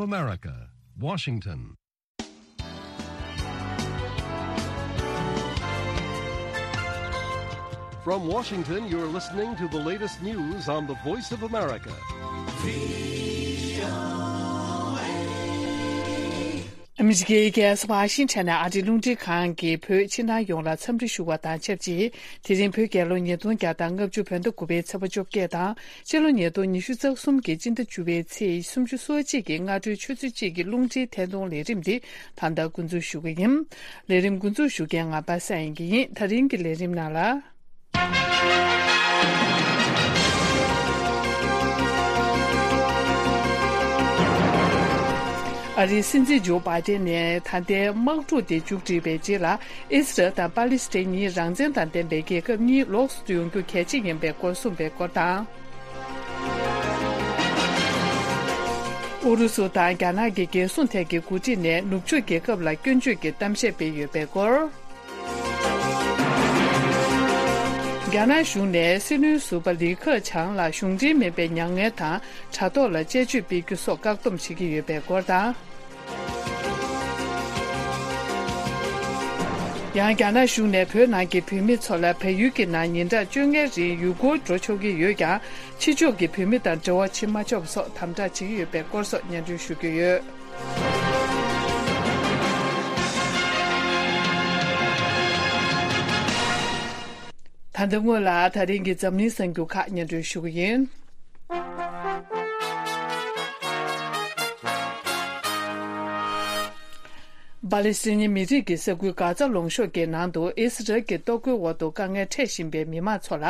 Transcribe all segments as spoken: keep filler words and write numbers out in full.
America, Washington. From Washington, you're listening to the latest news on the Voice of America. ཨ་མི་རི་ཀའི་རྒྱལ་ས་ཝ་ཤིང་ཊོན་ནས་ཨ་རིའི་རླུང་འཕྲིན་ཁང་གིས་བོད་ཕྱི་ནང་ཡོངས་ལ་འཚམས་འདྲི་ཞུ་བ་དང་ཆབས་ཅིག་དེ་རིང་བོད་རྒྱལ་ལོ་ཉིས་སྟོང་བརྒྱ་དང་ལྔ་བཅུ་བོད་ཟླ་དགུ་པའི་ཚེས་པ་བཅོ་བརྒྱད་དང་། སྤྱི་ལོ་ཉིས་སྟོང་ཉི་ཤུ་རྩ་གསུམ་གྱི་སྤྱི་ཟླ་བཅུ་པའི་ཚེས་སུམ་ཅུ་སོ་གཅིག་གི་སྔ་དྲོའི་ཆུ་ཚོད་གཅིག་གི་རླུང་འཕྲིན་ཐད་གཏོང་ལས་རིམ་འདི་ད་ལྟ་འགོ་འཛུགས་ཞུ་གི་ཡིན། ལས་རིམ་འགོ་འཛུགས་ཞུ་མཁན་ང་པ་སངས་དབྱངས་སྐྱིད་ཡིན། ད་རིང་གི་ལས་རིམ་ནང་ལ། ཨ་རིའི་སྲིད་འཛིན་ཇོ་བྷའི་ཏན་ནས་ད་ལྟའི་དམག་འཁྲུག་དེ་མཇུག་སྒྲིལ་བའི་རྗེས་ལ། ཨི་སི་རལ་དང་པ་ལི་སི་ཐན་གཉིས་རང་བཙན་དང་ལྡན་པའི་རྒྱལ་ཁབ་གཉིས་ལོགས་སུ་ཡོང་རྒྱུ་གལ་ཆེ་ཡིན་པའི་སྐོར་གསུངས་པའི་སྐོར་དང་། ཨུ་རུ་སུ་དང་རྒྱ་ནག་གི་རྒྱལ་སྲུང་ཐད་ཀྱི་འགོ་ཁྲིད་ནས་ནུབ་ཕྱོགས་རྒྱལ་ཁབ་ལ་སྐྱོན་བརྗོད་ཀྱི་གཏམ་བཤད་སྤེལ་ཡོད་པའི་སྐོར། རྒྱ་ནག་གཞུང་ནས་སྲིད་བློན་ཟུར་པ་ལི་ཁེ་ཆང་ལ་གཞུང་འབྲེལ་མིན་པའི་མྱ་ངན་དང་དྲ་ཐོག་ལ་དཔྱད་བརྗོད་སྤེལ་རྒྱུ་སོགས་བཀག་སྡོམ་བྱེད་ཀྱི་ཡོད་པའི་སྐོར་དང་། ཡང་རྒྱ་ནག་གཞུང་ནས་བོད་ནང་གི་བོད་མི་ཚོ་ལ་བལ་ཡུལ་གྱི་ནང་ཉིན་གྲངས་བཅོ་ལྔའི་རིང་ཡུལ་སྐོར་འགྲོ་ཆོག་གི་ཡོད་ཀྱང་། ཕྱི་ཕྱོགས་ཀྱི་བོད་མི་དང་འབྲེལ་བ་བྱེད་མ་ཆོག་པ་སོགས་དམ་དྲག་བྱེད་ཀྱི་ཡོད་པའི་སྐོར་སོགས་སྙན་སྒྲོན་ཞུ་རྒྱུ་ཡོད། ད་ལྟ་སྔོན་ལ་ད་རིང་གི་འཛམ་གླིང་གསར་འགྱུར་ཁག་སྙན་སྒྲོན་ཞུ་གི་ཡིན། པ་ལི་སི་ཐན་མི་རིགས་ཀྱི་ས་ཁུལ་གྷ་ཛ་ལུང་གཤོང་གི་ནང་དུ་ཨི་སི་རལ་གྱི་གཏོར་རྒོལ་འོག་ཏུ་དཀའ་ངལ་འཕྲད་བཞིན་པའི་མི་མང་ཚོ་ལ་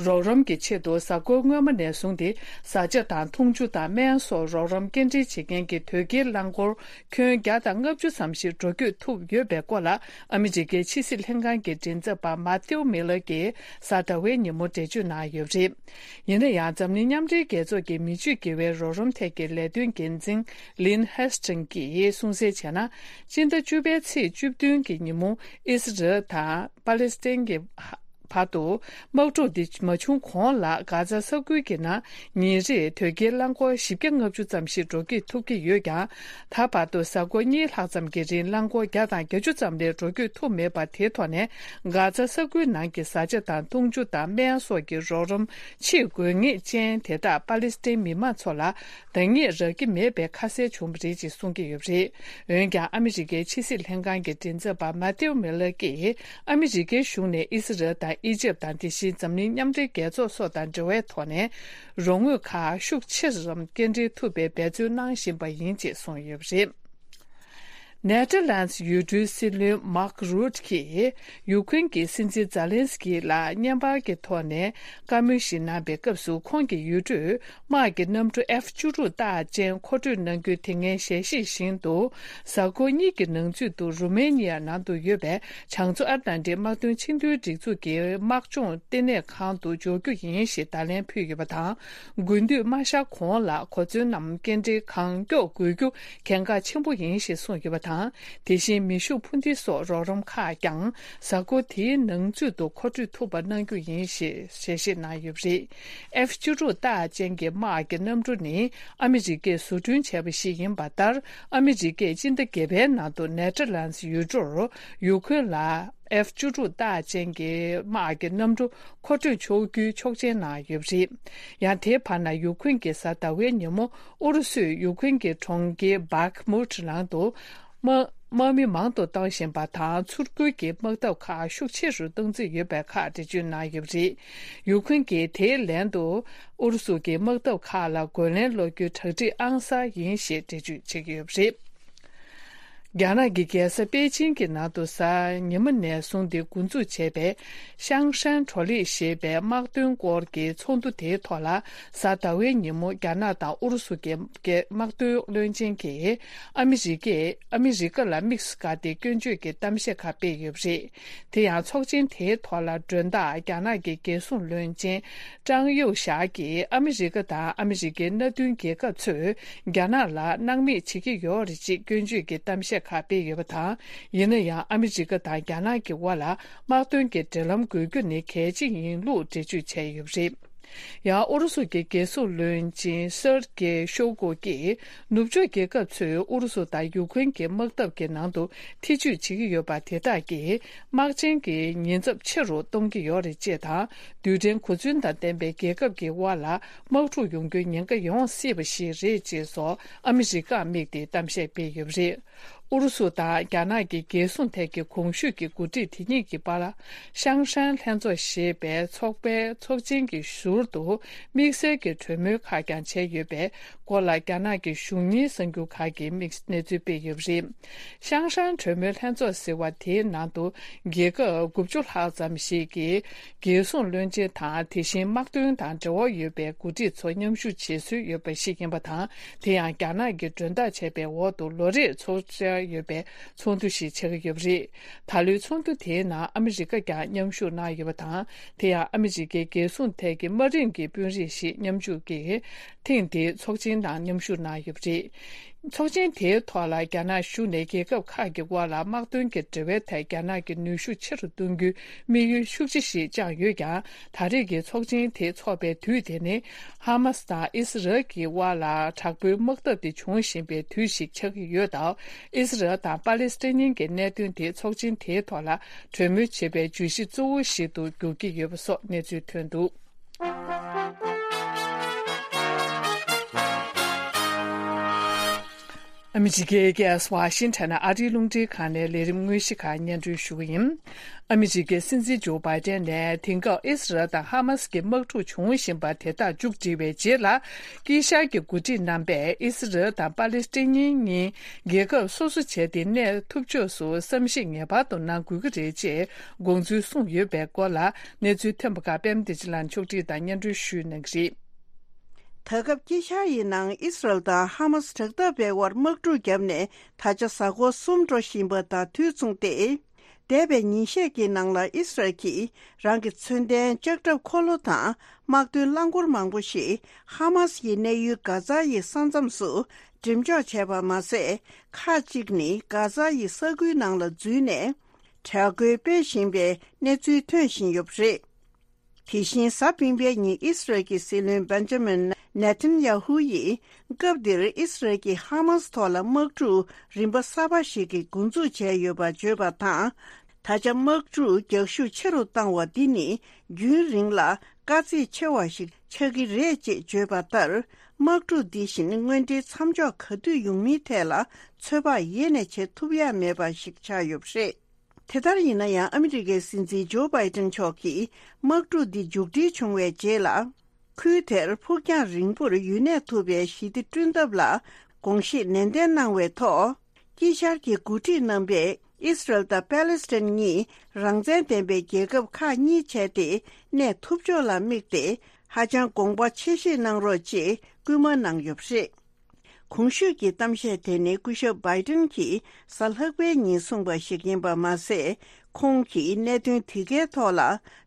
རོགས་རམ་གྱི་ཆེད་དུ་གཟའ་འཁོར་སྔོན་མ་ནས་བཟུང་སྟེ་བཟའ་བཅའ་དང་འཐུང་ཆུ་དང་སྨན་སོགས་རོགས་རམ་སྐྱེལ་འདྲེན་བྱེད་མཁན་གྱི་དོས་སྐྱེལ་རླངས་འཁོར་ཁྱོན་བརྒྱ་དང་ལྔ་བཅུ་ཙམ་ཞིག་འགྲོ་སྐྱོད་ཐུབ་ཡོད་པའི་སྐོར་ལ་ཨ་མི་རི་ཀའི་ཕྱི་སྲིད་ལྷན་ཁང་གི་མགྲིན་ཚབ་པ་མཱ་ཐེའུ་མི་ལར་གྱིས་གཟའ་ཟླ་བའི་ཉིན་མོ་འགྲེལ་བརྗོད་གནང་ཡོད་པ་རེད། ཡིན་ན་ཡང་འཛམ་གླིང་མཉམ་འབྲེལ་རྒྱལ་ཚོགས་ཀྱི་མི་སྤྱོད་དགེ་བའི་རོགས་རམ་ཐད་ཀྱི་ལས་དོན་འགན་འཛིན་ལིན་ཧེ་སི་ཊིང་གིས་གསུངས་གསལ་བྱས་ན། སྤྱི་ཟླ་བཅུ་པའི་ཚེས་བཅུ་བདུན་གྱི་ཉིན་མོ་ཨི་སི་རལ་དང་པ་ལི་སི་ཐན་གྱི་བར་དུ་དམག་འཁྲུག་འདི་མ་བྱུང་གོང་ལ་གྷ་ཛ་ས་ཁུལ་གྱི་ནང་ཉིན་རེར་དོས་སྐྱེལ་རླངས་འཁོར་བཞི་བརྒྱ་ལྔ་བཅུ་ཙམ་ཞིག་འགྲོ་སྐྱོད་ཐུབ་ཀྱི་ཡོད་ཀྱང་། ད་བར་དུ་གཟའ་འཁོར་གཉིས་ལྷག་ཙམ་གྱི་རིང་རླངས་འཁོར་བརྒྱ་དང་བརྒྱད་ཅུ་ཙམ་ལས་འགྲོ་སྐྱོད་ཐུབ་མེད་པ་དེའི་ཐོག་ནས་གྷ་ཛ་ས་ཁུལ་ནང་གི་བཟའ་བཅའ་དང་འཐུང་ཆུ་དང་སྨན་སོགས་ཀྱི་རོགས་རམ་ཆེས་དགོས་ངེས་ཅན་དེ་དག་པ་ལི་སི་ཐན་མི་མང་ཚོ་ལ་འདང་ངེས་རག་གི་མེད་པའི་ཁ་གསལ་བྱུང་བ་རེད་ཅེས་གསུང་གི་ཡོད་པ་རེད། འོན་ཀྱང་ཨ་མི་རི་ཀའི་ཕྱི་སྲིད་ལྷན་ཁང་གི་མགྲིན་ཚབ་པ་མཱ་ཐེའུ་མི་ལར་གྱིས་ཨ་མི་རི་ཀའི་གཞུང་ནས་ཨི་སི་རལ་དང་ཨི་ཇེབ་དང་དེ་བཞིན་འཛམ་གླིང་མཉམ་འབྲེལ་རྒྱལ་ཚོགས་སོགས་དང་འབྲེལ་བའི་ཐོག་ནས་རོགས་དངུལ་ཁག་ཤུགས་ཆེ་ཙམ་སྐྱེལ་འདྲེན་ཐུབ་པའི་འབད་བརྩོན་གནང་བཞིན་པ་ཡིན་ཅེས་གསུངས་ཡོད་པ་རེད། ནེ་ཐར་ལན་སི་ཡུལ་གྲུའི་སྲིད་བློན་མཱག་རུད་ཀྱིས་ཡུ་ཁུན་གྱི་སྲིད་འཛིན་ཛཱ་ལན་སི་ཀི་ལ་བརྙན་པར་གྱི་ཐོག་ནས་བཀའ་མོལ་ཞིག་གནང་པའི་སྐབས་སུ། ཁོང་གི་ཡུལ་གྲུས་དམག་གི་གནམ་གྲུ་ཨེཕ་བཅུ་དྲུག་རྟགས་ཅན་མཁོ་སྤྲོད་གནང་རྒྱུ་དེ་སྔའི་ཞལ་བཞེས་བཞིན་དུ། གཟའ་འཁོར་གཉིས་ཀྱི་ནང་ཚུད་དུ་རུ་མེ་ནི་ཡ་ནང་དུ་ཡོད་པའི་བྱང་མཚོ་ཨ་ཏི་ལན་ཏིག་དམག་དོན་ཆིངས་དོན་སྒྲིག་འཛུགས་ཀྱི་དམག་སྦྱོང་ལྟེ་གནས་ཁང་དུ་འབྱོར་རྒྱུ་ཡིན་ཞེས་བརྡ་ལན་ཕུལ་ཡོད་པ་དང་། དགུན་དུས་མ་ཤར་གོང་ལ་གོ་མཚོན་ནམ་སྐྱེལ་འདྲེན་གང་མགྱོགས་དགོས་རྒྱུ་གལ་འགངས་ཆེན་པོ་ཡིན་ཞེས་གསུངས་ཡོད་པ་དང་། དེ་བཞིན་མེ་ཤུགས་འཕུར་མདེལ་སོགས་རོགས་རམ་ཁག་ཀྱང་གཟའ་འཁོར་དེའི་ནང་ཚུད་དུ་མཁོ་སྤྲོད་ཐུབ་པ་གནང་རྒྱུ་ཡིན་ཞེས་ཞལ་བཞེས་གནང་ཡོད་པ་རེད། ཨེཕ་བཅུ་དྲུག་རྟགས་ཅན་གྱི་དམག་གི་གནམ་གྲུ་ནི་ཨ་མི་རི་ཀས་བཟོ་སྐྲུན་བྱས་པ་ཞིག་ཡིན་པ་ལྟར། ཨ་མི་རི་ཀས་སྤྱི་ཟླ་བརྒྱད་པའི་ནང་དུ་ནེ་ཐར་ལན་སི་ཡུལ་གྲུར་ཡུ་ཁུན་ལ་ཨེཕ་བཅུ་དྲུག་རྟགས་ཅན་གྱི་དམག་གི་གནམ་གྲུ་མཁོ་སྤྲོད་ཆོག་རྒྱུའི་ཆོག་མཆན་གནང་ཡོད་པ་རེད། ཡང་དེའི་བར་ན་ཡུ་ཁུན་གྱིས་གཟའ་ཟླ་བའི་ཉིན་མོ་ཨུ་རུ་སུས་ཡུ་ཁུན་གྱི་གྲོང་ཁྱེར་བྷག་མུད་ནང་དུ་དམག་དམག་མི་མང་དུ་བཏང་བཞིན་པ་དང་། ཚུར་རྒོལ་གྱི་དམག་འཐབ་ཁག་ཤུགས་ཆེ་རུ་གཏོང་རྩིས་ཡོད་པའི་ཁག་འགྲེལ་བརྗོད་གནང་ཡོད་པ་རེད། ཡུ་ཁུན་གྱིས་དེའི་ལན་དུ་ཨུ་རུ་སུ་གྱི་དམག་འཐབ་ཁག་ལ་རྒོལ་ལན་སློག་རྒྱུའི་གྲ་སྒྲིག་ཨང་གསར་ཡིན་ཞེས་འགྲེལ་བརྗོད་བྱེད་ཀྱི་ཡོད་པ་རེད། རྒྱ་ནག་གི་རྒྱལ་ས་པེ་ཅིང་གི་ནང་དུ་གཟའ་ཉི་མ་ནས་བཟུང་སྟེ་འགོ་འཛུགས་བྱས་པའི་ཤང་ཧྲན་གྲོ་ལི་ཞེས་པའི་དམག་དོན་སྐོར་གྱི་ཚོགས་འདུ་དེའི་ཐོག་ལ། གཟའ་ཟླ་བའི་ཉིན་མོ་རྒྱ་ནག་དང་ཨུ་རུ་སུ་གྱི་དམག་དོན་བློན་ཆེན་གྱིས་ཨ་མི་རི་ཀས་ཨ་མི་རི་ཀ་ལ་དམིགས་སུ་བཀར་ཏེ་སྐྱོན་བརྗོད་ཀྱི་གཏམ་བཤད་ཁག་སྤེལ་ཡོད་པ་རེད། དེ་ཡང་ཚོགས་ཆེན་དེའི་ཐོག་ལ་མགྲོན་བདག་རྒྱ་ནག་གི་རྒྱལ་སྲུང་བློན་ཆེན་ཀྲང་ཡུའུ་ཞའོ་གིས་ཨ་མི་རི་ཀ་དང་ཨ་མི་རི་ཀའི་མནའ་མཐུན་རྒྱལ་ཁབ་ཚོས་རྒྱ་ནག་ལ་སྣང་མེད་བྱེད་ཀྱི་ཡོད་རེད་ཅེས་སྐྱོན་བརྗོད་ཀྱི་གཏམ་བཤད་ཁག་སྤེལ་ཡོད་པ་དང་། ཡིན་ན་ཡང་ཨ་མི་རི་ཀ་དང་རྒྱ་ནག་གི་དབར་ལ་དམག་དོན་གྱི་འབྲེལ་ལམ་དགོས་རྒྱུ་ནི་གལ་ཆེ་ཡིན་ལུགས་འགྲེལ་བརྗོད་བྱས་ཡོད་པ་རེད། ཡང་ཨུ་རུ་སུ་གྱི་རྒྱལ་སྲུང་བློན་ཆེན་སེར་གེ་ཤོ་གོ་གིས་ནུབ་ཕྱོགས་རྒྱལ་ཁབ་ཚོས་ཨུ་རུ་སུ་དང་ཡུ་ཁུན་གྱི་དམག་འཐབ་ཀྱི་ནང་དུ་ཐེ་ཇུས་བྱེད་ཀྱི་ཡོད་པ་དེ་དག་གིས་དམག་ཆེན་གྱི་ཉེན་ཚབས་ཆེ་རུ་གཏོང་གི་ཡོད་རེད་ཅེས་དང་། རྡུལ་ཕྲན་གོ་མཚོན་དང་ལྡན་པའི་རྒྱལ་ཁབ་ཀྱི་དབར་ལ་དམག་འཁྲུག་ཡོང་རྒྱུའི་ཉེན་ཁ་ཡོང་སྲིད་པ་ཞིག་རེད་ཅེས་སོགས་ཨ་མི་རི་ཀར་དམིགས་ཏེ་གཏམ་བཤད་སྤེལ་ཡོད་པ་རེད། ཨུ་རུ་སུ་དང་རྒྱ་ནག་གི་རྒྱལ་སྲུང་ཐད་ཀྱི་གོང་ཞུས་ཀྱི་འགོ་ཁྲིད་དེ་གཉིས་ཀྱི་བར། ཤང་ཧྲན་ལྷན་ཚོགས་ཞེས་པའི་ཚོགས་པའི་ཚོགས་ཆེན་གྱི་ཟུར་དུ་དམིགས་བསལ་གྱི་གྲོས་མོལ་ཁག་ཀྱང་བྱས་ཡོད་པའི་སྐོར་ལ་རྒྱ་ནག་གི་གཞུང་གཉེར་གསར་འགྱུར་ཁག་གིས་དམིགས་གནས་ཚུལ་སྤེལ་ཡོད་པ་རེད། ཤང་ཧྲན་གྲོས་མོལ་ལྷན་ཚོགས་ཟེར་བ་དེའི་ནང་དུ་རྒྱལ་ཁབ་དགུ་བཅུ་ལྷག་ཙམ་ཞིག་གི་རྒྱལ་སྲུང་བློན་ཆེན་དང་། དེ་བཞིན་དམག་དོན་དང་འབྲེལ་བ་ཡོད་པའི་འགོ་ཁྲིད་ཚོ་མཉམ་ཞུགས་བྱེད་སྲོལ་ཡོད་པ་ཞིག་ཡིན་པ་དང་། དེ་ཡང་རྒྱ་ནག་གིས་མགྲོན་བདག་བྱས་པའི་འོག་ཏུ་ལོ་རེར་ཚོགས་བཅར་ཡོད་པའི་ཚོགས་འདུ་ཞིག་ཆགས་ཀྱི་ཡོད་པ་རེད། ད་ལོའི་ཚོགས་འདུ་དེའི་ནང་ཨ་མི་རི་ཀ་ཀྱང་མཉམ་ཞུགས་གནང་ཡོད་པ་དང་། དེ་ཡང་ཨ་མི་རི་ཀའི་རྒྱལ་སྲུང་ཐད་ཀྱི་དམའ་རིམ་གྱི་དཔོན་རིགས་ཤིག་མཉམ་ཞུགས་ཀྱིས་ཐེངས་འདིའི་ཚོགས་ཆེན་ནང་མཉམ་ཞུགས་གནང་ཡོད་པ་རེད། ཚོགས་ཆེན་དེའི་ཐོག་ལ་རྒྱ་ནག་གཞུང་ནས་རྒྱལ་ཁབ་ཁག་གི་དབར་ལ་དམག་དོན་གྱི་འབྲེལ་བའི་ཐད་རྒྱ་ནག་གི་ནུས་ཤུགས་ཆེ་རུ་གཏོང་རྒྱུའི་དམིགས་ཡུལ་ཤུགས་ཆེ་ཞིག་བཅངས་ཡོད་ཀྱང་། ད་རེས་ཀྱི་ཚོགས་ཆེན་དེ་འཚོགས་པའི་དུས་དེ་ནི་ཧ་མ་སི་དང་ཨི་སི་རལ་གྱི་དབར་ལ་དྲག་པོའི་དམག་འཐབ་དེ་འབྱུང་བཞིན་པའི་དུས་ཤིག་ཆགས་ཀྱི་ཡོད་སྟབས། ཨི་སི་རལ་དང་པ་ལེ་སི་ཐན་གྱི་གནད་དོན་དེ་ཚོགས་ཆེན་དེའི་ཐོག་ལ་གྲོས་མོལ་བྱེད་པའི་བརྗོད་གཞི་གཙོ་བོ་ཞིག་ཏུ་འགྱུར་གྱི་ཡོད་པ་སོགས་གནས་ཚུལ་ཐོན་འདུག་ཨ་མི་རི་ཀའི་རྒྱལ་ས་ཝ་ཤིང་ཊོན་ནས་ཨ་རིའི་རླུང་འཕྲིན་ཁང་ནས་ལས་རིམ་དངོས་གཞི་ཁག་སྙན་སྒྲོན་ཞུ་གི་ཡིན། ཨ་མི་རི་ཀའི་སྲིད་འཛིན་ཇོ་བྷའི་ཏན་ནས་དེང་སྐབས་ཨི་སི་རལ་དང་ཧ་མ་སི་གི་དམག་འཁྲུག་འབྱུང་བཞིན་པ་དེ་དག་མཇུག་སྒྲིལ་བའི་རྗེས་ལ། དཀྱིལ་ཤར་གྱི་འགོ་ཁྲིད་རྣམ་པས་ཨི་སི་རལ་དང་པ་ལེ་སི་ཐན་གཉིས་རྒྱལ་ཁབ་སོ་སོ་བྱས་ཏེ་གནས་ཐུབ་ཕྱོགས་སུ་བསམ་གཞིག་ངེས་པར་དུ་གནང་དགོས་ཀྱི་རེད་ཅེས་དགོངས་ཚུལ་གསུངས་ཡོད་པའི་སྐོར་ལ། གནས་ཚུལ་ཐོན་པ་ཁག་པད་མ་བདེ་ཆེན་ལགས་ཕྱོགས་སྒྲིག་དང་སྙན་སྒྲོན་ཞུས་གནང་གི་རེད། ད་སྐབས་དཀྱིལ་ཤར་ཡི་ནང་ཨི་སི་རལ་དང་ཧ་མ་སི་དྲག་འཐབ་པའི་དབར་དམག་འཁྲུག་བརྒྱབ་ནས་ད་ཆ་གཟའ་འཁོར་གསུམ་འགྲོ་བཞིན་པ་དང་དུས་མཚུངས་ཏེ། འདས་པའི་ཉིན་ཤས་ཀྱི་ནང་ལ་ཨི་སི་རལ་གྱིས་རང་གི་མཚོན་ལྡན་ལྕགས་ཁྲབ་འཁོར་ལོ་དང་དམག་དོན་རླངས་འཁོར་མང་པོ་ཞིག་ཧ་མ་སི་ཡི་གནས་ཡུལ་གྷ་ཛ་ཡི་ས་མཚམས་སུ་འགྲེམས་འཇོག་བྱས་པ་མ་ཟད། ཁག་ཅིག་ནི་གྷ་ཛ་ཡི་ས་ཁུལ་ནང་ལ་འཛུལ་ནས་དྲག་རྒོལ་སྤེལ་བཞིན་པའི་གནས་ཚུལ་ཐོན་བཞིན་ཡོད་པ་རེད། དེ་བཞིན་གཟའ་སྤེན་པའི་ཉིན་ཨི་སི་རལ་གྱི་སྲིད་བློན་བན་ཇ་མིན་ནེ་ཐན་ཡ་ཧུ་ཡིས་སྐབས་འདིར་ཨི་སི་རལ་གྱིས་ཧ་མ་སི་ཐོག་ལ་དམག་འཁྲུག་རིམ་པ་གསར་པ་ཞིག་གི་འགོ་འཛུགས་བྱས་ཡོད་པ་བརྗོད་པ་དང་། ད་ཆ་དམག་འཁྲུག་རྒྱག་ཤུགས་ཆེ་རུ་བཏང་བ་འདི་ནི་རྒྱུན་རིང་ལ་དཀའ་ཚེགས་ཆེ་བ་ཞིག་ཆགས་ཀྱི་རེད་ཅེས་བརྗོད་པ་ལྟར། དམག་འཁྲུག་འདི་བཞིན་དངོས་འབྲེལ་མཚམས་འཇོག་ག་དུས་ཡོང་མིན་ཐད་ལ་ཚོད་དཔག་ཡེ་ནས་བྱེད་ཐུབ་ཡ་མེད་པ་ཞིག་ཆགས་ཡོད་པ་རེད། དེ་ལྟར་ཡིན་ན་ཡང་ཨ་མི་རི་ཀའི་སྲིད་འཛིན་ཇོ་བྷའི་ཏན་མཆོག་གིས་དམག་འཁྲུག་འདི་མཇུག་སྒྲིལ་བྱུང་བའི་རྗེས་ལ། ཁུལ་དེར་ཕུགས་རྒྱང་རིང་པོར་ཡུན་གནས་ཐུབ་པའི་ཞི་བདེ་བསྐྲུན་ཐབས་ལ་དགོངས་བཞེས་ནན་ཏན་གནང་བའི་ཐོག་དཀྱིལ་ཤར་གྱི་འགོ་ཁྲིད་རྣམ་པས་ཨི་སི་རལ་དང་པེ་ལེ་སི་ཐན་གཉིས་རང་བཙན་ལྡན་པའི་རྒྱལ་ཁབ་ཁག་གཉིས་བྱས་ཏེ་གནས་ཐུབ་ཕྱོགས་ལ་དམིགས་ཏེ་ཧ་ཅང་དགོངས་པ་ཆེ་བཞེས་གནང་རོགས་ཅེས་སྐུལ་མ་གནང་ཡོད་པ་རེད། གོང་ཞུས་ཀྱི་གཏམ་བཤད་དེ་ནི་སྐུ་ཞབས་བྷའི་ཏན་གྱིས་གཟའ་ལྷག་པའི་ཉིན་གསུངས་པ་ཞིག་ཡིན་པ་མ་ཟད། ཁོང་གིས་གནད་དོན་དེ་གའི་ཐོག་ལ་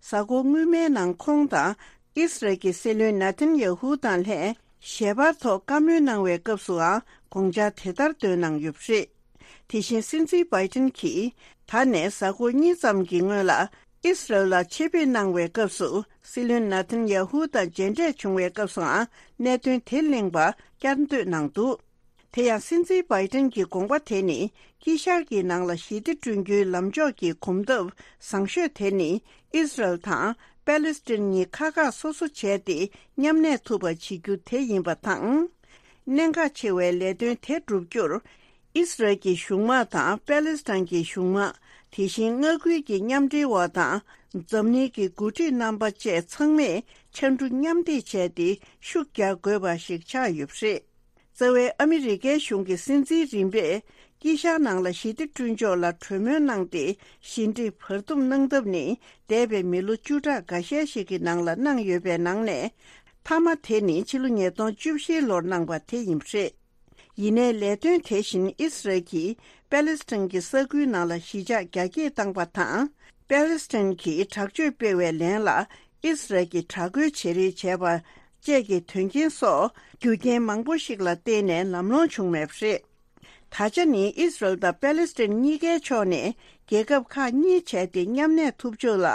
གཟའ་འཁོར་སྔོན་མའི་ནང་ཁོང་དང་ཨི་སི་རལ་གྱི་སྲིད་བློན་ནེ་ཐན་ཡ་ཧུ་དང་ལྷན་ཞལ་པར་ཐོག་བཀའ་མོལ་གནང་བའི་སྐབས་སུའང་དགོངས་འཆར་དེ་ལྟར་བཏོན་གནང་ཡོད་པ་རེད། དེ་བཞིན་སྲིད་འཛིན་བྷའི་ཏན་གྱིས་ད་ནས་གཟའ་འཁོར་གཉིས་ཙམ་གྱི་སྔོན་ལ་ཨི་སི་རལ་ལ་ཆེད་ཕེབས་གནང་བའི་སྐབས་སུ་སྲིད་བློན་ནེ་ཐན་ཡ་ཧུ་དང་མཇལ་འཕྲད་བྱུང་བའི་སྐབས་སུའང་གནད་དོན་དེ་གླེང་བ་བསྐྱར་ཟློས་གནང་འདུག་དེ་ཡང་སྲིད་འཛིན་བྷའི་ཏན་གྱི་དགོངས་པ་དེ་ནི་དཀྱིལ་ཤར་གྱི་ནང་ལ་ཞི་བདེ་བསྐྲུན་རྒྱུའི་ལམ་ཕྱོགས་ཀྱི་གོམ་སྟབས་བཟང་ཤོས་དེ་ནི་ཨི་སི་རལ་དང་པེ་ལེ་སི་ཐན་གཉིས་ཁག་ཁག་སོ་སོ་བྱས་ཏེ་མཉམ་གནས་ཐུབ་པ་བྱེད་རྒྱུ་དེ་ཡིན་པ་དང་། གནད་འགག་ཆེ་བའི་ལས་དོན་དེ་བསྒྲུབ་རྒྱུར། ཨི་སི་རལ་གྱི་གཞུང་དམག་དང་པེ་ལེ་སི་ཐན་གྱི་གཞུང་དམག་དེ་བཞིན་མངའ་ཁུལ་གྱི་མཉམ་འབྲེལ་བ་དང་འཛམ་གླིང་གི་འགོ་ཁྲིད་རྣམ་པ་བཅས་ཚང་མས་ཕྱར་གྲུ་མཉམ་འདེགས་བྱས་ཏེ་ཤུགས་རྒྱག་དགོས་པ་ཞིག་ཆགས་ཡོད་པ་རེད། རྩ་བའི་ཨ་མི་རི་ཀའི་གཞུང་གི་སྲིད་འཛིན་རིམ་པས་དཀྱིལ་ཤར་ནང་ལ་ཞི་བདེ་བསྐྲུན་ཕྱོགས་ལ་གྲོས་མོལ་གནང་སྟེ་ཞི་འགྲིག་བར་འདུམ་གནང་ཐབས་ནི་འདས་པའི་མི་ལོ་བཅུ་ཕྲག་འགའ་ཤས་ཤིག་གི་ནང་ལ་གནང་ཡོད་པའི་ནང་ནས། མཐའ་མ་དེ་ནི་ཕྱི་ལོ་ཉིས་སྟོང་བཅུ་བཞི་ལོར་གནང་པ་དེ་ཡིན་པ་རེད། ཡིན་ནའི་ལས་དོན་དེ་བཞིན་ཨི་སི་རལ་གྱིས་པེ་ལེ་སི་ཐན་གྱི་ས་ཁུལ་ནང་ལ་གཞིས་ཆགས་རྒྱ་སྐྱེད་བཏང་པ་དང་། པེ་ལེ་སི་ཐན་གྱིས་དྲག་སྤྱོད་སྤེལ་བའི་ལན་ལ་ཨི་སི་རལ་གྱིས་དྲག་རྒོལ་བྱེད་རེས་བྱས་པ་བཅས་ཀྱི་དོན་རྐྱེན་སོགས་རྒྱུ་རྐྱེན་མང་པོ་ཞིག་ལ་བརྟེན་ནས་ལམ་ལྷོང་བྱུང་མེད་པ་རེད། ད་ཆ་ནི་ཨི་སི་རལ་དང་པེ་ལེ་སི་ཐན་གཉིས་ཀའི་ཕྱོགས་ནས་རྒྱལ་ཁབ་ཁག་གཉིས་བྱས་ཏེ་མཉམ་གནས་ཐུབ་ཕྱོགས་ལ་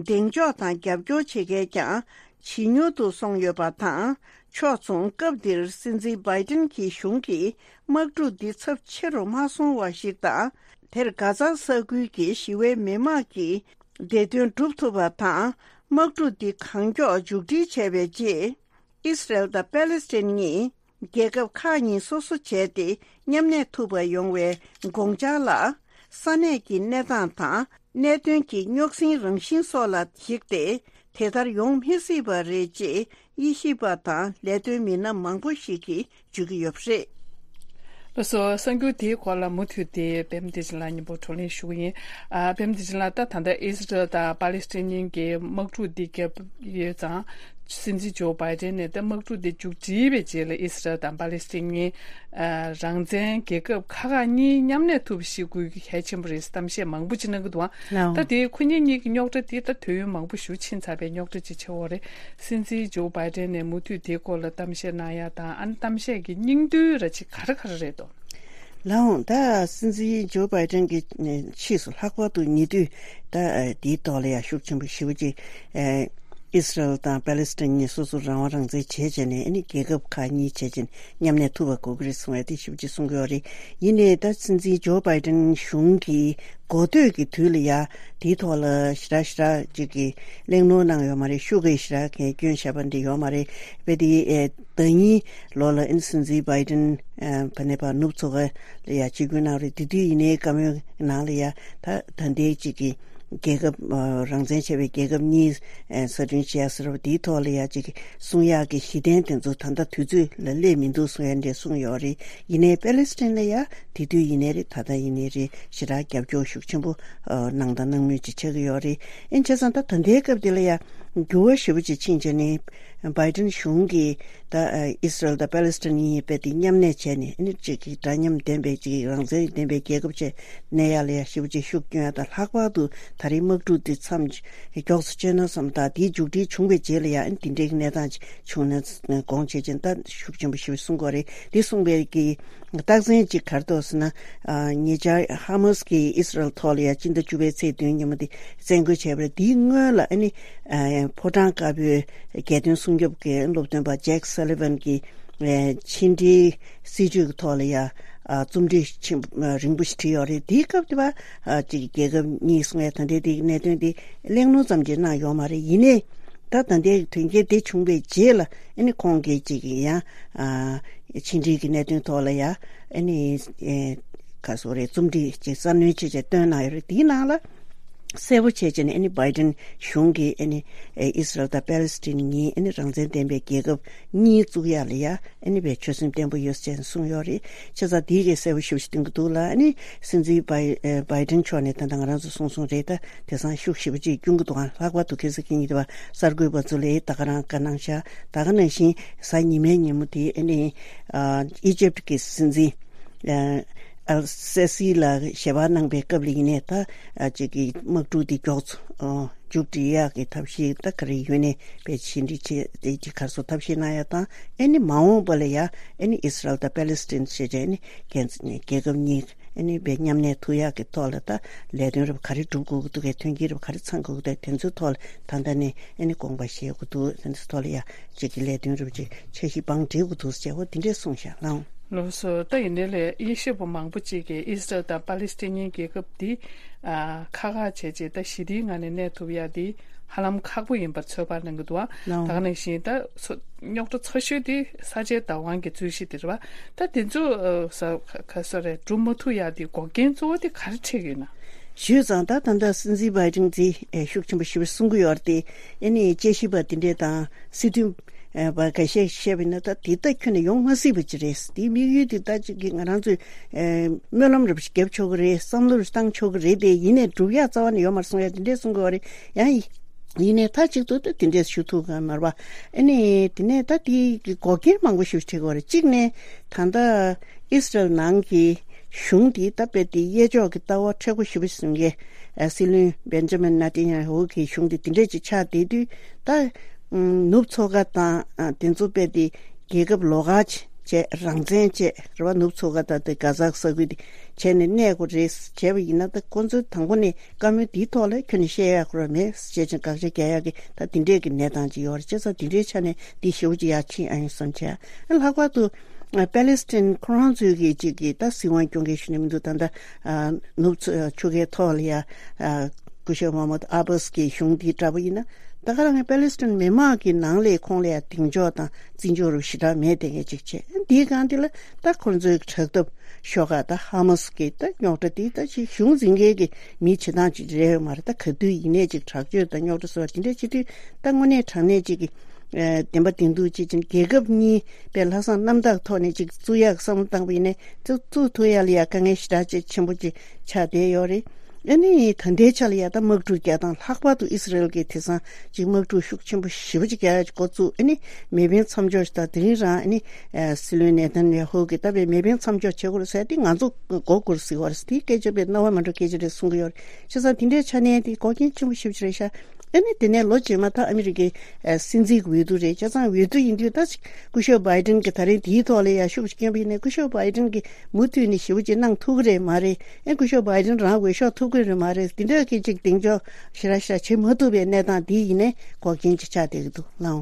གདེང་འཇོག་དང་རྒྱབ་སྐྱོར་བྱེད་མཁན་ཀྱང་ ཇེ་ཉུང་དུ་སོང་ཡོད་པ་དང་། ཕྱོགས་མཚུངས། སྐབས་འདིར་སྲིད་འཛིན་བྷའི་ཏིན་གྱི་གཞུང་གིས་དམག་འཁྲུག་འདི་ཚབས་ཆེ་རུ་མ་སོང་བ་ཞིག་དང་། དེར་གྷ་ཛ་ས་ཁུལ་གྱི་ཞི་བའི་མི་མང་གི་བདེ་དོན་སྒྲུབ་ཐུབ་པ་དང་། དམག་འཁྲུག་འདི་གང་མགྱོགས་མཇུག་སྒྲིལ་བྱས་པའི་རྗེས། ཨིས་རལ་དང་པེ་ལེ་སི་ཐན་གཉིས་རྒྱལ་ཁབ་ཁག་གཉིས་སོ་སོ་བྱས་ཏེ་མཉམ་གནས་ཐུབ་པ་ཡོང་བའི་དགོངས་འཆར་ལ། ས་གནས་ཀྱི་གནས་སྟངས་དང་གནད་དོན་གྱི་རྙོག་ཟིང་རང་བཞིན་སོགས་ལ་གཞིགས་ཏེ། དེ་ལྟར་ཡོང་མི་སྲིད་པ་རེད་ཅེས་དབྱེ་ཞིབ་པ་དང་ལས་དོན་མི་སྣ་མང་པོ་ཞིག་གིས་བརྗོད་ཀྱི་ཡོད་པ་རེད། ལགས་སོ། གསར་འགྱུར་དེའི་སྐོར་ལ་མུ་མཐུད་དེ་པད་མ་བདེ་ཆེན་ལགས་སྙན་པོ་བགྲོ་གླེང་ཞུ་གི་ཡིན། ཨ། པད་མ་བདེ་ཆེན་ལགས། ད་ད་ལྟ་ཨིས་རལ་དང་པ་ལེ་སི་ཐན་གཉིས་ཀྱི་དམག་འཁྲུག་འདི་བརྒྱབ་ཡོད་ཙང་། སྲིད་འཛིན་ཇོ་བྷའི་ཏན་ནས་ད་དམག་འཁྲུག་འདི་མཇུག་སྒྲིལ་བའི་རྗེས་ལ་ཨིས་རལ་དང་པ་ལེ་སི་ཐན་གཉིས། ཨ། རང་བཙན་རྒྱལ་ཁབ་ཁག་ཁག་གཉིས་མཉམ་གནས་ཐུབ་པ་ཞིག་དགོས་རྒྱུ་གལ་ཆེན་པོ་རེད། གཏམ་བཤད་མང་པོ་ཅིག་གནང་གི་འདུག་ཨང་། ལགས་འོང་། ད་དེ་ཁོ་གཉིས་གཉིས་ཀྱི་རྙོག་དྲ་དེ་ད་དུས་ཡུན་མང་པོ་ཞིག་ཕྱིན་ཚར་བའི་རྙོག་དྲ་ཅིག་ཆགས་ཡོད་རེད། སྲིད་འཛིན་ཇོ་བྷའི་ཏན་ནས་མུ་མཐུད་དེའི་སྐོར་ལ་གཏམ་བཤད་གནང་ཡ་དང་། ཨ་ནི་གཏམ་བཤད་ཀྱི་སྙིང་དོན་ར་ཅིག་ག་རེ་ག་རེ་རེད་དོ། ལགས་འོང་། ད་སྲིད་འཛིན་ཇོ་བྷའི་ཏན་གྱི་ཕྱིས་སུ་ལྷག་པར་དུ་ཉེ་དུས་ད་དེའི་ཐོག་ལ་ཡང་ཤུགས་ཆེན་པོ་ཞེ་པོ་ཅིག་ཨིས་རལ་དང་པེ་ལེ་སི་ཐན་གཉིས་སོ་སོ་རང་དབང་རང་བཙན་བྱས་བྱས་ནས། ཨ་ནི་རྒྱལ་ཁབ་ཁག་གཉིས་བྱས་བྱས་ནས་མཉམ་གནས་ཐུབ་པ་དགོས་ཀྱི་རེད་གསུང་བ་དེ་ཞེ་པོ་ཅིག་གསུང་གི་ཡོད་རེད། ཡིན་ནའི་ད་སྲིད་འཛིན་ཇོ་བྷའི་ཏན་གཞུང་གི་འགོ་སྟོད་ཀྱི་དུས་ལ་ཡ་དེའི་ཐོག་ལ་ཞེ་དྲག་ཞེ་དྲག་ཅིག་གི་གླེང་སློང་གནང་ཡོད་མ་རེད། ཤུགས་ཀྱིས་ཞེ་དྲག་གི་སྐྱོན་བཤད་པ་འདི་ཡོད་མ་རེད། དཔེ་དེ་ཨེ་ཟླ་ཉིན་ལོ་ལ་ཨིན་སྲིད་འཛིན་བྷའི་ཏན་ཨ་ཕ་ནས་ཕར་ནུབ་མཚོ་ཁ་ལ་ཡ་ཆིབས་བསྒྱུར་གནང་རེད། དེ་དུས་ཡིན་ནའི་བཀའ་མོལ་ནང་ལ་ཡ་ད་ད་ལྟའི་ཅིག་གི་རྒྱལ་ཁབ་ཨ་རང་བཙན་བྱས་པའི་རྒྱལ་ཁབ་གཉིས་ཨ་གསར་སྐྲུན་བྱས་ཟེར་བ་དེའི་ཐོག་ལ་ཡ་ཅིག་གསུང་ཡག་གི་གཞི་རྟེན་དེ་ཚོ་ད་ལྟ་དུས་ཚོད་ལ་སླེབས་མི་འདུག་གསུང་ཡ་འདྲ་གསུངས་ཡོད་རེད། ཡིན་ནའི་པེ་ལེ་སི་ཐན་ལ་ཡ་དེ་དུས་ཡིན་ནའི་རེད། ད་ལྟ་ཡིན་ནའི་རེད། ཞེ་དྲག་རྒྱབ་སྐྱོར་ཤུགས་ཆེན་པོ་ཨ་གནང་དང་གནང་མུས་ཅིག་ཆགས་ཀྱི་ཡོད་རེད། ཨིན་བྱས་ཙང་ད་ད་ལྟའི་སྐབས་དེ་ལ་ཡ་འགྱུར་བ་ཞེ་པོ་ཅིག་ཕྱིན་བྱས་ནས་བྷའི་ཏན་གཞུང་གིས་ད་ཨ་ཨིས་རལ་དང་པེ་ལེ་སི་ཐན་གཉིས་དཔེ་དེ་མཉམ་གནས་བྱས་ནས། ཨ་ནི་གཅིག་གི་འདྲ་མཉམ་ལྡན་པའི་གཅིག་རང་བཙན་ལྡན་པའི་རྒྱལ་ཁབ་བྱས་གནས་ཡ་ལ་ཡ་ཞེ་པོ་ཅིག་ཤུགས་སྐྱོན་ཡ་དང་། ལྷག་པར་དུ་ད་རེས་དམག་འཁྲུག་འདི་མཚམས་མགྱོགས་སུ་བཅད་ན་བསམ། ད་དེའི་མཇུག་སྒྲིལ་བྱུང་བའི་རྗེས་ལ་ཡ་ཨ་ནི་དེ་འདྲའི་གནས་སྟངས་ཅིག་བྱུང་ན་དགོངས་བྱས་ཅན་ད་ཤུགས་ཆེན་པོ་ཞེ་པོ་གསུང་གི་ཡོད་རེད། དེ་གསུངས་པའི་གི་རྟགས་མཚན་གཅིག་ག་རེ་འདུག་ཟེར་ན། ཨ་ཉེ་ཆར་ཧ་མ་སི་གིས་ཨིས་རལ་ཐོག་ལ་ཡ་སྤྱི་ཟླ་བཅུ་པའི་ཚེས་བདུན་ཉིན་མོ་དེ་བཙན་རྒོལ་བྱས་པ་རེད། དེའི་སྔོན་ལ་ཨ་ནི་ཨ་ཕོ་བྲང་དཀར་པོའི་རྒྱལ་དོན་སྲུང་སྐྱོབ་ཀྱི་སློབ་སྟོན་པ་ཇེག་སཱ་ལི་ཝན་གྱིས་ཨ་ཕྱི་འབྲེལ་སྲིད་ཇུས་ཀྱི་ཐོག་ལ་ཡ་ཨ་རྩོམ་བྲིས་ཆེན་པོ་རིང་པོ་ཞིག་བྲིས་ཡོད་རེད། དེའི་སྐབས་དེ་བ་ཨ་ཅིག་རྒྱལ་ཁབ་གཉིས་གསུང་ཡ་ད་ལྟའི་དེའི་གནད་དོན་དེ་གླེང་སློང་ཙམ་ཅིག་གནང་ཡོད་མ་རེད། ཡིན་ནའི་ད་ད་ལྟའི་དོན་རྐྱེན་དེ་བྱུང་བའི་རྗེས་ལ་ཨ་ནི་ཁོང་གིས་ཅིག་ཡང་ཨ་ཕྱི་འབྲེལ་གྱི་གནད་དོན་ཐོག་ལ་ཡ་ཨ་ནི་ཨེ་ག་སོ་རེད། རྩོམ་བྲིས་ཅིག་གསར་སྣོན་བྱས་བྱས་བཏོན་གནང་ཡོད་རེད། དེའི་ནང་ལ་གསལ་པོ་བྱས་བྱས་ནས་ཨ་ནི་བྷའི་ཏན་གཞུང་གིས་ཨ་ནི་ཨེ་ཨིས་རལ་དང་པེ་ལེ་སི་ཐན་གཉིས་ཨ་ནི་རང་བཙན་ལྡན་པའི་རྒྱལ་ཁབ་གཉིས་བཙུགས་ཡ་ལ་ཡ་ཨ་ནི་བའི་ཆོད་སེམས་བརྟན་པོ་ཡོད་ཅེས་གསུངས་ཡོད་རེད། བྱས་ཙང་དེའི་གི་གསལ་པོ་ཞེ་པོ་ཞིག་སྟོན་གྱི་འདུག་ལ། ཨ་ནི་སྲིད་འཛིན་བྷའི་ཨེ་བྷའི་ཏན་མཆོག་ནས་ད་ལྟ་ང་རང་ཚོ་གསུངས་སོང་རེད། ད་དེང་སང་ཤུགས་ཞེ་པོ་ཅིག་སྐྱོན་གྱི་འདུག་ཨང་། ལྷག་པར་དུ་ཁ་སང་གི་ཉིན་དེ་བ་གསར་འགོད་པ་ཚོ་ལ་ད་ག་རང་བཀའ་གནང་ཤག་ད་ག་ནང་བཞིན་གཟའ་ཉི་མའི་ཉིན་མོ་དེ་ཨ་ནི་ཨ་ཨི་ཇིབ་ཀྱི་སྲིད་འཛིན་ཨ་ཨལ་སེ་སི་ལ་ཞལ་པར་གནང་པའི་སྐབས་ལ་ཡིན་ནའི་ད་ཨ་ཅིག་གི་དམག་འཁྲུག་དེ་མགྱོགས་ཚོ་ཨ་མཇུག་སྒྲིལ་ཡག་གི་ཐབས་ཤེས་ད་ག་རེ་ཡོད་ནའི་དཔེ་ཕྱི་འབྲེལ་བྱེད་དེ་ཅིག་གར་སོ་ཐབས་ཤེས་གནང་ཡ་དང་། ཨ་ནི་མ་འོངས་པ་ལ་ཡ་ཨ་ནི་ཨིས་རལ་དང་པེ་ལེ་སི་ཐན་ཞེས་བྱས་ནི་རྒྱལ་རྒྱལ་ཁབ་གཉིས་ཨ་ནི་དཔེ་མཉམ་གནས་ཐུབ་ཡག་གི་ཐོག་ལ་ད་ལས་དོན་རབ་ག་རེ་སྒྲུབ་དགོས་ཀྱི་འདུག་གས། མཐུན་རྐྱེན་རབ་ག་རེ་ཚང་དགོས་ཀྱི་འདུག་དེ་ཚོའི་ཐོག་ལ་ད་ལྟ་ནས་ཨ་ནི་དགོངས་པ་བཞེས་དགོས་འདུག་དེ་ཚོའི་ཐོག་ལ་ཡ་གཅིག་གི་ལས་དོན་རབ་ཅིག་འཆར་གཞི་བང་སྒྲིག་དགོས་འདུག་ཟེར་བ་དེ་འདྲས་གསུངས་ཤག་ལགས། ལགས་སོ། ད་ཡིན་ནའི་ལས་དབྱེ་ཞིབ་པ་མང་པོ་ཅིག་གིས་ཨིས་རལ་དང་པ་ལེ་སི་ཐན་གཉིས་རྒྱལ་ཁབ་འདི་ཨ་ཁག་ཁག་བྱས་རྗེས་ད་ཞི་བདེའི་ངང་ནས་གནས་ཐུབ་ཡ་འདི་ཧ་ལམ་ཁག་པོ་ཡིན་པར་ཚོད་དཔག་གནང་གི་འདུག་ཨ། ལགས། ད་ག་ནང་བཞིན་ད་ཚོ་རྙོག་དྲ་ཚ་ཤོས་དེ་ས་ཆའི་བདག་དབང་གི་རྩོད་གཞི་དེ་རེད་བ། ད་དེ་ཚོ་ཨ་ས་ཁ་ས་རེད་སྒྲུབ་མ་ཐུབ་ཡ་དེ་འགོག་རྐྱེན་གཙོ་བོ་དེ་ག་རེ་འཕྲད་ཀྱི་ཡོད་ན། ཞུས་ཙང་ད་ད་ལྟ་སྲིད་འཛིན་བྷའི་ཏིན་གྱིས་ཨེ་ཤུགས་ཆེན་པོ་ཞེ་པོ་གསུང་གི་ཡོད་རེད་དེ། ཨ་ནི་དཔྱད་ཞིབ་པ་དེ་འདྲས་དང་སྲིད་དོན་ཨེ་བ་འགའ་ཤས་བཤད་པ་ཡིན་ན་ད་དེ་ད་ཁྱོན་ནས་ཡོང་མ་སྲིད་པ་ཅིག་རེད། དེའི་དམིགས་ཡུལ་དེ་ད་ཅིག་གི་ང་རང་ཚོས་ཨེ་སྨོན་ལམ་རེ་བརྒྱབ་ཆོག་གི་རེད། བསམ་བློ་རེ་བཏང་ཆོག་གི་རེད་དེ། ཡིན་ནའི་སྒྲུབ་ཡག་རྩ་བ་ནས་ཡོད་མ་རེད་གསུང་ཡ་དེ་འདྲས་གསུང་གི་ཡོད་རེད། ཡང་ཡིན་ནའི་མཐའ་གཅིག་ཏུ་ད་དེ་འདྲས་ཞུ་ཐུབ་ག་མ་རེད་པ། ཨ་ནི་དེ་ནས་ད་དེ་གི་འགོག་རྐྱེན་མང་པོ་ཞིག་འཕྲད་ཀྱི་ཡོད་རེད། གཅིག་ནས་ད་ལྟ་ཨིས་རལ་ནང་གི་གཞུང་འདི་ད་དཔེ་དེ་གཡས་ཕྱོགས་ཀྱི་ལྟ་བ་མཁྲེགས་པོ་ཞེ་པོ་ཞིག་བཟུང་མཁན་སྲིད་བློན་བེན་ཇ་མིན་ནེ་ཐན་ཡ་ཧུ་གི་གཞུང་འདི་དེ་འདྲས་ཅིག་ཆགས་བསྡད་དུས། ད་ནུབ་མཚོ་ཁ་དང་དེ་ཚོ་དཔེ་དེ་རྒྱལ་ཁབ་ལོགས་ཀ་ཅིག་ བྱས་རང་བཙན་བཅས་རེད་བ། ནུབ་མཚོ་ཁ་དང་དེ་གྷ་ཛ་ས་ཁུལ་དེ་བྱས་ནས་གནས་དགོས་རེད་བྱས་པ་ཡིན་ན། ད་ཁོང་ཚོས་དང་པོ་ནས་བཀའ་མོལ་འདིའི་ཐོག་ལ་ཁྱོན་ནས་བཤད་ཡག་ཁོ་རང་མེད་ཅེས་ཀྱང་དགག་བྱ་རྒྱག་ཡག་གི་ད་དེ་འདྲས་ཀྱི་གནས་སྟངས་ཅིག་ཡོད་རེད། བྱས་ཙང་དེ་འདྲའི་ཆ་ནས་འདི་ཞེ་པོ་ཅིག་ཡར་ཕྱིན་ཨ་ཡོང་བསམ་བྱས། ལྷག་པར་དུ་ཨ་པེ་ལེ་སི་ཐན་ཁོ་རང་ཚོའི་གི་ཅིག་གི་ད་སྲིད་དབང་སྐྱོང་མཁན་ཞུ་ནས་མི་འདུག་ད་ལྟ་ཨ་ནུབ་ཕྱོགས་ཆུ་ཁའི་ཐོག་ལ་ཡ་ཨ་སྐུ་ཞབས་མ་མུ་ཨ་བྷ་སི་གི་གཞུང་འདི་འདྲ་པོ་ཡིན་ན། ད་ག་རང་ཨ་པེ་ལེ་སི་ཐན་མི་མང་གི་ནང་ལས་ཁོང་ལ་ཡ་གདེང་འཇོག་དང་བརྩི་འཇོག་རུ་ཞེ་དྲག་མེད་དེ་གས་ཅིག་བྱས། འདིའི་སྒང་འདི་ལ་ད་ཁོང་ཚོའི་དྲག་འཐབ་ཤོག་ཁག་ད་ཧ་མ་སི་གི་ད་རྙོག་དྲ་འདི་ད་ཅིག་གཞུང་འཛིན་མཁན་གྱི་མི་བྱེད་སྟངས་ཅིག་རེད་ཡོད་མ་རེད། ད་ག་དུས་ཡིན་ནའི་ཅིག་དྲག་སྤྱོད་དང་རྙོག་དྲ་བཟོ་བ་དེ་འདྲ་བྱེད་དུས་ད་དངོས་གནས་དྲང་གནས་ཅིག་གི་ཨ་བདེན་པ་བདེན་ཐུག་ཅིག་ཅིག་རྒྱལ་ཁབ་གཉིས་པའི་ལྷག་བསམ་རྣམ་དག་ཐོག་ནས་ཅིག་བཙུགས་ཡག་བསམ་བློ་བཏང་པ་ཡིན་ནའི་ཅིག་བཙུགས་ཐུབ་ཡག་ལ་ཡ་དཀའ་ངལ་ཞེ་དྲག་ཅིག་ཆེན་པོ་ཅིག་ཆགས་བསྡད་ཡོད་རེད། ཨ་ནི་ད་ལྟའི་ཆ་ལ་ཡ་ད་དམག་འཁྲུག་རྒྱག་སྟངས། ལྷག་པར་དུ་ཨི་སི་རེལ་གྱིས་དེང་སང་ཅིག་དམག་འཁྲུག་ཤུགས་ཆེན་པོ་ཞེ་པོ་ཅིག་རྒྱག་ཡག་འགོ་བཙུགས། ཨ་ནི་མེ་འཕེན་མཚམས་འཇོག་ཞིག་དང་དེ་རིང་རང་ཨ་ནི་ཨ་སྲིད་བློན་ནེ་ཐན་ཡ་ཧུ་གིས་ད་བའི་མེ་འཕེན་མཚམས་འཇོག་བྱེད་དགོས་རེད་ཟེར་དེ་ང་ཚོ་མགོ་སྒུར་ཟེར་བ་རེད། དེའི་སྐད་ཆ་བའི་རྣ་བ་མ་འགྲོ་སྐད་ཆ་རེད་གསུང་གི་ཡོད་རེད། བྱས་ཙང་དེ་འདྲའི་ཆ་ནས་དེ་འགོག་རྐྱེན་ཆེན་པོ་ཞེ་པོ་ཅིག་རེད་ཤག་ཨ་ནི་དེ་ནས་ལོ་རྗེས་མ་ད་ཨ་མི་རི་ཀའི་ཨ་སྲིད་འཛིན་གྱི་འོས་བསྡུ་རེད། བྱས་ཙང་འོས་བསྡུ་ཡིན་དུས་ད་སྐུ་ཞབས་བྷའི་ཌེན་གྱིས་ད་རེས་དེའི་ཐོག་ལ་ཡ་ཤུགས་ཆེ་བསྐྱོན་པ་ཡིན་ནའི་སྐུ་ཞབས་བྷའི་ཌེན་གྱིས་མུ་མཐུད་ནས་ཞེ་པོ་ཅིག་གནང་ཐུབ་ཀྱི་རེད་མ་རེད། ཨེ་སྐུ་ཞབས་བྷའི་ཌེན་རང་འོས་ཤོག་ཐོབ་ཀྱི་རེད་མ་རེད། དེ་འདྲ་གི་ཅིག་གདེང་འཇོག་ཞེ་དྲག་ཞེ་དྲག་བྱེད་མ་ཐུབ་པའི་གནས་སྟངས་འདི་ཡིན་ནའི་འགོག་རྐྱེན་ཅིག་ཆགས་བསྡད་ཀྱི་འདུག་ལགས།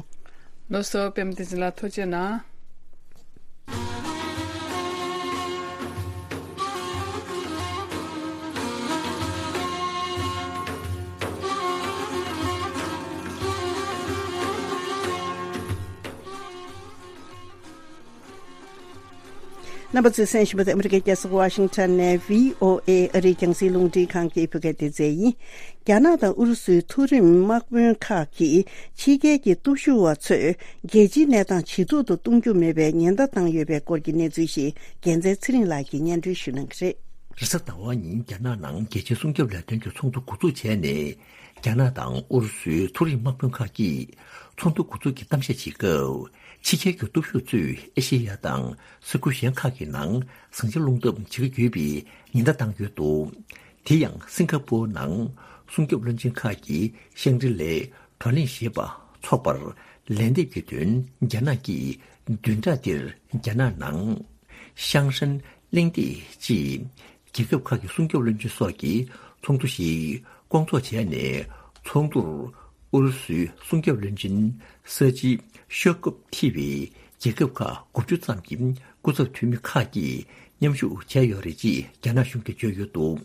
ལགས་སོ། པད་མ་བསྟན་འཛིན་ལགས་ཐུགས་རྗེ་གནང་། རྣམ་པ་ཚོས་གསན་བཞིན་པ་དེ་ཨ་མི་རི་ཀའི་རྒྱལ་ས་ཝ་ཤིང་ཊོན་ནས་བྷི་ཨོ་ཨེ་ཨ་རིའི་རྒྱང་སྲིང་རླུང་འཕྲིན་ཁང་གི་བོད་སྐད་སྡེ་ཚན་ཡིན། རྒྱ་ནག་དང་ཨུ་རུ་སུའི་མཐོ་རིམ་དམག་དཔོན་ཁག་གིས་ཕྱི་རྒྱལ་གྱི་སྟོབས་ཤུགས་པ་ཚོས་རྒྱལ་སྤྱིའི་གནས་སྟངས་ཇེ་སྡུག་ཏུ་གཏོང་རྒྱུ་མེད་པའི་ཉེན་བརྡ་བཏང་ཡོད་པའི་སྐོར་གྱི་གནས་ཚུལ་ཞིག་རྒྱལ་མཚན་ཚེ་རིང་ལགས་ཀྱིས་སྙན་སྒྲོན་ཞུ་གནང་གི་རེད། རེས་གཟའ་ཟླ་བ་ཉིན་རྒྱ་ནག་ནང་རྒྱལ་སྤྱིའི་སྲུང་སྐྱོབ་ལས་དོན་གྱི་ཚོགས་འདུ་འགོ་འཛུགས་བྱས་ནས། རྒྱ་ནག་དང་ཨུ་རུ་སུའི་མཐོ་རིམ་དམག་དཔོན་ཁག་གིས་ཚོགས་འདུ་འགོ་འཛུགས་ཀྱི་གཏམ་བཤད་བྱེད་སྐབས། ཕྱི་རྒྱལ་གྱི་སྟོབས་ཤུགས་ཚོས་ཨེ་ཤེ་ཡ་དང་ས་ཁུལ་གཞན་ཁག་གི་ནང་ཟིང་ཆ་སློང་ཐབས་བྱེད་ཀྱི་ཡོད་པའི་ཉེན་བརྡ་བཏང་ཡོད་འདུག་དེ་ཡང་སིང་ག་པོར་ནང་སྲུང་སྐྱོབ་བློན་ཆེན་ཁག་གིས་ཤང་རི་ལའི་བགྲོ་གླེང་ཞེས་པ་འཚོགས་པར་ལན་འདེབས་ཀྱི་དོན། རྒྱ་ནག་གིས་བདུན་ཕྲག་འདིར་རྒྱ་ནག་ནང་ཤང་ཧྲན་གླེང་སྟེགས་ཅེས། རྒྱལ་ཁབ་ཁག་གི་སྲུང་སྐྱོབ་བློན་ཆེན་སོགས་ཀྱིས་ཚོགས་འདུ་ཞིག་བསྐོང་ཚོགས་བྱས་ནས། ཚོགས་འདུར་ཨུ་རུ་སུའི་སྲུང་སྐྱོབ་བློན་ཆེན་ས་ཅི་ཤོ་ཀོབ་ཐེ་བའི་རྒྱལ་ཁབ་ཁག་དགུ་བཅུ་ཙམ་གྱི་སྐུ་ཚབ་འཐུས་མི་ཁག་གིས་མཉམ་ཞུགས་བྱས་ཡོད་རེད་ཅེས་རྒྱ་ནག་གཞུང་གིས་བརྗོད་ཡོད་འདུག་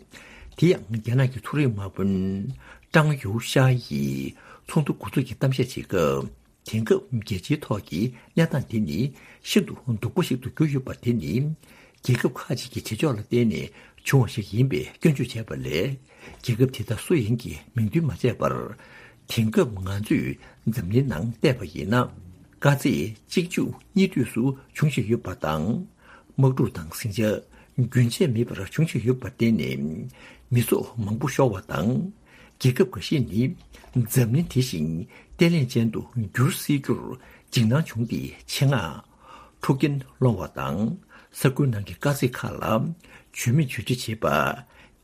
དེ་ཡང་རྒྱ་ནག་གི་མཐོ་རིམ་དམག་དཔོན་ཀྲང་ཡུའུ་ཤ་ཡིས་ཚོགས་འདུ་འགོ་འཛུགས་ཀྱི་གཏམ་བཤད་བྱེད་སྐབས། དེང་སྐབས་རྒྱལ་སྤྱིའི་ཐོག་གི་གནས་སྟངས་འདི་ནི་ཤིན་ཏུ་སྡུག་པོ་ཞིག་ཏུ་གྱུར་ཡོད་པ་དེ་ནི། རྒྱལ་ཁབ་ཁག་ཅིག་གི་བྱེད་ཕྱོགས་ལ་བརྟེན་ནས་བྱུང་བ་ཞིག་ཡིན་པའི་སྐྱོན་བརྗོད་བྱས་པ་ལས། རྒྱལ་ཁབ་དེ་དག་སུ་ཡིན་གྱི་མིང་འདོན་མ་བྱས་པར། དེང་སྐབས་ང་ཚོས་འཛམ་གླིང་ནང་བལྟས་པ་ཡིན་ན། དཀའ་ཚེགས་གཅིག་མཇུག་གཉིས་མཐུད་སུ་འབྱུང་བཞིན་ཡོད་པ་དང་། དམག་འཁྲུག་དང་ཟིང་ཆ་རྒྱུན་ཆད་མེད་པར་འབྱུང་བཞིན་ཡོད་པར་བརྟེན་ནས། མི་ཚོགས་མང་པོ་ཤོར་བ་དང་། རྒྱལ་ཁབ་འགའ་ཤས་ནི་འཛམ་གླིང་དེ་བཞིན་བརྟན་ལྷིང་ཅན་དུ་འགྱུར་སྲིད་རྒྱུར་འཇིགས་སྣང་བྱུང་སྟེ། ཆེད་མངགས་འཁྲུག་རྐྱེན་སློང་བ་དང་། ས་ཁུལ་ནང་གི་དཀའ་ཚེགས་ཁག་ལ་བྱུས་མེད་བྱུས་འབྲི་བྱེད་པ།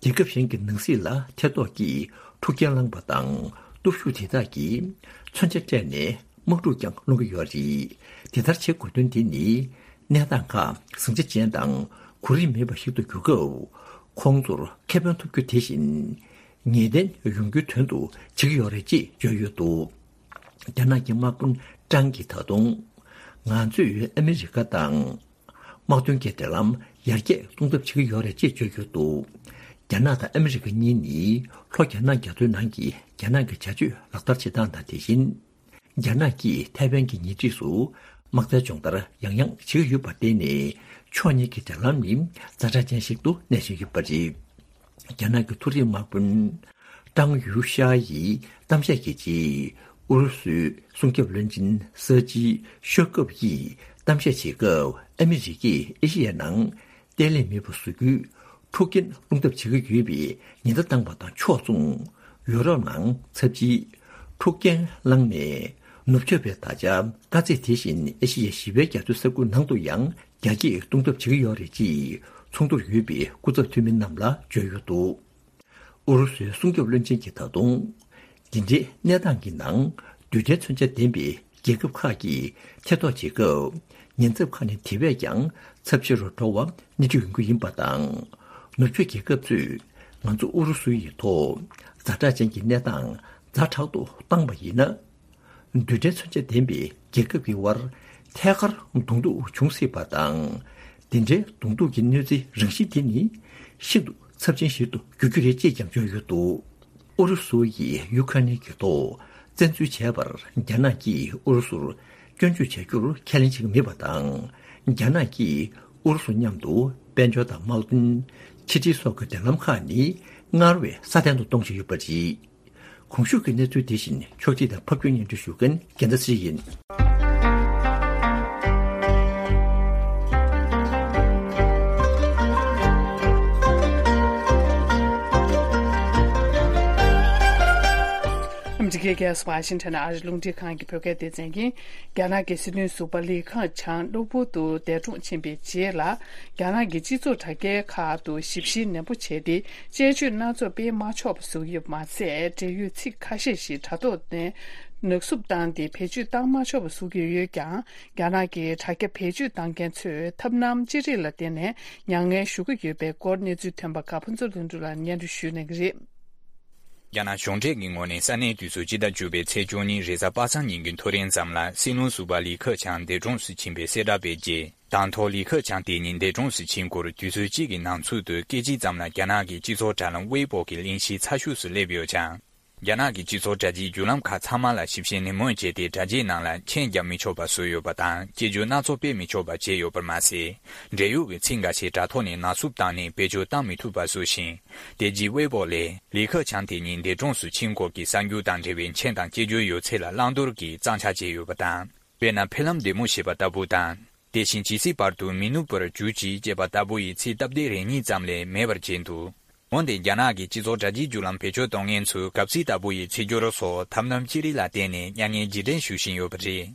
རྒྱལ་ཁབ་གཞན་གྱི་ནང་སྲིད་ལ་ཐེ་གཏོགས་ཀྱིས་འཁྲུག་རྐྱེན་བསླངས་པ་དང་། སྟོབས་ཤུགས་དེ་དག་གིས་མཚོན་ཆ་སྤྲད་ནས། དམག་འཁྲུག་ཀྱང་སློང་གི་ཡོད་རེད། དེ་ལྟར་བྱེད་དགོས་དོན་དེ་ནི། གནས་སྟངས་ཁག་ཟིང་ཆ་ཅན་དང་གོ་རིམ་མེད་པ་ཞིག་ཏུ་གྱུར་སྐབས། ཁོང་ཚོར་ཁེ་ཕན་ཐོབ་རྒྱུ་དེ་བཞིན། ངེས་གཏན་ཡོང་རྒྱུའི་དོན་དུ་བྱེད་ཀྱི་ཡོད་རེད་ཅེས་བརྗོད་ཡོད་འདུག་རྒྱ་ནག་གི་དམག་དཔོན་ཀྲང་གིས་ད་དུང་། ང་ཚོས་ཨ་མི་རི་ཀ་དང་། དམག་དོན་གྱི་འབྲེལ་ལམ་ཡར་རྒྱས་གཏོང་ཐབས་བྱེད་ཀྱི་ཡོད་རེད་ཅེས་བརྗོད་ཡོད་འདུག་རྒྱ་ནག་དང་ཨ་མི་རི་ཀ་གཉིས་ནི་ལྷོ་རྒྱ་ནག་རྒྱ་མཚོའི་ནང་གི་རྒྱ་ནག་གི་བྱ་སྤྱོད་ལག་བསྟར་བྱེད་སྟངས་དང་། དེ་བཞིན། རྒྱ་ནག་གིས་ཐའེ་ཝན་གྱི་ཉེ་འཁྲིས་སུ་དམག་རྩལ་སྦྱོང་བརྡར་ཡང་ཡང་བྱེད་ཀྱི་ཡོད་པར་བརྟེན་ནས། ཕྱོགས་གཉིས་ཀྱི་འབྲེལ་ལམ་ནི་ཛ་དྲག་ཅན་ཞིག་ཏུ་གནས་བཞིན་ཡོད་པ་རེད། རྒྱ་ནག་གི་མཐོ་རིམ་དམག་དཔོན་ཀྲང་ཡུའུ་ཤ་ཡི་གཏམ་བཤད་ཀྱི་རྗེས། ཨུ་རུ་སུའི་སྲུང་སྐྱོབ་བློན་ཆེན་ས་ཅི་ཤོ་ཀོབ་ཡིས་གཏམ་བཤད་བྱེད་སྐབས། ཨ་མི་རི་ཀས་ཨེ་ཤེ་ཡའི་ནང་བརྟན་ལྷིང་མེད་པ་བཟོ་རྒྱུའི་འཁྲུག་རྐྱེན་སློང་ཐབས་བྱེད་ཀྱི་ཡོད་པའི་ཉེན་བརྡ་བཏང་བ་དང་ཕྱོགས་མཚུངས། ཡུ་རོབ་ནང་ཚབས་ཆེའི་འཁྲུག་རྐྱེན་བསླངས་ནས། ནུབ་ཕྱོགས་པའི་ད་ཆ་དཀའ་ཚེགས་དེ་བཞིན་ཨེ་ཤེ་ཡའི་བཞི་པའི་རྒྱ་མཚོའི་ས་ཁུལ་ནང་དུ་ཡང་རྒྱ་སྐྱེད་གཏོང་ཐབས་བྱེད་ཀྱི་ཡོད་རེད་ཅེས་ཚོགས་འདུར་ཡོད་པའི་སྐུ་ཚབ་འཐུས་མི་རྣམས་ལ་བརྗོད་ཡོད་འདུག་ཨུ་རུ་སུའི་སྲུང་སྐྱོབ་བློན་ཆེན་གྱིས་ད་དུང་། འདི་འདྲའི་གནས་སྟངས་ཀྱི་ནང་རྡུལ་ཕྲན་མཚོན་ཆ་ལྡན་པའི་རྒྱལ་ཁབ་ཁག་གིས་ཐེ་གཏོགས་བྱེད་སྐབས། ཉེན་ཚབས་ཁག་ནས་དེ་བས་ཀྱང་ཚབས་ཆེ་རུ་འགྲོ་བ་སྣེ་ཁྲིད་ཡོང་རྒྱུ་ཡིན་པ་དང་། ནུབ་ཕྱོགས་རྒྱལ་ཁབ་ཚོས་ང་ཚོ་ཨུ་རུ་སུ་ཡི་ཐོག་ཛ་དྲག་ཅན་གྱི་གནས་སྟངས་ཛ་དྲག་ཏུ་བཏང་བ་ཡིན་ན། རྡུལ་ཕྲན་མཚོན་ཆ་ལྡན་པའི་རྒྱལ་ཁབ་ཀྱི་དབར་ཐད་ཀར་གདོང་ཐུག་འབྱུང་སྲིད་པ་དང་། འདི་འདྲའི་གདོང་ཐུག་གི་གནོད་འཚེའི་རང་བཞིན་དེ་ནི་ཤིན་ཏུ་ཚབས་ཆེན་ཞིག་ཏུ་འགྱུར་རྒྱུ་རེད་ཅེས་ཀྱང་བརྗོད་ཡོད་འདུག་ཨུ་རུ་སུ་ཡིས་ཡུ་ཁ་ནན་གྱི་ཐོག་བཙན་འཛུལ་བྱས་པར་རྒྱ་ནག་གིས་ཨུ་རུ་སུར་སྐྱོན་བརྗོད་བྱ་རྒྱུར་ཁས་ལེན་བྱེད་ཀྱི་མེད་པ་དང་། རྒྱ་ནག་གིས་ཨུ་རུ་སུ་མཉམ་དུ་དཔལ་འབྱོར་དང་དམག་དོན། ཕྱི་འབྲེལ་སོགས་ཀྱི་འབྲེལ་ལམ་ཁག་ནི་སྔར་བས་སྲ་བརྟན་དུ་གཏོང་བཞིན་ཡོད་པ་རེད། གོང་ཞུས་ཀྱི་གནས་ཚུལ་དེ་བཞིན་ཕྱོགས་སྒྲིག་དང་ཕབ་སྒྱུར་སྙན་སྒྲོན་ཞུ་མཁན་རྒྱལ་མཚན་ཚེ་རིང་ཡིན། ཨ་མི་རི་ཀའི་རྒྱལ་ས་ཝ་ཤིང་ཊོན་ཨ་རིའི་རླུང་འཕྲིན་ཁང་གི་བོད་སྐད་སྡེ་ཚན་གྱིས། རྒྱ་ནག་གི་སྲིད་བློན་ཟུར་པ་ལི་ཁེ་ཆང་གློ་བུར་དུ་འདས་གྲོངས་ཕྱིན་པའི་རྗེས་ལ། རྒྱ་ནག་གི་སྤྱི་ཚོགས་དྲ་རྒྱའི་ཁག་ཏུ་ཞིབ་བཤེར་ནན་པོ་བྱས་ཏེ། དཔྱད་བརྗོད་སྣ་ཚོགས་སྤེལ་མ་ཆོག་པ་བཟོ་གི་ཡོད་པ་མ་ཟད། འབྲེལ་ཡོད་ཚིག་ཁ་ཤས་ཤིག་དྲ་ཐོག་ནས་ནག་སུབ་བཏང་སྟེ་བེད་སྤྱོད་བཏང་མ་ཆོག་པ་བཟོ་གི་ཡོད་ཀྱང་། རྒྱ་ནག་གི་དྲ་རྒྱ་བེད་སྤྱོད་བཏང་མཁན་ཚོས་ཐབས་ལམ་ཅི་རིགས་ལ་བརྟེན་ནས་མྱ་ངན་ཞུ་གི་ཡོད་པའི་སྐོར་གནས་ཚུལ་ཐོན་པ་དགའ་ཕུན་ཚོགས་ལྷུན་གྲུབ་ལགས་སྙན་སྒྲོན་ཞུ་གནང་གི་རེད། རྒྱ་ནག་གཞུང་འབྲེལ་གྱི་ངོས་ནས་ས་གནས་དུས་ཚོད་སྤྱི་ཟླ་བཅུ་པའི་ཚེས་བཅུ་གཉིས་རེས་གཟའ་པ་སངས་ཉིན་གྱི་ཐོ་རེངས་ཙམ་ལ་སྲིད་བློན་ཟུར་པ་ལི་ཁེ་ཆང་འདས་གྲོངས་སུ་ཕྱིན་པའི་གསལ་བསྒྲགས་སྤེལ་རྗེས། དང་ཐོག་ལི་ཁེ་ཆང་དེ་ཉིད་འདས་གྲོངས་སུ་ཕྱིན་སྐོར་དུས་ཚོད་གཅིག་གི་ནང་ཚུད་དུ་སྐད་ཅིག་ཙམ་ལ་རྒྱ་ནག་གི་སྤྱི་ཚོགས་དྲ་ལམ་ཝེ་པོ་གི་གླེང་གཞི་ཚ་ཤོས་སུ་སླེབས་ཡོད་ཀྱང་། རྒྱ་ནག་གི་སྤྱི་ཚོགས་དྲ་རྒྱའི་བརྒྱུད་ལམ་ཁག་ཚང་མ་ལ་ཞིབ་བཤེར་ནན་མོ་བྱས་ཏེ། དྲ་རྒྱའི་ནང་ལ་མཆན་རྒྱག་མི་ཆོག་པ་བཟོས་ཡོད་པ་དང་། དཔྱད་བརྗོད་སྣ་ཚོགས་སྤེལ་མི་ཆོག་པ་བྱས་ཡོད་པར་མ་ཟད། འབྲེལ་ཡོད་ཀྱི་ཚིག་འགའ་ཤས་དྲ་ཐོག་ནས་ནག་སུབ་བཏང་ནས་བེད་སྤྱོད་བཏང་མི་ཐུབ་པ་བཟོ་ཞིང་། དེ་རྗེས་ཝེ་པོ་ལས་ལི་ཁེ་ཆང་དེ་ཉིད་འདས་གྲོངས་སུ་ཕྱིན་སྐོར་གྱི་གསར་འགྱུར་དང་འབྲེལ་བའི་མཆན་དང་སྐྱེ་བརྗོད་ཡོད་ཚད་ལ་བླང་དོར་གྱིས་གཙང་ཆག་བྱས་ཡོད་པ་དང་། དཔེར་ན། ཕེབས་ལམ་བདེ་མོ་ཞེས་པ་ལྟ་བུ་དང་། དེ་བཞིན་ཇི་སྲིད་བར་དུ་མི་ནུབ་པར་གྱུར་ཅིག་ཅེས་པ་ལྟ་བུ་ཡི་ཚིག་སྟབས་བདེ་རེ་གཉིས་ཙམ་ལས་མེད་པར་བྱས་འདུག་འོན་ཏེ། རྒྱ་ནག་གི་སྤྱི་ཚོགས་དྲ་རྒྱའི་བརྒྱུད་ལམ་བེད་སྤྱོད་གཏོང་མཁན་ཚོས་གབ་ཚིག་ལྟ་བུ་ཡི་ཚིག་སྦྱོར་སོགས་ཐབས་ལམ་ཅི་རིགས་ལ་བརྟེན་ནས་མྱ་ངན་རྗེས་དྲན་ཞུ་བཞིན་ཡོད་པ་རེད།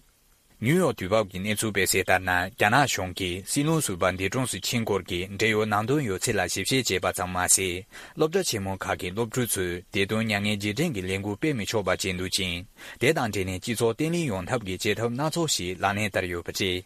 ནིའུ་ཡོག་དུས་བབ་ཀྱི་གནས་ཚུལ་སྤེལ་གསལ་ལྟར་ན། རྒྱ་ནག་གཞུང་གིས་སྲིད་བློན་ཟུར་པ་འདས་གྲོངས་སུ་ཕྱིན་སྐོར་གྱི་འབྲེལ་ཡོད་ནང་དོན་ཡོད་ཚད་ལ་ཞིབ་བཤེར་བྱས་པ་ཙམ་མ་ཟད། སློབ་གྲྭ་ཆེན་མོ་ཁག་གི་སློབ་ཕྲུག་ཚོས་དེ་དོན་མྱ་ངན་རྗེས་དྲན་གྱི་ལས་འགུལ་སྤེལ་མི་ཆོག་པ་བྱས་འདུག་ཅིང་། དེ་དང་འབྲེལ་ནས་སྤྱི་ཚོགས་བརྟན་ལྷིང་ཡོང་ཐབས་ཀྱི་བྱེད་ཐབས་སྣ་ཚོགས་ཤིག་ལག་ལེན་བསྟར་ཡོད་པ་རེད།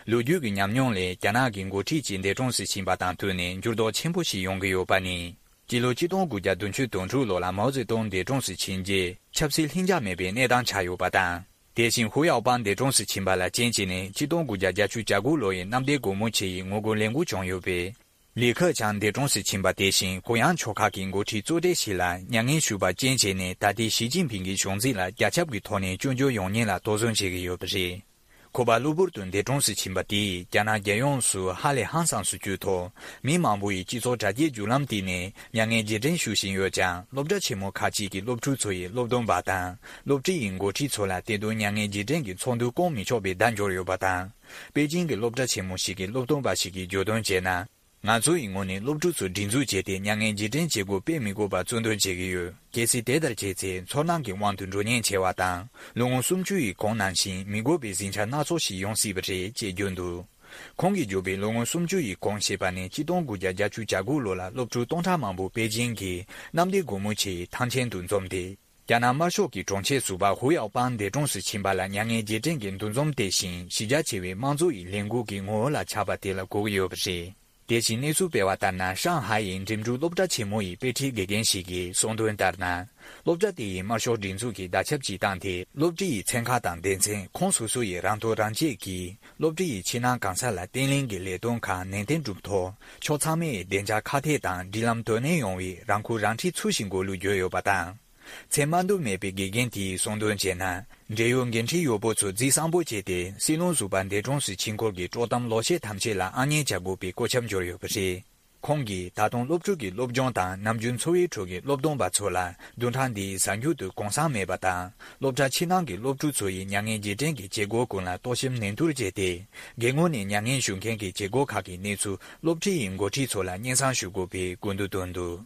ལོ་རྒྱུས་ཀྱི་ཉམས་མྱོང་ལས། རྒྱ་ནག་གི་འགོ་ཁྲིད་ཅིག་འདས་གྲོངས་སུ་ཕྱིན་པ་དང་བསྟུན་ནས་འགྱུར་ལྡོག་ཆེན་པོ་ཞིག་ཡོང་གི་ཡོད་པ་ནི། སྤྱི་ལོ་ཆིག་སྟོང་དགུ་བརྒྱ་བདུན་ཅུ་དོན་དྲུག་ལོ་ལ་མའོ་ཙེ་ཏུང་འདས་གྲོངས་སུ་ཕྱིན་རྗེས། ཆབ་སྲིད་ལྷིང་འཇགས་མེད་པའི་གནས་སྟངས་ཆགས་ཡོད་པ་དང་། དེ་བཞིན་ཧུའུ་ཡའོ་པང་འདས་གྲོངས་སུ་ཕྱིན་པ་ལ་རྐྱེན་བྱས་ནས་ཆིག་སྟོང་དགུ་བརྒྱ་བརྒྱད་ཅུ་གྱ་དགུ་ལོ་ཡི་གནམ་བདེ་སྒོ་མོ་ཆེ་ཡི་ངོ་རྒོལ་ལས་འགུལ་བྱུང་ཡོད་པས། ལི་ཁེ་ཆང་འདས་གྲོངས་སུ་ཕྱིན་པ་དེ་བཞིན་གུ་ཡངས་ཕྱོགས་ཁག་གི་འགོ་ཁྲིད་གཙོ་གྲས་ཤིག་ལ་མྱ་ངན་ཞུས་པ་རྐྱེན་བྱས་ནས། ད་ལྟའི་ཞི་ཅིན་ཕིང་གི་གཞུང་འཛིན་ལ་རྒྱ་ཁྱབ་ཀྱི་ཐོག་ནས་སྐྱོན་བརྗོད་ཡོང་ཉེན་ལ་དོགས་ཟོན་བྱེད་ཀྱི་ཡོད་པ་རེད། ཁོ་པ་གློ་བུར་དུ་འདས་གྲོངས་སུ་ཕྱིན་པ་དེས་རྒྱ་ནག་རྒྱལ་ཡོངས་སུ་ཧ་ལས་ཧང་སངས་སུ་གྱུར་ཐོག་མི་མང་པོ་ཡིས་སྤྱི་ཚོགས་དྲ་རྒྱའི་བརྒྱུད་ལམ་སྟེང་ནས་མྱ་ངན་རྗེས་དྲན་ཞུ་བཞིན་ཡོད་ཀྱང་། སློབ་གྲྭ་ཆེན་མོ་ཁག་ཅིག་གི་སློབ་ཕྲུག་ཚོ་ཡི་སློབ་སྟོན་པ་དང་སློབ་གྲྭ་ཡི་འགོ་ཁྲིད་ཚོ་ལ་དེ་དོན་མྱ་ངན་རྗེས་དྲན་གྱི་ཚོགས་འདུ་བསྐོང་མི་ཆོག་པའི་བརྡ་འབྱོར་ཡོད་པ་དང་། པེ་ཅིང་གི་སློབ་གྲྭ་ཆེན་མོ་ཞིག་གི་སློབ་སྟོན་པ་ཞིག་གིས་བརྗོད་དོན་བྱས་ན། ང་ཚོ་ཡི་ངོས་ནས་སློབ་ཕྲུག་ཚོ་སྒྲིག་འཛུགས་བྱས་ཏེ་མྱ་ངན་རྗེས་དྲན་བྱེད་སྒོ་སྤེལ་མི་དགོས་པར་གཙོ་འདོན་བྱེད་ཀྱི་ཡོད། གལ་སྲིད་དེ་ལྟར་བྱས་ཚེ་ཚོར་སྣང་གི་དབང་དུ་འགྲོ་ཉེན་ཆེ་བ་དང་། ལོ་ངོ་སུམ་ཅུ་ཡི་གོང་ནང་བཞིན་མི་དགོས་པའི་ཟིང་ཆ་སྣ་ཚོགས་ཤིག་ཡོང་སྲིད་པ་རེད་ཅེས་བརྗོད་འདུག་ཁོང་གིས་བརྗོད་པའི་ལོ་ངོ་སུམ་ཅུ་ཡི་གོང་ཞེས་པ་ནི་ཆིག་སྟོང་དགུ་བརྒྱ་བརྒྱད་ཅུ་གྱ་དགུ་ལོ་ལ་སློབ་ཕྲུག་སྟོང་ཕྲག་མང་པོ་པེ་ཅིང་གི་གནམ་བདེ་སྒོ་མོ་ཆེའི་ཐང་ཆེན་དུ་འཛོམས་ཏེ། རྒྱ་ནག་དམར་ཤོག་གི་དྲུང་ཆེ་ཟུར་པ་ཧུའུ་ཡའོ་པང་འདས་གྲོངས་སུ་ཕྱིན་པ་ལ་མྱ་ངན་རྗེས་དྲན་གྱི་འདུ་འཛོམས་དེ་བཞིན་གཞི་རྒྱ་ཆེ་བའི་དམངས་གཙོ་ཡི་ལས་འགུལ་གྱི་ངོ་བོ་ལ་ཆགས་པ་དེ་ལ་གོ་གི་ཡོད་པ་རེད། དེ་བཞིན་གནས་ཚུལ་སྤེལ་བ་ལྟར་ན། ཧྲང་ཧའེ་ཡི་འགྲིམ་འགྲུལ་སློབ་གྲྭ་ཆེན་མོ་ཡི་དཔེ་ཁྲིད་དགེ་རྒན་ཞིག་གིས་གསུངས་དོན་ལྟར་ན། སློབ་གྲྭ་དེ་ཡིས་དམར་ཤོག་སྒྲིག་འཛུགས་ཀྱིས་བརྡ་ཁྱབ་ཅིག་བཏང་སྟེ། སློབ་གྲྭ་ཡི་ཚན་ཁག་དང་སྡེ་ཚན་ཁོངས་སོ་སོ་ཡི་རང་ཐོ་རང་བཅད་ཀྱིས་སློབ་གྲྭ་ཡི་ཕྱི་ནང་གང་ས་ལ་བརྟན་ལྷིང་གི་ལས་དོན་ཁག་ནན་ཏན་སྒྲུབ་ཐོག་ཕྱོགས་ཚང་མས་བདེ་འཇགས་ཁག་ཐེག་དང་སྒྲིག་ལམ་དོ་ནན་ཡོང་བའི་རང་ཁུར་རང་འཁྲི་ཚུལ་བཞིན་སྒོ་ལུགས་བརྗོད་ཡོད་པ་དང་། མཚན་མ་འདོན་མེད་པའི་དགེ་རྒན་དེས་གསུངས་དོན་བྱས་ན། འབྲེལ་ཡོད་འགན་འཁྲི་ཡོད་པོ་ཚོ་རྫིག་སངས་པོ་བྱས་ཏེ། སྲིད་བློན་ཟུར་པ་འདས་གྲོངས་སུ་ཕྱིན་སྐོར་གྱི་དཀྲོག་གཏམ་ལོག་བཤད་ཐམས་ཅད་ལ་ཨ་མྱེས་བྱ་དགོས་པའི་བཀོད་ཁྱབ་འབྱོར་ཡོད་པ་རེད། ཁོང་གིས་ད་དུང་སློབ་ཕྲུག་གི་སློབ་སྦྱོང་དང་ནམ་རྒྱུན་འཚོ་བའི་ཁྲོད་ཀྱི་སློབ་སྟོན་པ་ཚོ་ལ་བདུན་ཕྲག་འདིའི་གཟའ་མཇུག་ཏུ་གུང་སེང་མེད་པ་དང་། སློབ་གྲྭ་ཕྱི་ནང་གི་སློབ་ཕྲུག་ཚོ་ཡི་མྱ་ངན་རྗེས་དྲན་གྱི་བྱེད་སྒོ་ཀུན་ལ་གཏོར་བཤིག་ནན་ཏུར་བྱས་ཏེ། སྒེར་ངོས་ནས་མྱ་ངན་ཞུ་མཁན་གྱི་བྱེད་སྒོ་ཁག་གི་གནས་ཚུལ་སློབ་ཁྲིད་ཡི་འགོ་ཁྲིད་ཚོ་ལ་སྙན་སེང་ཞུ་དགོས་པའི་སྐུལ་འདེད་བཏོན་འདུག་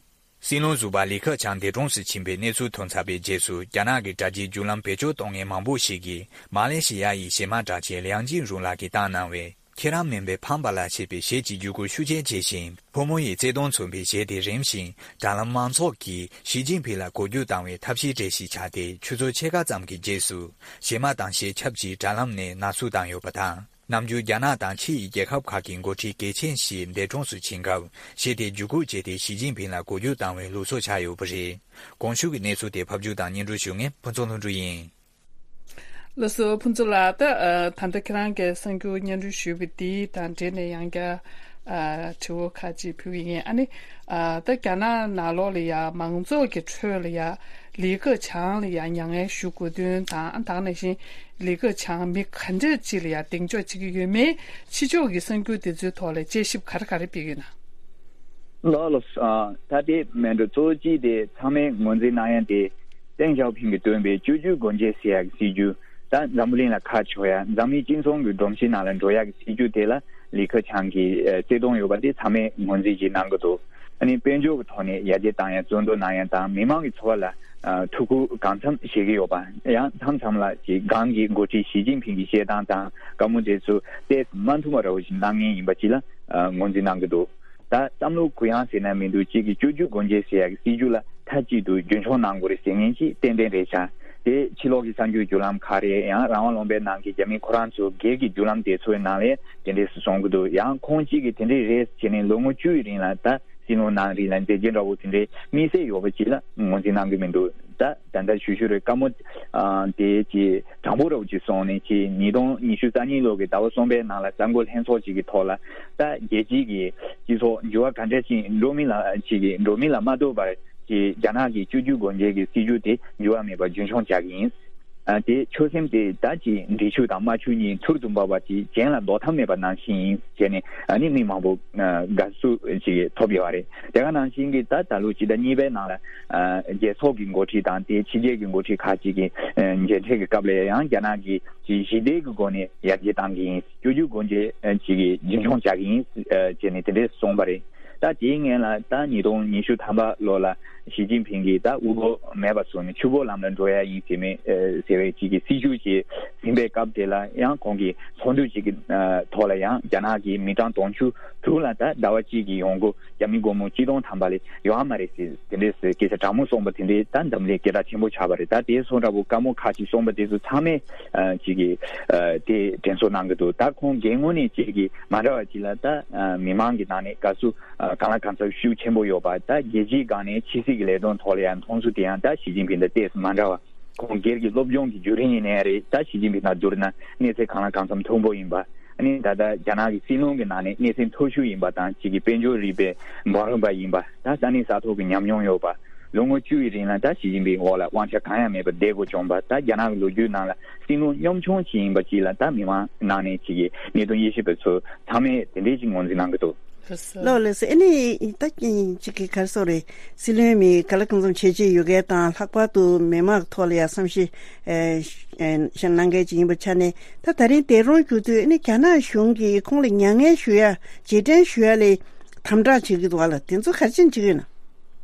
སྲིད་བློན་ཟུར་པ་ལི་ཁེ་ཆང་འདས་གྲོངས་སུ་ཕྱིན་པའི་གནས་ཚུལ་ཐོན་ཚར་བའི་རྗེས་སུ། རྒྱ་ནག་གི་དྲ་རྒྱའི་བརྒྱུད་ལམ་བེད་སྤྱོད་གཏོང་མཁན་མང་པོ་ཞིག་གིས། མ་ལེ་ཤི་ཡ་ཡི་གཞས་མ་གྲགས་ཅན་ལིའང་ཅིན་རུང་ལགས་ཀྱིས་བཏང་གནང་བའི། ཁྱེད་རང་མིན་པའི་ཕམ་པ་ལ་ཞེས་པའི་གཞས་ཀྱི་བརྒྱུད་སྐུར་ཤུགས་རྐྱེན་ཆེ་ཞིང་། ཕོ་མོ་ཡི་བརྩེ་དུང་མཚོན་པའི་གཞས་དེ་རིམ་བཞིན་དྲ་ལམ་མང་ཚོགས་ཀྱིས་ཞི་ཅིན་ཕིང་ལ་གོ་རྒྱུ་བཏང་བའི་ཐབས་ཤེས་གྲས་ཤིག་ཆགས་ཏེ། ཆུ་ཚོད་ཕྱེད་ཀ་ཙམ་གྱི་རྗེས་སུ། གཞས་མ་དང་གཞས་ཆབ་ཅིག་དྲ་ལམ་ནས་ནག་བསུབ་བཏང་ཡོད་པ་དང་། ནམ་རྒྱུན་རྒྱ་ནག་དང་ཕྱི་ཡི་རྒྱལ་ཁབ་ཁག་གི་འགོ་ཁྲིད་གལ་ཆེན་ཞིག་འདས་གྲོངས་སུ་ཕྱིན་སྐབས་གཞི་དེ་བརྒྱུད་སྐུར་བྱས་ཏེ་ཞི་ཅིན་ཕིང་ལ་གོ་བསྒྱུར་བཏང་བའི་ལུགས་སྲོལ་ཆགས་ཡོད་པ་རེད། གོང་ཞུས་ཀྱི་གནས་ཚུལ་དེ་ཕབ་སྒྱུར་དང་སྙན་སྒྲོན་ཞུ་མཁན་ཕུན་ཚོགས་ལྷུན་གྲུབ་ཡིན། ལགས་སོ། ཕུན་ཚོགས་ལགས། ད་ཨ་ད་ལྟ་ཁྱེད་རང་གིས་གསར་འགྱུར་སྙན་སྒྲོན་ཞུས་པ་འདི་དང་འབྲེལ་ནས་ཡང་བསྐྱར་ཨ་དྲི་བ་ཁག་ཅིག་ཕུལ་གྱི་ཡིན། ཨ་ནི་ཨ་ད་རྒྱ་ནག་ནང་ལོགས་ལ་ཡ་མང་ཚོགས་ཀྱི་ཁྲོད་ལ་ཡ་ལི་ཁེ་ཆང་ལ་ཡ་མྱ་ངན་ཞུ་དགོས་དོན་དང་། ཨ་ད་ག་ནང་བཞིན་ལི་ཁེ་ཆང་མི་ག་འདྲ་ཅིག་ལ་ཡ་གདེང་འཇོག་བྱེད་ཀྱི་ཡོད་མེད་ཕྱི་ཕྱོགས་ཀྱི་གསར་འགྱུར་འདི་ཚོའི་ཐོག་ལ་དཔྱད་ཞིབ་ག་རེ་ག་རེ་སྤེལ་ཡོད་ན། ལགས་ལགས། ཨ་ད་དེ་མེད་འགྲོ། གཙོ་བོ་གཅིག་དེ་ཚང་མས་ངོས་འཛིན་གནང་ཡ་དེ་ཏེང་ཞའོ་ཕིང་གིས་བཏོན་པའི་བཅུ་བཅུ་སྒོ་འབྱེད་ཟེར་ཡ་གི་སྲིད་ཇུས། ད་འཛམ་བུ་གླིང་ལ་ཁ་ཕྱོགས་ཡ། འཛམ་གླིང་སྤྱི་ཚོགས་ཀྱི་སྒྲོམ་གཞི་ནང་ལ་འགྲོ་ཡ་གི་སྲིད་ཇུས་དེ་ལ་ལི་ཁེ་ཆང་གིས་ཨ་བརྩེ་དུང་ཡོད་པ་དེ་ཚང་མས་ངོས་འཛིན་ཅིག་གནང་གི་འདུག་ཨ་ནི་དཔལ་འབྱོར་གྱི་ཐོག་ནས་ཡར་རྒྱས་བཏང་ཡ། བཙོན་བཟུང་གནང་ཡ་དང་མི་མང་གི་འཚོ་བ་ལ་ཨ་ཐུགས་ཁུར་གང་འཚམ་བཞེས་ཀྱི་ཡོད་པ། ཡང་མཚམས་མཚམས་ལ་ཅིག་སྒང་གི་འགོ་ཁྲིད་ཞི་ཅིན་ཕིང་གི་བཤད་སྟངས་དང་བཀའ་མོལ་དེ་ཚོ་ཏོག་ཙམ་མ་མཐུན་པ་འདྲ་བོ་ཞིག་གནང་མཁན་ཡིན་པ་ཅིག་ལ་ཨ་ངོས་འཛིན་གནང་གི་འདུག་ད་བསམ་བློ་གུ་ཡངས་ཟེར་ན་མི་འདུག་གཅིག་གིས་བཅུ་བཅུ་སྒོ་འབྱེད་ཟེར་ཡ་གི་སྲིད་ཇུས་ལ་མཐའ་གཅིག་ཏུ་རྒྱུན་འཁྱོངས་གནང་དགོས་རེད་ཟེར་མཁན་ཅིག་ཏན་ཏན་རེད་ཤག་དེ་ཕྱི་ལོགས་ཀྱི་གསར་འགྱུར་བརྒྱུད་ལམ་ཁག་རེད། ཡང་རང་དབང་ལུང་པའི་ནང་གི་རྒྱ་མི་ཁོ་རང་ཚོ་སྒེར་གྱི་བརྒྱུད་ལམ་དེ་ཚོའི་ནང་ལ་དེ་འདྲས་སུ་གསུང་གི་འདུག་ཡང་ཁོང་གཅིག་གིས་དེ་འདྲས་རེད་ཟེར་ནས་ལོ་ངོ་བཅུ་ཡི་རིང་ལ་ད་སྲིད་བློན་གནང་རིང་ལ་མཛད་རྗེས་འདྲ་བོ་དེ་འདྲའི་དམིགས་བསལ་ཡོད་པ་ཅིག་ལ་ངོས་འཛིན་གནང་གི་མི་འདུག་ད་ད་ལྟ་ཞུ་ཞུ་རེད། བཀའ་མོལ་ཨ་དེ་ཅིག་དྲང་པོ་འདྲ་བོ་ཅིག་སོང་ནས་ཅིག་ཉིས་སྟོང་ཉི་ཤུ་རྩ་གཉིས་ལོ་གི་ཟླ་བ་གསུམ་པའི་ནང་ལ་གསར་འགོད་ལྷན་ཚོགས་ཅིག་གི་ཐོག་ལ་ད་རྒྱལ་སྤྱིའི་གི་སྤྱི་ཚོགས་འགྱུར་བ་ག་འདྲ་ཅིག་འགྲོ་མིན་ལ་ཅིག་གི་འགྲོ་མིན་ལ་མ་ལྟོས་པར་ཅིག་རྒྱ་ནག་གི་བཅུ་བཅུ་སྒོ་འབྱེད་ཀྱི་སྲིད་ཇུས་དེ་འགྱུར་བ་མེད་པར་རྒྱུན་འཁྱོངས་བྱ་གི་ཡིན། ཨ་དེ་ཆོད་སེམས་དེ་ད་ཅིག་འབྲི་ཆུ་དང་རྨ་ཆུ་གཉིས་ཐུར་དུ་འབབ་པ་ཅིག་གཞན་ལ་ལྡོག་ཐབས་མེད་པ་ནང་བཞིན་ཡིན་ཟེར་ནས་ཨ་ནི་མི་མང་པོ་ཨ་དགའ་བསུ་ཅིག་ཐོབ་ཡོད་རེད། དེ་ག་ནང་བཞིན་གྱི་ད་ད་ལོ་སྤྱི་ཟླ་གཉིས་པའི་ནང་ལ་ཨ་རྒྱལ་ཚོགས་ཀྱི་འགོ་ཁྲིད་དང་དེ་ཕྱི་རྒྱལ་གྱི་འགོ་ཁྲིད་ཁག་ཅིག་གི་ཨ་མཇལ་འཕྲད་ཀྱི་སྐབས་ལ་ཡང་རྒྱ་ནག་གིས་ཅིག་ཞི་བདེ་གི་སྒོ་ནས་ཡར་རྒྱས་གཏང་གི་ཡིན། བཅུ་བཅུ་སྒོ་འབྱེད་ཅིག་གི་རྒྱུན་འཁྱོངས་བྱ་གི་ཡིན་ཟེར་ནས་དེ་འདྲས་གསུངས་པ་རེད། ད་དེའི་སྔོན་ལ་ད་ཉིས་སྟོང་ཉི་ཤུ་ཐམ་པ་ལོ་ལ་ཞི་ཅིན་ཕིང་གིས་ད་དབུལ་པོ་མེད་པ་བཟོ་ནས་ཕྱུག་པོ་ལམ་ལ་འགྲོ་ཡ་ཡིན་ཟེར་མེད་ཟེར་བའི་ཅིག་གི་སྲིད་ཇུས་ཅིག་ཟིན་པའི་སྐབས་དེ་ལ་ཡང་ཁོང་གིས་ཚོགས་འདུ་ཅིག་གི་ཐོག་ལ་ཡང་རྒྱ་ནག་གི་མི་གྲངས་དུང་ཕྱུར་དྲུག་ལ་ད་ཟླ་བ་གཅིག་གི་ཡོང་སྒོ་རྒྱ་མི་སྒོར་མོ་གཅིག་སྟོང་ཐམ་པ་ལས་ཡོད་མ་རེད་ཟེར་དེ་འདྲས་ཟེར་སྐད་ཆ་དྲང་མོ་གསུངས་པ་དེ་འདྲས་ད་འཛམ་གླིང་སྐད་གྲགས་ཆེན་པོ་ཆགས་པ་རེད། ད་དེ་སོང་འདྲ་པོ་བཀའ་མོལ་ཁག་ཅིག་གསུངས་པ་དེ་ཚོ་ཚང་མས་ཅིག་གི་དེ་དྲན་གསོ་གནང་གི་འདུག་ད་ཁོང་སྒེར་ངོས་ནས་ཅིག་གི་མ་འདྲ་བ་ཅིག་ལ་ད་མི་མང་གི་ནང་ནས་དགའ་བསུ་གང་ལ་གང་འཚམ་ཤུགས་ཆེན་པོ་ཡོད་པ། ད་རྒྱལ་སྤྱིའི་སྒང་ནས་ཕྱི་སྲིད་ཀྱི་ལས་དོན་ཐོག་ལ་ཡང་མཐོང་ཚུལ་དེ་ཡང་ད་ཞི་ཅིན་ཕིང་དང་ཏོག་ཙམ་མ་འདྲ་བ། ཁོང་སྒེར་གྱི་སློབ་སྦྱོང་གི་བརྒྱུད་རིམ་ཡིན་ནའི་རེད། ད་ཞི་ཅིན་ཕིང་དང་བསྡུར་ན་གནས་ཚད་གང་ལ་གང་འཚམ་མཐོན་པོ་ཡིན་པ། ཨ་ནི་ད་ལྟ་རྒྱ་ནག་གི་སྲིད་བློན་གྱི་ནང་ནས་གནས་ཚད་མཐོ་ཤོས་ཡིན་པ་དང་གཅིག་གི་དཔལ་འབྱོར་རིག་པའི་འབུམ་རམས་པ་ཡིན་པ། ད་ས་གནས་ས་ཐོག་གི་ཉམས་མྱོང་ཡོད་པ། ལོ་ངོ་བཅུ་ཡི་རིང་ལ་ད་ཞི་ཅིན་ཕིང་འོག་ལ་དབང་ཆ་གང་ཡང་མེད་པར་བསྡད་དགོས་བྱུང་བ། ད་རྒྱ་ནག་གི་ལོ་རྒྱུས་ནང་ལ་སྲིད་བློན་གཉོམ་ཆུང་ཞིག་ཡིན་པ་ཅིག་ལ་ད་མི་མང་ནང་ནས་ཅིག་གི་གནད་དོན་དབྱེ་ཞིབ་པ་ཚོ་ཚང་མས་དེ་འདྲའི་ཅིག་ངོས་འཛིན་གནང་གི་འདུག་ལགས་ལགས་སོ། ཨ་ནི་ད་ཅིག་གི་ག་རེ་ཟེར་དགོས་རེད། སྲིད་བློན་མི་ག་ལ་གང་འཚམ་བྱས་རྗེས་ཡོད་མཁན་དང་། ལྷག་པར་དུ་མི་མང་གི་ཐོག་ལ་ཡང་བསམ་ཤེས་ཨེ་ཨེ་གནང་མཁན་ཅིག་ཡིན་པའི་ཆ་ནས། ད་ད་རིང་འདས་གྲོངས་གྱུར་དུས་ཨ་ནི་རྒྱ་ནག་གཞུང་གིས་ཁོང་ལ་མྱ་ངན་ཞུ་ཡ་རྗེས་དྲན་ཞུ་ཡ་ལ་དམ་དྲག་བྱེད་ཀྱི་འདུག་ག་ལ། དེ་ཚོ་ག་རེ་བྱེད་ཀྱི་ཡོད་ན།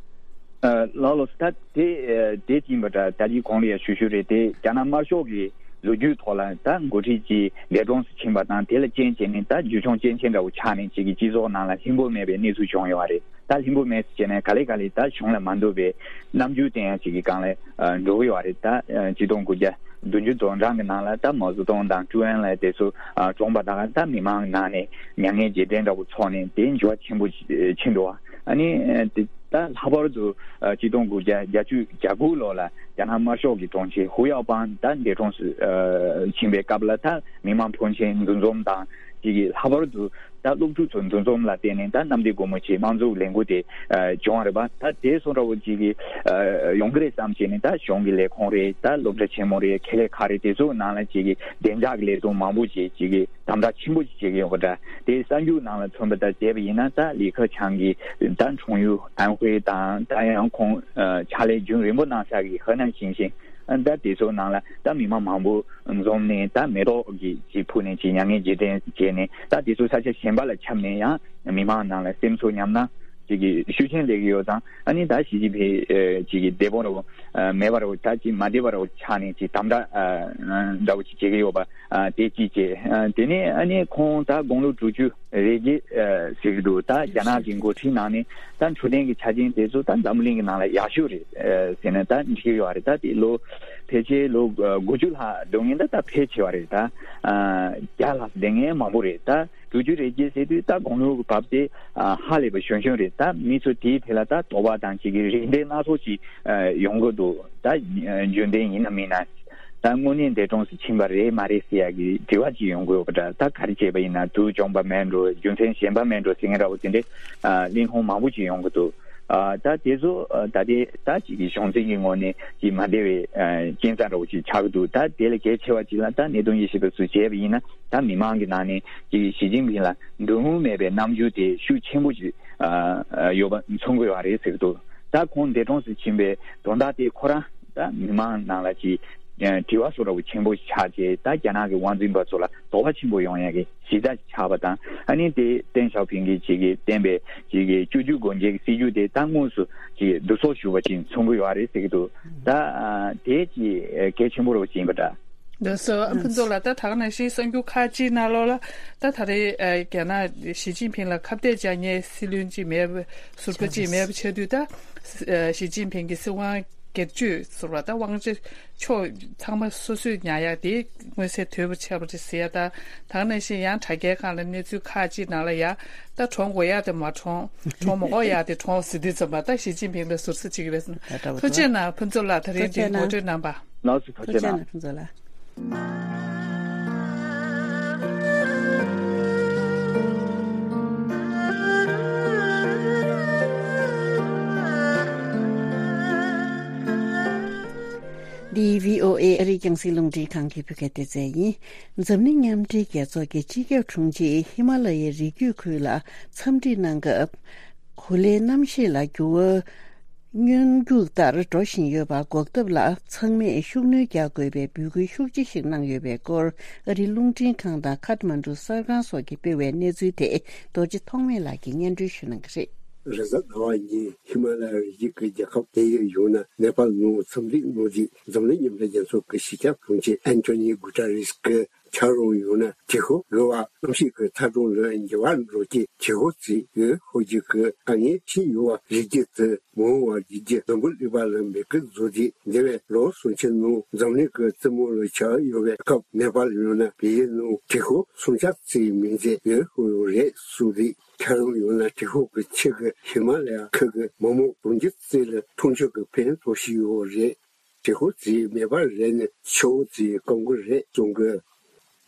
ཨ་ལགས་ལགས་སོ། ད་དེ་ཨ་དེ་ཡིན་པ་འདྲ། ད་ཅི་གོང་ལ་ཡང་ཞུ་ཞུ་རེད། དེ་རྒྱ་ནག་དམར་ཤོག་གི་ལོ་རྒྱུས་ཐོག་ལ་ད་འགོ་ཁྲིད་ཅིག་འདས་གྲོངས་སུ་ཕྱིན་པ་དང་དེ་ལ་རྐྱེན་བྱས་ནས་ད་རྒྱུ་མཚན་རྐྱེན་ཆེན་འདྲ་བོ་ཆགས་ནས་ཅིག་གི་སྤྱི་ཚོགས་ནང་ལ་ལྷིང་པོ་མེད་པའི་གནས་ཚུལ་བྱུང་ཡོད་རེད། ད་ལྷིང་པོ་མེད་ཟེར་བྱས་ནས་ག་ལེ་ག་ལེ་ད་གཞུང་ལ་མ་འདོད་པའི་རྣམ་འགྱུར་བསྟན་ཡ་ཅིག་གི་སྒང་ལ་ཨ་འགྲོ་གི་ཡོད་རེད། ད་ཨ་ཆིག་སྟོང་དགུ་བརྒྱ་བདུན་ཅུ་དོན་གྲངས་ཀྱི་ནང་ལ་ད་མའོ་ཙེ་ཏུང་དང་ཀྲུའུ་ཨེན་ལའེ་དེ་ཚོ་ཨ་གྲོངས་པ་དང་། ད་མི་མང་ནང་ནས་མྱ་ངན་རྗེས་དྲན་འདྲ་བོ་ཚོགས་ནས་དེ་འགྱུར་བ་ཆེན་པོ་ཕྱིན་འདུག་ཨ་ནི་ཨ་དེ་ད་ལྷག་པར་དུ་ཨ་ཆིག་སྟོང་དགུ་བརྒྱ་བརྒྱད་ཅུ་གྱ་དགུ་ལོ་ལ་རྒྱ་ནག་དམར་ཤོག་གི་དྲུང་ཆེ་ཧུའུ་ཡའོ་པང་ད་འདས་གྲོངས་སུ་ཨ་ཕྱིན་པའི་སྐབས་ལ་ད་མི་མང་ཕོན་ཆེན་འདུ་འཛོམས་དང་ཅིག་གི་ལྷག་པར་དུ་ད་སློབ་ཕྲུག་ཚོ་འདུ་འཛོམས་ལ་བརྟེན་ནས་ད་གནམ་བདེ་སྒོ་མོ་ཆེའི་དམངས་གཙོའི་ལས་འགུལ་དེ་ཨ་བྱུང་བ་རེད་པ། ད་དེ་སོང་འདྲ་བོ་ཅིག་གི་ཨ་ཡོང་གི་རེད་བསམ་བྱས་ནས་ད་གཞུང་གི་ལས་ཁུངས་རེད། ད་སློབ་གྲྭ་ཆེན་མོ་རེད། ཁེ་ལས་ཁག་རེད། དེ་ཚོའི་ནང་ལ་ཅིག་གི་བདེ་འཇགས་ཀྱི་ལས་དོན་མང་པོ་ཅིག་ཅིག་གི་དམ་དྲག་ཆེན་པོ་ཅིག་བྱེད་ཀྱི་ཡོད་པ་འདྲ། དེ་གསར་འགྱུར་ནང་ལ་ཐོན་པ་ལྟར་བྱས་པ་ཡིན་ན་ད་ལི་ཁེ་ཆང་གི་ད་འཁྲུངས་ཡུལ་ཨན་ཧུའེ་དང་། ད་ཡང་ཁོང་ཨ་ཕྱག་ལས་རྒྱུན་རིང་པོ་གནང་ས་གི་ཧེ་ནན་ཞིང་ཆེན་ཨ་ད་དེ་ཚོའི་ནང་ལ་ད་མི་མང་མང་པོ་འཛོམས་ནས་ད་མེ་ཏོག་གི་ཅིག་ཕུལ་ནས་ཅིག་མྱ་ངན་རྗེས་དྲན་བྱས་ནས། ད་དེ་ཚོ་ས་ཆ་གཞན་པ་ལ་ཁྱབ་ནས་ཡང་མི་མང་ནང་ལ་སེམས་ཚོར་ཉམས་སྣང་ཅིག་གི་ཤུགས་ཆེན་སླེབས་ཀྱི་ཡོད་ཙང་། ཨ་ནི་ད་ཞི་ཅིན་ཕིང་ཨ་ཅིག་གི་བདེ་པོ་འདྲ་བོ་ཨ་མེད་པ་འདྲ་བོ། ད་ཅིག་མ་བདེ་བ་འདྲ་བོ་ཆགས་ནས་ཅིག་དམ་དྲག་ཨ་འདྲ་བོ་ཅིག་བྱེད་ཀྱི་ཡོད་པ། ཨ་དེ་གཅིག་བྱས། ཨ་དེ་ནས་ཨ་ནི་ཁོང་ད་དགུང་ལོ་དྲུག་ཅུ་རེ་བརྒྱད་ཨ་ཟེར་གྱི་འདུག་ད་རྒྱ་ནག་གི་འགོ་ཁྲིད་ནང་ནས་ད་འཕྲོད་བསྟེན་གྱི་ཆ་རྐྱེན་དེ་ཚོ་ད་འཛམ་བུ་གླིང་གི་ནང་ལ་ཡག་ཤོས་རེད་ཨ་ཟེར་ནས་ད་འགྲིག་གི་ཡོད་རེད། ད་དེ་ལོ་ ཕལ་ཆེར་ལོ་དགུ་བཅུ་ལྷག་སྡོད་མཁན་ད་ད་ཕལ་ཆེ་བ་རེད། ད་བརྒྱ་ལྷག་སྡོད་མཁན་མང་པོ་རེད། ད་དྲུག་ཅུ་རེ་བརྒྱད་ཟེར་དུས་ད་དགུང་ལོ་བབས་ཏེ་ཧ་ལས་པ་གཞོན་གཞོན་རེད། ད་མི་ཚོ་དེའི་ཐད་ལ་ད་དོགས་པ་དང་ཅིག་གི་རེ་འདུན་སྣ་ཚོགས་ཅིག་ཡོང་གི་འདུག། ད་རྒྱུན་ལྡན་ཡིན་ན་མིན་ན། ད་དངོས་གནས་འདས་གྲོངས་སུ་ཕྱིན་པ་རེད་མ་རེད་ཟེར་ཡག་གི་དྲི་བ་ཅིག་ཡོང་གི་ཡོད་པ་འདྲ། ད་ག་རེ་བྱས་པ་ཡིན་ན་དུག་བྱུང་པ་མེད་འགྲོ། རྒྱུ་མཚན་གཞན་པ་མེད་འགྲོ་ཟེར་མཁན་འདྲ་བོ་དེ་འདྲའི་གླེང་སློང་མང་པོ་ཅིག་ཡོང་གི་འདུག། ད་དེ་ཚོ་ད་ལྟའི་ད་ཅིག་གི་གཞུང་འཛིན་གྱི་ངོས་ནས་ཅིག་མ་བདེ་བའི་རྐྱེན་རྩ་འདྲ་བོ་ཅིག་ཆགས་ཀྱི་འདུག། ད་དེ་ལས་གལ་ཆེ་བ་ཅིག་ལ་ད་གནད་དོན་དབྱེ་ཞིབ་པ་ཚོས་བྱས་པ་ཡིན་ན་ད་མི་མང་གི་ནང་ནས་ཅིག་ཞི་ཅིན་ཕིང་ལ་འདུན་མེད་པའི་རྣམ་འགྱུར་དེ་ཤུགས་ཆེན་པོ་ཅིག་ཡོད་པ་མཚོན་གྱི་ཡོད་རེད་ཟེར་གྱི་འདུག། ད་ཁོང་འདས་གྲོངས་སུ་ཕྱིན་པའི་དོན་དག་དེ་ཁོ་རང་ད་མི་མང་ནང་ལ་ཅིག་དྲི་བ་བཟོ་འདྲ་བོ་ཆེན་པོ་ཆགས་རྗེས་ད་རྒྱ་ནག་གི་དབང་འཛིན་པ་ཚོ་ལ་དོགས་པ་ཆེན་པོ་ཡོང་ཡག་གི་གཞི་རྩ་ཆགས་པ་དང་། ཨ་ནི་དེ་ཏེང་ཞའོ་ཕིང་གིས་ཅིག་གི་བསྟན་པའི་ཅིག་གི་བཅུ་བཅུ་གོ་འབྱེད་ཀྱི་སྲིད་ཇུས་དེ་ད་དངོས་སུ་ཅིག་བསྡུ་གསོག་ཞུ་བ་ཅིག་མཚོན་གྱི་ཡོད་རེད་ཟེར་གྱི་འདུག། ད་དེ་ཅིག་གལ་ཆེན་པོ་རེད་ཅེས་ཡིན་པ་འདྲ། ལགས་སོ། ཨ་ཕུན་ཚོགས་ལགས། ད་ད་ག་ནང་བཞིན་གསར་འགྱུར་ཁག་ཅིག་ནང་ལོགས་ལ་ད་ད་རེས་རྒྱ་ནག་ཞི་ཅིན་ཕིང་ལ་ཁ་གཏད་བཅག་མཁན་སྲིད་བློན་ཅིག་མེད་པ། ཟུར་པ་ཅིག་མེད་པ་ཆགས་དུས་ད་ཞི་ཅིན་ཕིང་གི་སྲིད་དབང་སྒེར་གཅོད་ཟུར་པ་ད་དབང་ཆ་ཕྱོགས་ཚང་མ་སོ་སོས་ཉར་ཡག་དེ་མངོན་གསལ་དོད་པོ་ཆགས་པ་རེད་ཟེར་ཡ། ད་ད་ག་ནང་བཞིན་ཡང་དྲ་རྒྱའི་སྒང་ལ་གནས་ཚུལ་ཁག་ཅིག་ནང་ལ་ཡ་ད་གྲོངས་དགོས་ཡ་དེ་མ་གྲོངས། གྲོངས་མ་དགོས་ཡ་དེ་གྲོངས་ཟེར་དུས་ཙམ་པ་ད་ཞི་ཅིན་ཕིང་ལ་ཟུར་ཟ་བྱེད་ཀྱི་རེད་ཟེར་ན། ད་འདྲ་བོ་ཐུགས་རྗེ་གནང་ཕུན་ཚོགས་ལགས། ད་རིང་འདི་ཐུགས་རྗེ་གནང་། ངོ་སྤྲོད་གནང་བ། ལགས་སོ། ཐུགས་རྗེ་གནང་། ཐུགས་རྗེ་གནང་ཕུན་ཚོགས་ལགས། འདི་བྷི་ཨོ་ཨེ་ཨ་རིའི་རྒྱང་སྲིང་རླུང་འཕྲིན་ཁང་གི་བོད་སྐད་སྡེ་ཚན་ཡིན། འཛམ་གླིང་མཉམ་འབྲེལ་རྒྱལ་ཚོགས་ཀྱི་སྤྱི་ཁྱབ་དྲུང་ཆེས་ཧི་མ་ལ་ཡའི་རི་རྒྱུད་ཁུལ་ལ་འཚམས་འདྲི་གནང་སྐབས། གོ་ལའི་གནམ་གཤིས་ལ་འགྱུར་བ་སྔོན་འཇུག་ལྟར་འགྲོ་བཞིན་ཡོད་པ་འགོག་ཐབས་ལ་ཚང་མས་ཤུགས་སྣོན་རྒྱག་དགོས་པའི་འབོད་སྐུལ་ཤུགས་ཆེ་ཞིག་གནང་ཡོད་པའི་སྐོར། ཨ་རིའི་རླུང་འཕྲིན་ཁང་དང་ཁ་ཐ་མན་གྲུ་གསར་ཁང་སོགས་ཀྱིས་སྤེལ་བའི་གནས་ཚུལ་དེ་རྡོ་རྗེ་ཐོགས་མེད་ལགས་ཀྱིས་སྙན་སྒྲོན་ཞུ་གནང་གི་རེད། རེས་གཟའ་ཟླ་བ་ཉིན་ཧི་མ་ལ་ཡ་རི་རྒྱུད་ཀྱི་རྒྱལ་ཁབ་བལ་ཡུལ་ཡུ་ནན་ནེ་པཱལ་ནང་འཚམས་འདྲིའི་གནང་རྗེས་འཛམ་གླིང་མཉམ་འབྲེལ་རྒྱལ་ཚོགས་ཀྱི་སྤྱི་ཁྱབ་དྲུང་ཆེ་ཨན་ཐོ་ནི་གུ་ཏ་རེས་ཀྱིས། འཁྱགས་རོམ་ཡང་ན་དྲོད་ཁོལ་རྒོད་པ་གནམ་གཤིས་ཀྱི་ཚ་གྲང་ལ་འགྱུར་བ་འགྲོ་རྐྱེན་དྲོད་ཁོལ་རྩིས་ཡོད་ཧོ་རྒྱུ་གི་དཀའ་ངལ་འཕྲད་ཡོད་པ་རེད། རྒྱུ་དེ་མ་འོངས་པར་རྒྱུ་རྒྱུ་འཛམ་བུ་གླིང་པ་ལ་མེད་ཀི་བཟོ་རྒྱུ་འདས་པའི་ལོ་སུམ་ཅུ་ནང་འཛམ་གླིང་གི་རྩེ་མོ་ལ་ཆགས་ཡོད་པའི་སྐབས་ནེ་པཱལ་ཡང་ན་བལ་ཡུལ་ནང་དྲོད་ཁོལ་སུམ་ཆ་རྩིས་མིན་ཚད་ཡོད་ཧོ་ཡོད་རེད་གསུངས་རེད། འཁྱགས་རོམ་ཡང་ན་དྲོད་ཁོལ་གྱི་ཆུ་གི་ཧི་མ་ལ་ཡ་ཁུལ་གྱི་མི་མང་གྲོང་ཁྱེར་རྩིས་ལ་འཐུང་ཆུ་གི་ཕན་ཐོགས་ཤིག་ཡོད་རེད། དྲོད་ཁོལ་རྩིས་མེད་པ་རེད་ན་ཆུ་བོ་རྩིས་སྐམ་གི་རེད་གསུང་གི།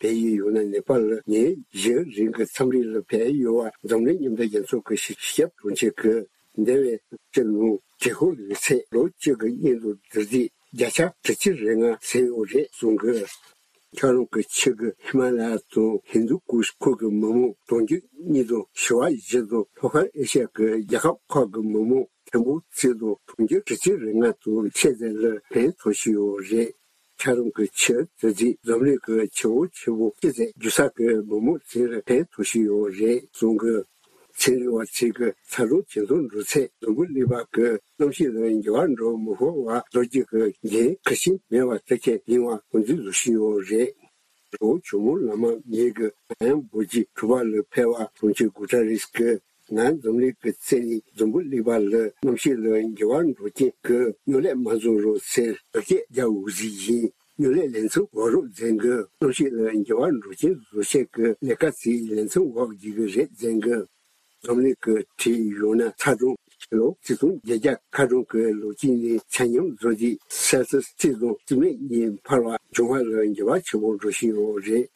བལ་ཡུལ་ཡང་ན་ནེ་པཱལ་ལ་ཉིན་བཞི་རིང་གི་འཚམས་འདྲི་ལ་ཕེབས་ཡོད་པ་འཛམ་གླིང་མཉམ་འབྲེལ་རྒྱལ་ཚོགས་ཀྱི་སྤྱི་ཁྱབ་དྲུང་ཆེ་གིས་འདས་པའི་ལོ་བཅུ་ནང་དྲོད་ཁོལ་ཡོད་ཚད་ལོ་བཅུ་གི་སྔོན་དུ་བསྡུར་རྗེས་བརྒྱ་ཆ་དྲུག་ཅུ་རེ་ལྔ་ཟིན་ཡོད་རེད་གསུང་གི། འཁྱགས་རོམ་གྱི་ཆུ་གིས་ཧི་མ་ལ་ཡ་དང་ཧིན་དུ་ཀུཤ་ཁུལ་གྱི་མི་མང་གྲོང་ཁྱེར་གཉིས་དང་ཞི་བ་བཞི་དང་ལྷོ་ཤར་ཨེ་ཤ་ཡ་གི་རྒྱལ་ཁབ་ཁག་གི་མི་མང་ཐེར་འབུམ་གཅིག་དང་གྲོང་ཁྱེར་དྲུག་ཅུ་རེ་ལྔ་དང་ཕྱེད་ཙམ་ལ་ཕན་ཐོགས་ཀྱི་ཡོད་རེད། འཁྱགས་རོམ་གྱི་ཆུ་དེ་རྗེས་འཛམ་གླིང་གི་ཆུ་བོ་ཆེན་པོ་བཅུ་ཙམ་བརྒྱུད་ས་གི་མི་མང་ཚོ་ལ་ཕན་ཐོགས་ཀྱི་ཡོད་རེད་གསུང་གི། ཚན་རིག་པ་ཚོས་ཀྱི་ཚ་གྲང་ཇེ་མཐོར་འགྲོ་ཚད་འཛམ་བུ་གླིང་པ་གི་གནམ་གཤིས་ལ་འགྱུར་བ་འགྲོ་མི་ཕོད་པ་བཟོ་རྒྱུ་གི་འགན་ཁུར་བཞིན་མེད་པ་དེ་ཁས་ལེན་པ་ཁོང་ཚོས་བཟོ་བཞིན་ཡོད་རེད། ཇོ་ཇོ་མོ་བླ་མ་ཉིད་ཀྱི་ནང་ཡང་འབོད་ཀྱི་གྲུ་པ་ལ་ཕེབས་པ་དྲུང་ཆེ་གུ་ཏ་རེས་ཀྱིས་ང་འཛམ་གླིང་གི་རྩེ་ནས་འཛམ་བུ་གླིང་པ་ལ་གནམ་གཤིས་ལ་འགྱུར་བ་འགྲོ་རྐྱེན་གྱི་གཉོད་ལས་མ་བཟོ་རོགས་ཟེར་བཀའ་སྐྱོན་རྒྱག་འོས་ཟིན་ཡིན། གཉོད་ལས་ལེ་ཚན་འོག་རོགས་འཛིན་གྱི་གནམ་གཤིས་ལ་འགྱུར་བ་འགྲོ་རྐྱེན་བཟོ་ཆེད་ཀྱི་ལས་ཀ་ཚིག་ལེ་ཚན་འོག་བགྱིད་ཀྱི་རེད་འཛིན་གྱི། འཛམ་གླིང་གི་ཁྲིམས་ཡོད་ན་ཚ་གྲང་ཕྱི་ལོ་ཆིག་སྟོང་བརྒྱད་བརྒྱ་ཁ་གྲངས་ཀྱི་ལོ་རྒྱུས་ནས་ཆ་སྙོམས་བཟོ་རྒྱུའི་སེལ་སི་སི་གཅིག་དང་རྩིས་མེད་གཉིས་འཕར་བ་འབྱུང་བ་ལ་འགྱུར་བ་ཆེན་པོ་འགྲོ་བཞིན་ཡོད་རེད།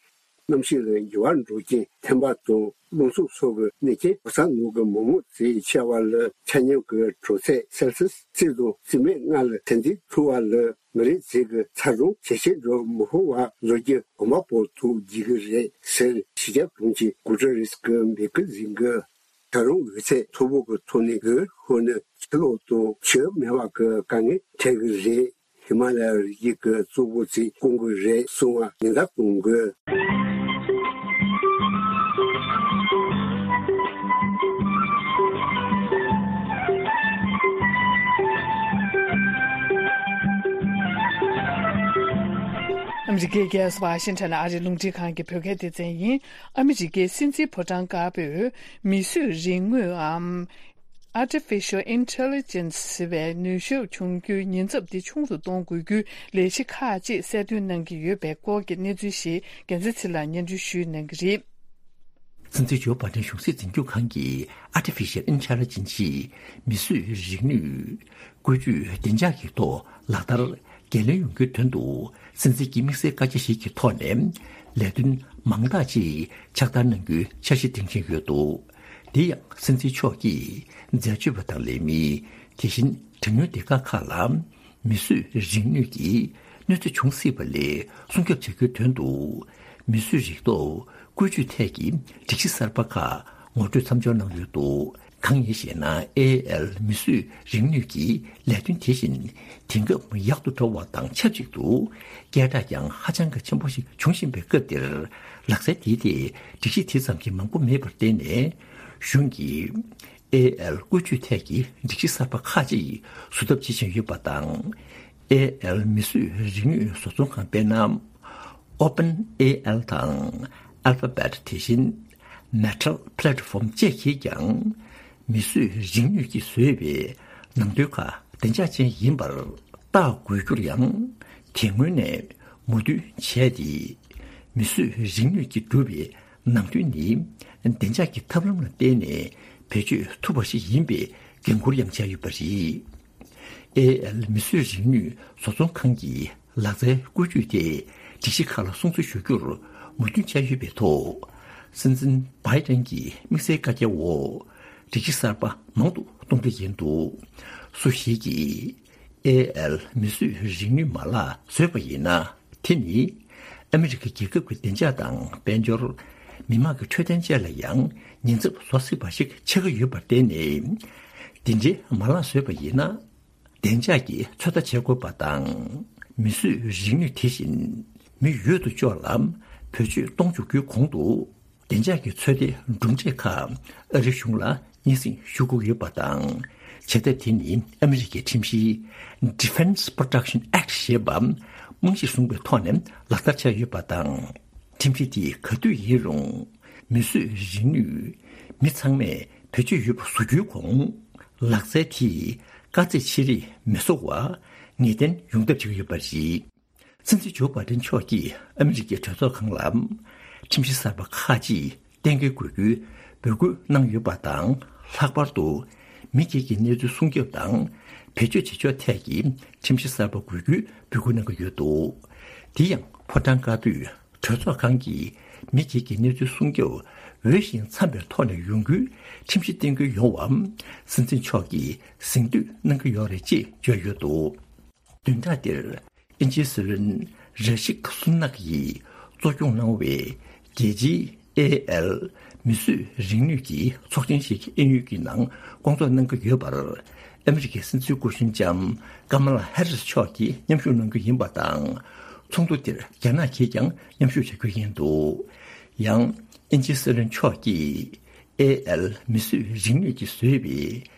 གནམ་གཤིས་ལ་འགྱུར་བ་འགྲོ་རྐྱེན་ཐན་པ་དང་རླུང་འཚུབ་སོགས་ཀྱི་གནོད་རྐྱེན་གོ་ས་ནང་གི་མི་མང་ཚོས་ཆེ་བ་ལ་ཆ་སྙོམས་ཀྱི་དྲོད་ཚད་སེལ་སི་སི་གཅིག་དང་རྩིས་མེད་ལྔ་ལ་ཐེར་འདོན་ཐུབ་པ་ལ། མི་རིགས་ཚོས་ཀྱི་ཚ་གྲང་ཇེ་ཆེར་འགྲོ་མི་ཕོད་པ་བཟོ་རྒྱུ་གོམ་པ་སྤོ་ཐུབ་བགྱིད་ཀྱི་རེད་ཟེར་སྤྱི་ཁྱབ་དྲུང་ཆེ་གུ་ཏ་རེས་ཀྱིས་འབོད་སྐུལ་གཟིགས་ཀྱི། ད་རུང་འོད་ཚད་མཐོ་པོ་གི་ཐོག་ནས་འོད་ཤོར་ནས་ཆུ་ལོག་དང་ཆུ་མེད་པ་གི་དཀའ་ངལ་འཕྲད་ཀྱི་རེད། ཧི་མ་ལ་ཡ་རི་རྒྱུད་ཀྱི་གཙོ་བོ་ཚོས་སྐུང་གི་རེད་གསུང་བ་ཉེན་བརྡ་གཏོང་དགོས། ཨ་མི་རི་ཀའི་རྒྱལ་ས་ཝ་ཤིང་ཊོན་ཨ་རིའི་རླུང་འཕྲིན་ཁང་གི་བོད་སྐད་སྡེ་ཚན་ཡིན། ཨ་མི་རི་ཀའི་སྲིད་འཛིན་ཕོ་བྲང་དཀར་པོས་མིས་བཟོས་རིག་དངོས་འམ། Artificial Intelligence ཟེར་བའི་ནུས་ཤུགས་ཆུང་རྒྱུའི་ཉེན་ཚབས་འདི་ཆུང་དུ་གཏོང་དགོས་རྒྱུའི་ལས་གཞི་ཁག་ཅིག་གསལ་སྟོན་གནང་གི་ཡོད་པའི་སྐོར་གྱི་གནས་ཚུལ་ཞིག་རྒྱལ་མཚན་ཚེ་ལགས་སྙན་སྒྲོན་ཞུས་གནང་གི་རེད། སྲིད་འཛིན་ཇོ་བྷའི་ཌེན་གཞུང་སྲིད་འཛིན་སྐྱོང་ཁང་གི་Artificial Intelligence ཡིས་མིས་བཟོས་རིག་ནུས་བཀོལ་སྤྱོད་བདེ་འཇགས་ཀྱི་ཐོག་ལག་བསྟར་འགན་ལེན་ཡོང་རྒྱུའི་དོན་དུ། སྲིད་འཛིན་གྱི་དམིགས་བསལ་བཀའ་རྒྱ་ཞིག་གི་ཐོག་ནས་ལས་དོན་མང་དག་ཅིག་ཕྱག་བསྟར་གནང་རྒྱུའི་འཆར་གཞི་འདིང་བཞིན་ཡོད་འདུག་དེ་ཡང་སྲིད་འཛིན་མཆོག་གིས་འཛད་སྤྱོད་པ་དང་ལས་མི། དེ་བཞིན་གྲངས་ཉུང་སྡེ་ཁག་ཁག་ལ་མིས་བཟོས་རིག་ནུས་ཀྱི་གནོད་འཚེ་འབྱུང་སྲིད་པ་ལས་སྲུང་སྐྱོབ་བྱ་རྒྱུའི་དོན་དུ། མིས་བཟོས་རིག་སྟོབས་བཀོལ་སྤྱོད་ཐད་ཀྱི་སྒྲིག་གཞི་གསར་པ་ཁག་ངོ་སྤྲོད་མཚམས་འཇོག་གནང་ཡོད་འདུག་གང་ཡིན་ཞེ་ན། ཨེ་ཨེལ་མིས་བཟོས་རིག་ནུས་ཀྱི་ལས་དོན་དེ་བཞིན་དེང་སྐབས་ཡག་ཏུ་འགྲོ་བ་དང་ཆབས་ཅིག་ཏུ་སྐད་གྲགས་ཀྱང་ཧ་ཅང་གི་ཆེན་པོ་ཞིག་འབྱུང་བཞིན་པའི་སྐབས་འདིར། ལག་རྩལ་དེའི་ཐད་སྒྲིག་གཞི་དེ་ཙམ་གྱིས་མང་པོ་མེད་པར་བརྟེན་ནས། གཞུང་གིས་ཨེ་ཨེལ་བཀོལ་སྤྱོད་ཐད་ཀྱི་སྒྲིག་གཞི་གསར་པ་ཁག་ཅིག་བཟོ་ཐབས་བྱེད་བཞིན་ཡོད་པ་དང་། ཨེ་ཨེལ་མིས་བཟོས་རིག་ནུས་བཟོ་ཚོང་ཁང་དཔེར་ན། OpenAI དང་Alphabet དེ་བཞིན་Meta Platform བཅས་ཀྱིས་ཀྱང་མིས་བཟོས་རིག་ནུས་ཀྱིས་བཟོས་པའི་ནང་དོན་ཁག་བདེ་འཇགས་ཅན་ཡིན་པར་བརྟག་དགོས་རྒྱུར་ཡང་དེ་སྔོན་ནས་མོས་མཐུན་བྱས་ཏེ། མིས་བཟོས་རིག་ནུས་ཀྱིས་གྲུབ་པའི་ནང་དོན་ནི་བདེ་འཇགས་ཀྱི་ཐབས་ལམ་ལ་བརྟེན་ནས་བེད་སྤྱོད་ཐུབ་པ་ཞིག་ཡིན་པའི་འགན་འཁུར་ཡང་བྱས་ཡོད་པ་རེད། ཨེ་ཨེལ་མིས་བཟོས་རིག་ནུས་བཟོ་ཚོང་ཁང་གི་ལག་རྩལ་བཀོལ་སྤྱོད་དེ་སྒྲིག་གཞི་ཁག་ལ་སྲུང་བརྩི་ཞུ་རྒྱུར་མོས་མཐུན་བྱས་ཡོད་པའི་ཐོག་སྲིད་འཛིན་བྷའི་ཏན་གྱི་དམིགས་བསལ་བཀའ་རྒྱའི་འོག་སྒྲིག་གཞི་གསར་པ་མང་དུ་གཏོང་གི་ཡིན་འདུག་སུ་ཞིག་གིས་ཨེ་ཨེལ་མིས་བཟོས་རིག་ནུས་མ་ལག་བཟོས་པ་ཡིན་ན། དེ་ནི་ཨ་མི་རི་ཀའི་རྒྱལ་ཁབ་ཀྱི་བདེ་འཇགས་དང་དཔལ་འབྱོར། མི་དམངས་ཀྱི་འཕྲོད་བསྟེན་བཅས་ལ་ཡང་ཉེན་ཚབས་བཟོ་སྲིད་པ་ཞིག་ཆགས་ཀྱི་ཡོད་པར་བརྟེན་ནས། དེ་འདྲའི་མ་ལག་བཟོས་པ་ཡིན་ན། བདེ་འཇགས་ཀྱི་ཚོད་ལྟ་བྱེད་དགོས་པ་དང་། མིས་བཟོས་རིག་ནུས་དེ་བཞིན་མི་ཡོད་དོ་ཅོག་ལ་བེད་སྤྱོད་གཏོང་འཇུག་རྒྱུའི་གོང་དུ། བདེ་འཇགས་ཀྱི་ཚོད་ལྟའི་གྲུབ་འབྲས་ཁག་ཨ་རིའི་གཞུང་ལ་སྙན་སེང་ཞུ་དགོས་ཡོད་པ་དང་། བྱེད་ཐབས་དེ་ནི་ཨ་མི་རི་ཀའི་ཁྲིམས་གཞི་Defense Production Act ཞེས་པ་རྨང་གཞིར་བཟུང་བའི་ཐོག་ནས་ལག་བསྟར་བྱས་ཡོད་པ་དང་། ཁྲིམས་གཞི་དེས་ག་དུས་ཡིན་རུང་མིས་བཟོས་རིག་ནུས་མི་ཚང་མས་བེད་སྤྱོད་ཡོད་པ་བཟོ་རྒྱུའི་གོང་། ལག་རྩལ་དེས་དཀའ་ཚེགས་ཆེ་རིགས་མི་བཟོ་བར་ངེས་གཏན་ཡོང་ཐབས་བྱེད་ཀྱི་ཡོད་པ་རེད། སྲིད་འཛིན་ཇོ་བྷའི་ཏན་མཆོག་གིས་ཨ་མི་རི་ཀའི་གྲོས་ཚོགས་ཁང་ལ་ཁྲིམས་གཞི་གསར་པ་ཁག་ཅིག་གཏན་འཁེལ་དགོས་རྒྱུའི་འབོད་སྐུལ་གནང་ཡོད་པ་དང་། ལྷག་པར་དུ་མི་སྒེར་གྱི་གནས་ཚུལ་སྲུང་སྐྱོབ་དང་བེད་སྤྱོད་བྱེད་ཕྱོགས་ཐད་ཀྱི་ཁྲིམས་གཞི་གསར་པ་དགོས་རྒྱུའི་འབོད་སྐུལ་གནང་གི་ཡོད་འདུག་དེ་ཡང་ཕོ་བྲང་དཀར་པོས་གྲོས་ཚོགས་ཁང་གིས་མི་སྒེར་གྱི་གནས་ཚུལ་སྲུང་སྐྱོབ་འོས་ཤིང་འཚམ་པའི་ཐོག་ནས་ཡོང་རྒྱུའི་ཁྲིམས་གཞི་གཏན་འཁེལ་ཡོང་བར་སྲིད་འཛིན་མཆོག་གིས་གཟེངས་བསྟོད་གནང་གི་ཡོད་རེད་ཅེས་བརྗོད་ཡོད་འདུག་བདུན་ཕྲག་འདིར་དབྱིན་ཇིའི་སྲིད་བློན་ར་ཤིག་སུ་ནག་ཡིས་གཙོ་སྐྱོང་གནང་བའི་རྒྱལ་སྤྱིའི་ཨེ་ཨེལ་མིས་བཟོས་རིག་ནུས་ཀྱི་ཚོགས་ཆེན་ཞིག་དབྱིན་ཡུལ་གྱི་ནང་སྐོང་ཚོགས་གནང་གི་ཡོད་པར། ཨ་མི་རི་ཀའི་སྲིད་འཛིན་སྐུ་གཞོན་ལྕམ་ཀ་མ་ལ་ཧེ་རིས་མཆོག་གིས་མཉམ་ཞུགས་གནང་རྒྱུ་ཡིན་པ་དང་། ཚོགས་འདུ་དེར་རྒྱ་ནག་གིས་ཀྱང་མཉམ་ཞུགས་བྱ་རྒྱུ་ཡིན་འདུག་ཡང་དབྱིན་ཇིའི་སྲིད་བློན་མཆོག་གིས་ཨེ་ཨེལ་མིས་བཟོས་རིག་ནུས་ཀྱིས་བཟོས་པའི་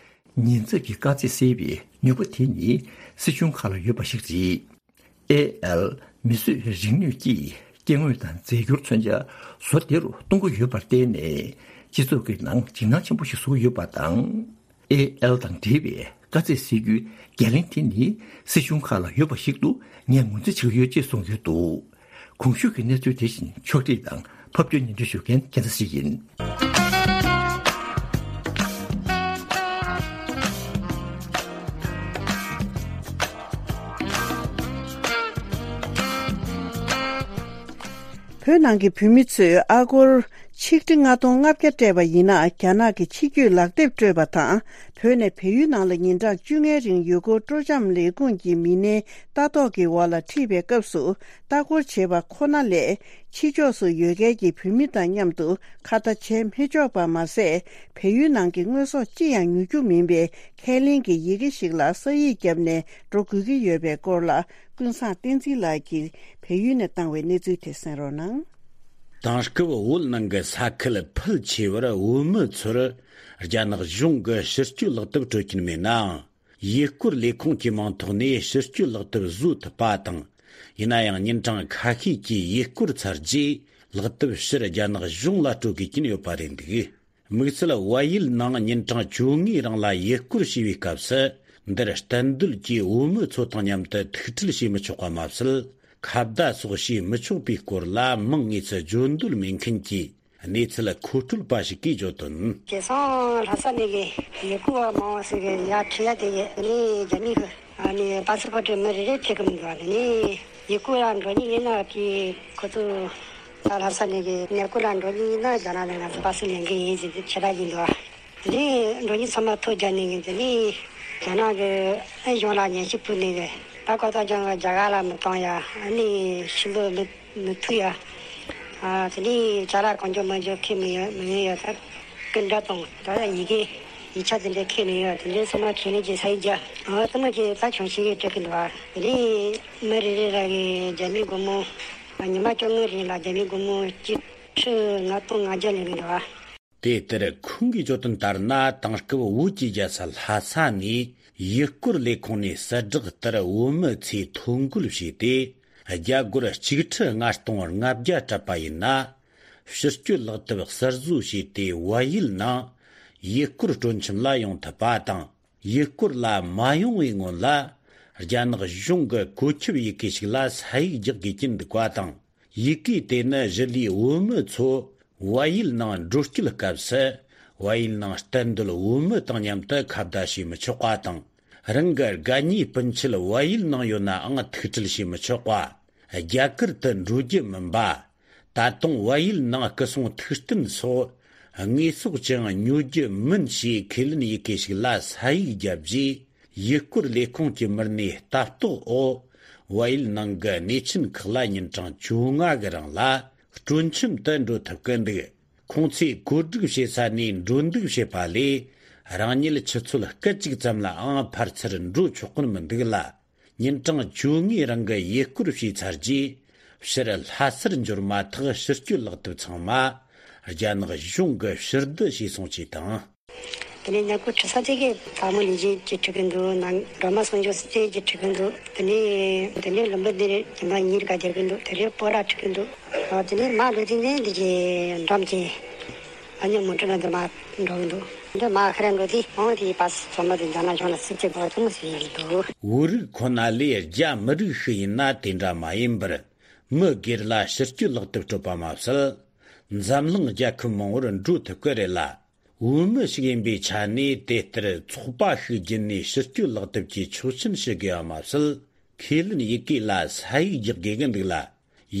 ཉེན་ཚབས་ཀྱི་དཀའ་ཚེགས་སེལ་བའི་ནུས་པ་དེ་ནི་སྲིད་གཞུང་ཁག་ལ་ཡོད་པ་ཞིག་རེད། ཨེ་ཨེལ་མིས་བཟོས་རིག་ནུས་ཀྱིས་སྐྱེ་དངོས་དང་རྫས་འགྱུར་མཚོན་ཆ་བཟོ་བདེ་རུ་གཏོང་གི་ཡོད་པར་བརྟེན་ནས། སྤྱི་ཚོགས་ཀྱི་ནང་འཇིགས་སྣང་ཆེན་པོ་ཞིག་བཟོ་གི་ཡོད་པ་དང་། ཨེ་ཨེལ་དང་འབྲེལ་བའི་དཀའ་ཚེགས་སེལ་རྒྱུའི་འགན་ལེན་དེ་ནི་སྲིད་གཞུང་ཁག་ལ་ཡོད་པ་ཞིག་ཏུ་ངས་ངོས་འཛིན་བྱེད་ཀྱི་ཡོད་ཅེས་གསུངས་ཡོད་འདུག་གོང་ཞུས་ཀྱི་གནས་ཚུལ་དེ་བཞིན་ཕྱོགས་སྒྲིག་དང་ཕབ་སྒྱུར་སྙན་སྒྲོན་ཞུ་མཁན་རྒྱལ་མཚན་ཞིག་ཡིན། བོད་ནང་གི་བོད་མི་ཚོས་ཨ་སྒོར་ཆིག་ཁྲི་ལྔ་སྟོང་ལྔ་བརྒྱ་སྤྲད་པ་ཡིན་ན། རྒྱ་ནག་གི་ཕྱི་སྐྱོད་ལག་དེབ་སྤྲོད་པ་དང་། བོད་ནས་བལ་ཡུལ་ནང་ལ་ཉིན་གྲངས་བཅོ་ལྔའི་རིང་ཡུལ་སྐོར་སྤྲོ་འཆམ་ལས་ཁུངས་ཀྱི་མི་སྣའི་ལྟ་རྟོག་གི་འོག་ལ་ཁྲིད་པའི་སྐབས་སུ་ལྟ་སྐོར་བྱེད་པ་ཁོ་ན་ལས། ཕྱི་ཕྱོགས་སུ་ཡོད་མཁན་གྱི་བོད་མི་དང་མཉམ་དུ་ཁ་བརྡ་བྱས་མི་ཆོག་པ་མ་ཟད། བལ་ཡུལ་ནང་གི་དངོས་ཟོག་ཅི་ཡང་ཉོ་རྒྱུ་མིན་པའི་ཁས་ལེན་གྱི་ཡི་གེ་ཞིག་ལ་ས་ཡིག་བརྒྱབ་ནས་འགྲོ་དགོས་ཀྱི་ཡོད་པའི་སྐོར་ལ། ཀུན་བཟང་བསྟན་འཛིན་ལགས་ཀྱིས་བལ་ཡུལ་ནས་བཏང་བའི་གནས་ཚུལ་དེ་གསན་རོགས་གནང་། དེང་སྐབས་བོད་ནང་གི་ས་ཁུལ་ཕལ་ཆེ་བར་བོད་མི་ཚོར་རྒྱ་ནག་གཞུང་གི་ཕྱིར་སྐྱོད་ལག་དེབ་སྤྲོད་ཀྱིན་མེད་ནའང་། ཡུལ་སྐོར་ལས་ཁུངས་ཀྱི་མིང་ཐོག་ནས་ཕྱིར་སྐྱོད་ལག་དེབ་བཟོ་ཐུབ་པ་དང་། ཡིན་ན་ཡང་ཉིན་གྲངས་ཁ་ཤས་ཀྱི་ཡུལ་སྐོར་ཚར་རྗེས་ལག་དེབ་ཕྱིར་རྒྱ་ནག་གཞུང་ལ་སྤྲོད་དགོས་ཀྱིན་ཡོད་པ་རེད་འདུག་དམིགས་བསལ་བལ་ཡུལ་ནང་ཉིན་གྲངས་བཅོ་ལྔའི་རིང་ལ་ཡུལ་སྐོར་བྱས་པའི་སྐབས་སུ། འདིར་གཏན་སྡོད་ཀྱི་བོད་མི་ཚོ་དང་མཉམ་དུ་ཐུག་འཕྲད་བྱེད་མི་ཆོག་པ་མ་ཟད། ཁ་བརྡ་སོགས་བྱེད་མི་ཆོག་པའི་སྐོར་ལ། མིང་དངོས་སུ་བརྗོད་འདོད་མེད་མཁན་གྱི་གནས་ཚུལ་མཁོ་སྤྲོད་པ་ཞིག་གིས་བརྗོད་དོན། དེང་སང་ལྷ་ས་ནས་གི་ཡུལ་སྐོར་བ་མང་བ་ཞིག་གི་ཡར་ཁྲིད་ཡ་དེ་གི་ནི་རྒྱ་མི་གི་ཨ་ནི་པ་སི་པོར་ཊི་མི་རེ་རེ་སྤྲད་གི་མི་འདུག་ཨ་ནི་ཡུལ་སྐོར་ལ་འགྲོ་མཁན་ཡིན་ན་དེ་ཁོ་ཚོ་ད་ལྷ་ས་ནས་གི་གནས་སྐོར་ལ་འགྲོ་མཁན་ཡིན་ན་རྒྱ་ནག་ནས་ང་ཚོ་པ་སི་ལེན་གི་ཡིན་ཟེར་ཏེ་ཁྱེད་རང་ཡིན་འདུག་ཨ་ནི་འགྲོ་མཁན་ཚང་མ་ཐོ་རྒྱག་ནས་གི་དེ་ནི་རྒྱ་ནག་གི་ཨ་གཞུང་ལ་ཉན་ཞིབ་ཕུལ་ནས་གི་ད་ཀོ་ཏ་ཅང་གི་རྒྱ་གར་ལ་མི་གཏོང་ཡ་ཨ་ནི་ཕྱི་ལོགས་མི་མི་ཐུག་ཡ། ཨ་དེ་ནས་ཅ་ལག་གང་མགྱོགས་མང་མགྱོགས་ཁྱེར་མི་ཡོང་མི་ཡོང་ཡ་ད་སྐུ་འདྲ་དང་ད་ཡི་གེ་ཡིག་ཆ་དེ་འདྲ་ཁྱེར་ནས་ཡོང་ཡ་དེ་འདྲའི་ཚང་མ་ཁྱེར་ནས་ཀྱི་ས་ཡིག་རྒྱ་ཨ་དེ་མ་ཁྱེར་ད་བྱང་ཤིང་གི་སྤྲད་གི་འདུག་ཨ་དེ་ནས་མི་རེ་རེ་ར་གི་རྒྱ་མི་སྒོར་མོ་ཉི་མ་བཅོ་ལྔ་རིང་ལ་རྒྱ་མི་སྒོར་མོ་གཅིག་ཁྲི་ལྔ་སྟོང་ལྔ་བརྒྱ་ལེན་གི་འདུག་ཨ། དེ་ལྟར་ཁོང་གིས་བརྗོད་དོན་ལྟར་ན། དེང་སྐབས་བོད་ཀྱི་རྒྱལ་ས་ལྷ་ས་ནས་ཡུལ་སྐོར་ལས་ཁུངས་ནས་གསལ་བསྒྲགས་ལྟར་བོད་མི་ཚོས་ཐོ་འགོད་བྱས་ཏེ། རྒྱ་སྒོར་གཅིག་ཁྲི་ལྔ་སྟོང་ལྔ་བརྒྱ་སྤྲད་པ་ཡིན་ན། ཕྱིར་སྐྱོད་ལག་དེབ་གསར་བཟོ་བྱས་ཏེ་བལ་ཡུལ་ནང་ཡུལ་སྐོར་སྤྲོ་འཆམ་ལ་ཡོང་ཐུབ་པ་དང་། ཡུལ་སྐོར་ལ་མ་ཡོང་བའི་སྔོན་ལ། རྒྱ་ནག་གཞུང་གི་བཀོད་ཁྱབ་ཡི་གེ་ཞིག་ལ་ས་ཡིག་རྒྱག་དགོས་ཀྱི་འདུག་པ་དང་། ཡི་གེ་དེ་ནི་གཞི་ལས་བོད་མི་ཚོ་བལ་ཡུལ་ནང་འགྲོ་སྐྱོད་སྐབས་སུ། བལ་ཡུལ་ནང་གཏན་སྡོད་བོད་མི་དང་མཉམ་དུ་ཁ་བརྡ་བྱེད་མི་ཆོག་པ་དང་། རང་གི་དགའ་ཉེ་སྤུན་མཆེད་བལ་ཡུལ་ནང་ཡོད་ནའང་ཐུག་འཕྲད་བྱེད་མི་ཆོག་པ། རྒྱ་གར་དུ་འགྲོ་རྒྱུ་མིན་པ། ད་དུང་བལ་ཡུལ་ནང་སྐུ་སྲུང་ཐུགས་རྟེན་སོགས་དངོས་ཟོག་ཅང་ཉོ་རྒྱུ་མིན་ཞེས་ཁས་ལེན་ཡི་གེ་ཞིག་ལ་ས་ཡིག་བརྒྱབ་རྗེས། ཡུལ་སྐོར་ལས་ཁུངས་ཀྱི་མི་སྣས་ལྟ་རྟོག་འོག་བལ་ཡུལ་ནང་གི་གནས་ཆེན་ཁག་ལ་ཉིན་གྲངས་བཅོ་ལྔ་གི་རིང་ལ་སྤྲོ་འཆམ་དུ་འགྲོ་ཐུབ་ཀྱི་འདུག་ཁོང་ཚོས་བཀོད་སྒྲིག་བྱེད་ས་ནས་འགྲོ་འདུག་བྱེད་པ་ལས། རང་ཉིད་ཆུ་ཚོད་སྐད་ཅིག་ཙམ་ལའང་ཕར་ཚུར་འགྲོ་ཆོག་གི་མི་འདུག་ལ། ཉིན་གྲངས་བཅོ་ལྔའི་རིང་གི་ཡུལ་སྐོར་བྱས་ཚར་རྗེས། ཕྱིར་ལྷ་སར་འབྱོར་མ་ཐག་ཕྱིར་སྐྱོད་ལག་དེབ་ཚང་མ་རྒྱ་ནག་གཞུང་གིས་ཕྱིར་བསྡུ་བྱས་སོང་ཅེས་དང་། དེ་ནས་ཉེ་པོ་ཁྲི་ས་དེ་གའི་བཀའ་མོལ་ལས་བྱེད་ཀྱིས་ཁྲིད་ཀྱི་འདུག་ནང་སྒྲོལ་མ་གསུང་ཆོས་སི་ཏེ་གིས་ཁྲིད་ཀྱི་འདུག་དེ་ནས་དེ་ནས་ལུམ་བི་ནི་རེད་ཉི་མ་གཉིས་ཀ་རྒྱག་གི་འདུག་དེ་རེད་སྤོ་ར་ཁྲིད་ཀྱི་འདུག་དེ་ནས་མ་ལོ་དེ་ནས་འདི་གའི་འགྲམ་གྱི་ཨ་ཉོ་མོ་ཊ་ན་འདི་མ་འགྲོ་གི་འདུག་འདི་མ་ཁ་ར་འགྲོ་དུས་ཨང་དེའི་པ་སི་ཚང་མ་དེ་འདྲ་ན་གཞུང་ལ་སྲིད་ཇུས་འགོ་ཐུང་ཞིག་འདུག་བོད་རིགས་ཁོ་ན་ལས་རྒྱ་མི་རིགས་ཤིག་ཡིན་ན་དེ་འདྲ་མ་ཡིན་པར། མི་སྒེར་ལ་ཕྱིར་སྐྱོད་ལག་དེབ་སྤྲོད་པ་མ་ཟད། འཛམ་གླིང་རྒྱལ་ཁབ་མང་བོར་འགྲོ་ཐུབ་ཀྱི་རེད་ལ། བོད་མི་ཞིག་ཡིན་པའི་ཆ་ནས་དེ་ལྟར་ཚོགས་པ་ཞིག་བརྒྱུད་ནས་ཕྱིར་སྐྱོད་ལག་དེབ་ཀྱི་ཆོག་མཆན་ཞུ་དགོས་པ་མ་ཟད། ཁས་ལེན་ཡི་གེ་ལ་ས་ཡིག་རྒྱག་དགོས་ཀྱི་འདུག་ལ།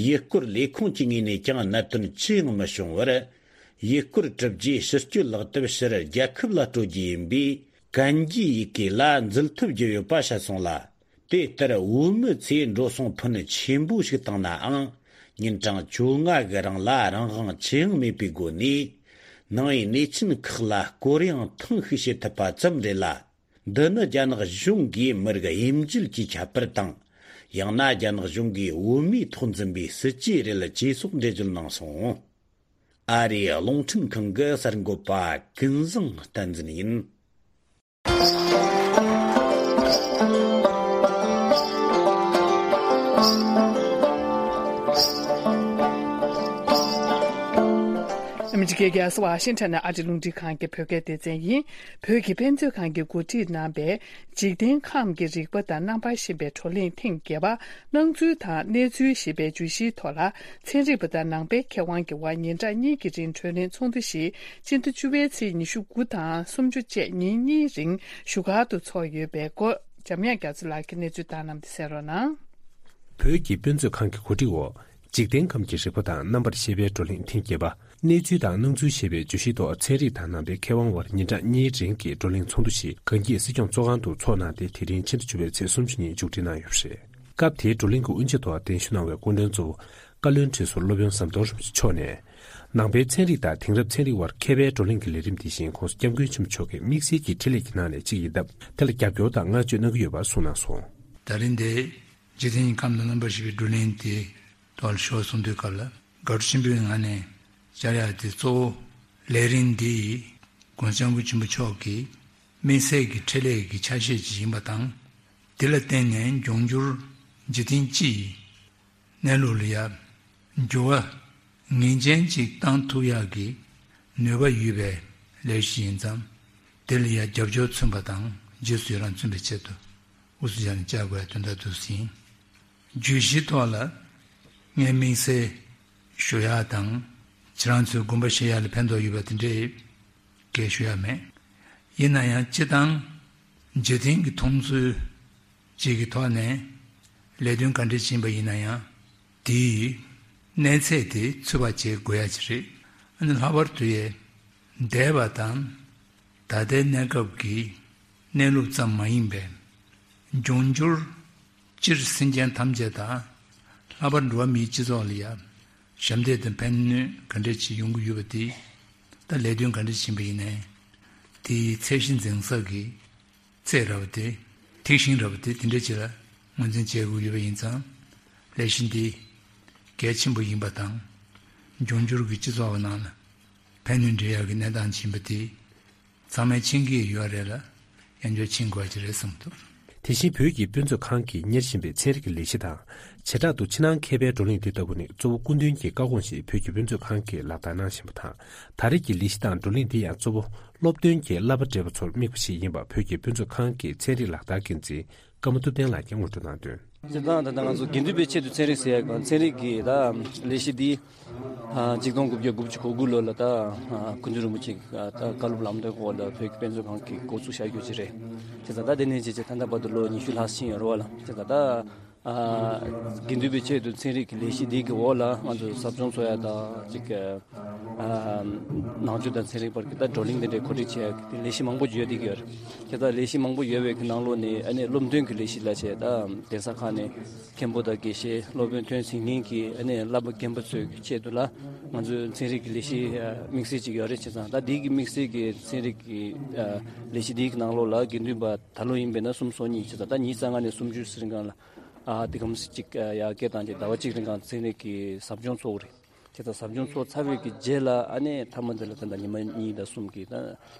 ཡུལ་སྐོར་ལས་ཁུངས་ཀྱི་ངོས་ནས་ཀྱང་གནད་དོན་ཅི་ཡང་མི་བྱུང་བར། ཡུལ་སྐོར་གྲུབ་རྗེས་ཕྱིར་སྐྱོད་ལག་དེབ་ཕྱིར་རྒྱལ་ཁབ་ལ་སྤྲོད་རྒྱུ་ཡིན་པས། གན་རྒྱའི་ཡི་གེ་ལ་འཛུལ་ཐུབ་རྒྱུ་ཡོད་པ་བཤད་སོང་ལ། དེ་ལྟར་བོད་མི་ཚོས་འགྲོ་སོང་ཕོན་ཆེན་པོ་ཞིག་བཏང་ནའང་། ཉིན་གྲངས་བཅོ་ལྔ་གི་རིང་ལ་རང་དབང་ཅི་ཡང་མེད་པའི་སྒོ་ནས། ནང་པའི་གནས་ཆེན་ཁག་ལ་སྐོར་ཡང་ཐེངས་ཤིག་བྱེད་ཐུབ་པ་ཙམ་རེད་ལ། འདི་ནི་རྒྱ་ནག་གཞུང་གིས་མི་རིགས་དབྱེ་འབྱེད་ཀྱི་ཁྱད་པར་དང་། ཡང་ན་རྒྱ་ནག་གཞུང་གིས་བོད་མིའི་ཐོག་འཛིན་པའི་སྲིད་ཇུས་རེད་ཅེས་སོགས་འགྲེལ་བརྗོད་གནང་སོང་། ཨ་རིའི་རླུང་འཕྲིན་ཁང་གི་གསར་འགོད་པ་ཀུན་བཟང་བསྟན་འཛིན་ཡིན། ཨ་མི་རི་ཀའི་རྒྱལ་ས་ཝ་ཤིང་ཊོན་ནས་ཨ་རིའི་རླུང་འཕྲིན་ཁང་གི་བོད་སྐད་སྡེ་ཚན་ཡིན། བོད་ཀྱི་དཔེ་མཛོད་ཁང་གིས་གོ་སྒྲིག་གནང་བའི་འཇིག་རྟེན་ཁམས་ཀྱི་རིག་པ་དང་རྣམ་པར་ཤེས་པའི་བགྲོ་གླེང་ཐེངས་བརྒྱད་པ། སྣང་ཚུལ་དང་གནས་ཚུལ་ཞེས་པའི་བརྗོད་གཞིའི་ཐོག་ལ། ཚན་རིག་པ་དང་ནང་པའི་མཁས་དབང་གི་དབར་ཉིན་གྲངས་གཉིས་ཀྱི་རིང་བགྲོ་གླེང་ཚོགས་འདུ་ཞིག་སྤྱི་ཟླ་བཅུ་པའི་ཚེས་ཉི་ཤུ་དགུ་དང་སུམ་ཅུ་བཅས་ཉིན་གཉིས་རིང་བཞུགས་སྒར་དུ་འཚོགས་ཡོད་པའི་སྐོར། འཇམ་དབྱངས་རྒྱ་མཚོ་ལགས་ཀྱིས་གནས་ཚུལ་བཏང་གནང་བ་དེ་གསན་རོགས་གནང་། བོད་ཀྱི་དཔེ་མཛོད་ཁང་གི་གོ་སྒྲིག་འོག་འཇིག་རྟེན་ཁམས་ཀྱི་རིག་པ་དང་རྣམ་པར་ཤེས་པའི་བགྲོ་གླེང་ཐེངས་བརྒྱད་པ། གནས་ཚུལ་དང་སྣང་ཚུལ་ཞེས་པའི་བརྗོད་གཞིའི་ཐོག་ཚན་རིག་དང་ནང་པའི་མཁས་དབང་དབར་ཉིན་གྲངས་གཉིས་རིང་གི་བགྲོ་གླེང་ཚོགས་འདུ་ཞིག་གངས་སྐྱིད་སྲིད་སྐྱོང་ཚོགས་ཁང་དུ་འཚོགས་གནང་སྟེ། དེ་རིང་ཕྱི་ཟླ་བཅུ་པའི་ཚེས་སུམ་ཅུ་ཉིན་མཇུག་སྒྲིལ་གནང་ཡོད་པ་རེད། སྐབས་དེའི་བགྲོ་གླེང་གི་དབུ་འབྱེད་ཐོག་གདན་ཞུ་གནང་བའི་སྐུ་མགྲོན་གཙོ་བོ་བཀའ་བློན་ཁྲི་ཟུར་སློབ་དཔོན་ཟམ་གདོང་རིན་པོ་ཆེ་མཆོག་ནས། ནང་པའི་ཚན་རིག་དང་དེང་རབས་ཚན་རིག་དབར་མཁས་པའི་བགྲོ་གླེང་གི་ལས་རིམ་དེ་བཞིན་༸གོང་ས་༸སྐྱབས་མགོན་ཆེན་པོ་མཆོག་གི་དམིགས་བསལ་གྱི་འཕྲིན་ལས་ཀྱི་ནང་ནས་གཅིག་ཡིན་སྟབས། དེ་ལ་རྒྱབ་སྐྱོར་དང་བསྔགས་བརྗོད་གནང་གི་ཡོད་པ་གསུངས་གནང་སོང་། ད་རིང་འདིར་འཇིག་རྟེན་གྱི་ཁམས་དང་རྣམ་པར་ཤེས་པའི་བགྲོ་གླེང་དེ་ཐོག་ལ་ཞུ་བ་གསུང་དུས་སྐབས་ལ། དགའ་སྤྲོ་ཆེན་པོའི་ངང་ནས་བཅར་ཡག་དེ་གཙོ་བོ་ལས་རིམ་འདི་ཡིས་༸གོང་ས་༸སྐྱབས་མགོན་ཆེན་པོ་མཆོག་གི་དམིགས་བསལ་གྱི་འཕྲིན་ལས་ཀྱི་ཆ་ཤས་ཅིག་ཡིན་པ་དང་། དེ་ལ་བརྟེན་ནས་འབྱུང་འགྱུར་འཇིག་རྟེན་སྤྱི་ཡི་གནས་ལུགས་ལ་ཡང་འགྱུར་བ་ངེས་ཅན་ཅིག་བཏང་ཐུབ་ཡག་གི་ནུས་པ་ཡོད་པའི་ ལས་གཞི་ཡིན་ཙང་། དེ་ལ་ཡང་རྒྱབ་སྐྱོར་མཚོན་པ་དང་རྗེས་སུ་ཡི་རང་མཚོན་པའི་ཆེད་དུ་དབུ་སུ་བཞག་ནས་བཅར་དགོས་ཡ་དོན་དག་འདུག་ཟིན། བརྗོད་གཞིའི་ཐོག་ལ་ངས་དམིགས་བསལ་ཞུ་ཡ་དང་། ཁྱེད་རང་ཚོའི་དགོངས་པ་བཞེས་ཡ་ལ་ཕན་ཐོགས་ཡོད་པ་དེ་འདྲའི་གས་ཞུ་ཡ་མེད། ཡིན་ན་ཡང་སྤྱི་བཏང་འཇིག་རྟེན་གྱི་མཐོང་ཚུལ་ཅིག་གི་ཐོག་ནས་ལས་དོན་ག་འདྲ་ཕྱིན་པ་ཡིན་ན་ཡང་དེའི་གནས་ཚད་དེ་ཚོད་དཔག་བྱེད་དགོས་ཡ་ཅིག་རེད། ཨ་ནི་ལྷག་པར་དུ་ཡས་འདས་པ་དང་ད་ལྟའི་གནས་སྐབས་ཀྱི་གནས་ལུགས་ཙམ་མ་ཡིན་པའི་འབྱུང་འགྱུར་སྤྱིར་སེམས་ཅན་ཐམས་ཅད་དང་ལྷག་པར་འགྲོ་བ་མིའི་སྤྱི་ཚོགས་ལ་ཡང་ཞབས་འདེགས་དང་ཕན་ནུས་ག་འདྲ་ཅིག་ཡོང་གི་ཡོད་པ་དེ། ད་ལས་དོན་ག་འདྲ་ཕྱིན་པ་ཡིན་ནའི་དེའི་ཚད་གཞི་འཛིན་ས་གི་ཚད་ར་བ་དེ། ཐིག་ཤིང་ར་བ་དེ་དེ་འདྲ་ཅིག་ལ་ངོས་འཛིན་བྱེད་དགོས་ཡོད་པ་ཡིན་ཙང་། ལས་གཞི་འདི་གལ་ཆེན་པོ་ཡིན་པ་དང་། འབྱུང་འགྱུར་གྱི་སྤྱི་ཚོགས་ཀྱི་ནང་ལ་ཕན་ནུས་འདྲེན་ཡག་གི་གནས་སྟངས་ཆེན་པོ་དེ་ཚང་མས་མཁྱེན་གྱི་ཡོད་རེད་ལ། ཡང་བསྐྱར་མཁྱེན་དགོས་ཀྱི་རེད་བསམ་འདུག་དེ་བཞིན་བོད་ཀྱི་དཔེ་མཛོད་ཁང་གིས་གཉེར་བཞིན་པའི་ཚན་རིག་གི་ལས་གཞི་དང་། བྱེ་བྲག་ཏུ་ཕྱི་ནང་མཁས་པའི་བགྲོ་གླེང་འདི་ལྟ་བུ་ནི་གཙོ་བོ་སྐུ་མདུན་གྱི་བཀའ་དགོངས་བཞིན་བོད་ཀྱི་དཔེ་མཛོད་ཁང་གིས་ལག་བསྟར་གནང་བཞིན་པ་དང་། ད་རེས་ཀྱི་ལས་གཞི་དང་བགྲོ་གླེང་འདི་ཡང་གཙོ་བོ་སློབ་སྟོན་གྱི་བསླབ་པ་བགྲེས་པ་ཚོར་དམིགས་པ་ཞིག་ཡིན་པ་བོད་ཀྱི་དཔེ་མཛོད་ཁང་གི་ཚན་རིག་ལག་བསྟར་འགན་འཛིན་ཀརྨ་ཐུབ་བསྟན་ལགས་ཀྱིས་ངོ་སྤྲོད་གནང་དོན། སྤྱིར་བཏང་ད་ལྟ་ང་ཚོ་དགེ་འདུན་པའི་ཆེད་དུ་ཚན་རིག་ཟེར་ཡག་གམ་ཚན་རིག་གི་ད་ལས་གཞི་འདི་ཨ་གཅིག་སྟོང་དགུ་བརྒྱ་དགུ་བཅུ་གོ་དགུ་ལོ་ལ་ད་ཨ་སྐུ་མདུན་རིན་པོ་ཆེ་གི་ད་བཀའ་སློབ་ལམ་སྟོན་འོག་ལ་བོད་ཀྱི་དཔེ་མཛོད་ཁང་གི་འགོ་ཚུགས་བཞག་རྒྱུ་ཅིག་རེད། བྱས་ཙང་ད་དེ་ནས་བྱས་བྱས་ད་ལྟ་བར་དུ་ལོ་ཉི་ཤུ་ལྷག་ཕྱིན་ཡོད་རེད་བ་ལ། བྱས་ཙང་ད་ཨ་དགེ་འདུན་པའི་ཆེད་དུ་ཚན་རིག་གི་ལས་གཞི་འདི་གི་འོག་ལ་ང་ཚོ་ཟབ་སྦྱོང་འཚོགས་ཡ་ད་ཅིག་ཨ་ནང་ཆོས་དང་ཚན་རིག་བར་གྱི་ད་བགྲོ་གླེང་དེ་འདྲའི་གོ་སྒྲིག་བྱས་ཡ་གི་ལས་གཞི་མང་པོ་ཡོད་བསྡད་ཀྱི་ཡོད་རེད། དེ་ལྟར་ལས་གཞི་མང་པོ་ཡོད་པའི་གི་ནང་ལོགས་ནས་ཨ་ནི་སློབ་སྟོན་གྱི་ལས་གཞི་ལ་བྱས་ད་གདན་ས་ཁག་ནས་མཁན་པོ་དང་དགེ་བཤེས་སློབ་དཔོན་ཐོན་ཟིན་མཁན་གྱི་ཨ་ནི་བསླབ་པ་རྒན་པ་ཚོའི་གི་ཆེད་དུ་ལ་ང་ཚོའི་ཚན་རིག་གི་ལས་གཞི་དམིགས་བསལ་ཅིག་ཡོད་རེད། བྱས་ཙང་ད་འདི་གི་དམིགས་བསལ་གྱི་ཚན་རིག་གི་ལས་གཞི་འདིའི་གི་ནང་ལོགས་ལ་དགེ་འདུན་པ་ད་ལོ་ཡིན་པས་ན་སུམ་ཅུ་སོ་གཉིས། བྱས་ཙང་ད་ཉིས་རྩ་ལྔ་ནས་སུམ་ཅུ་ཙམ་རིང་གང་ལ་ཨ་དེ་གམ་ཅིག་ཡར་སྐྱེད་བཏང་རྗེས་ཟླ་བ་གཅིག་རིང་གང་ཚན་རིག་གི་ཟབ་སྦྱོང་འཚོགས་རེད། དེ་ལྟར་ཟབ་སྦྱོང་ཚོགས་ཚར་བའི་གི་རྗེས་ལ་ཨ་ནི་མཐའ་མ་དེ་ལ་ད་ལྟ་ཉི་མ་གཉིས་དང་གསུམ་གི་ད་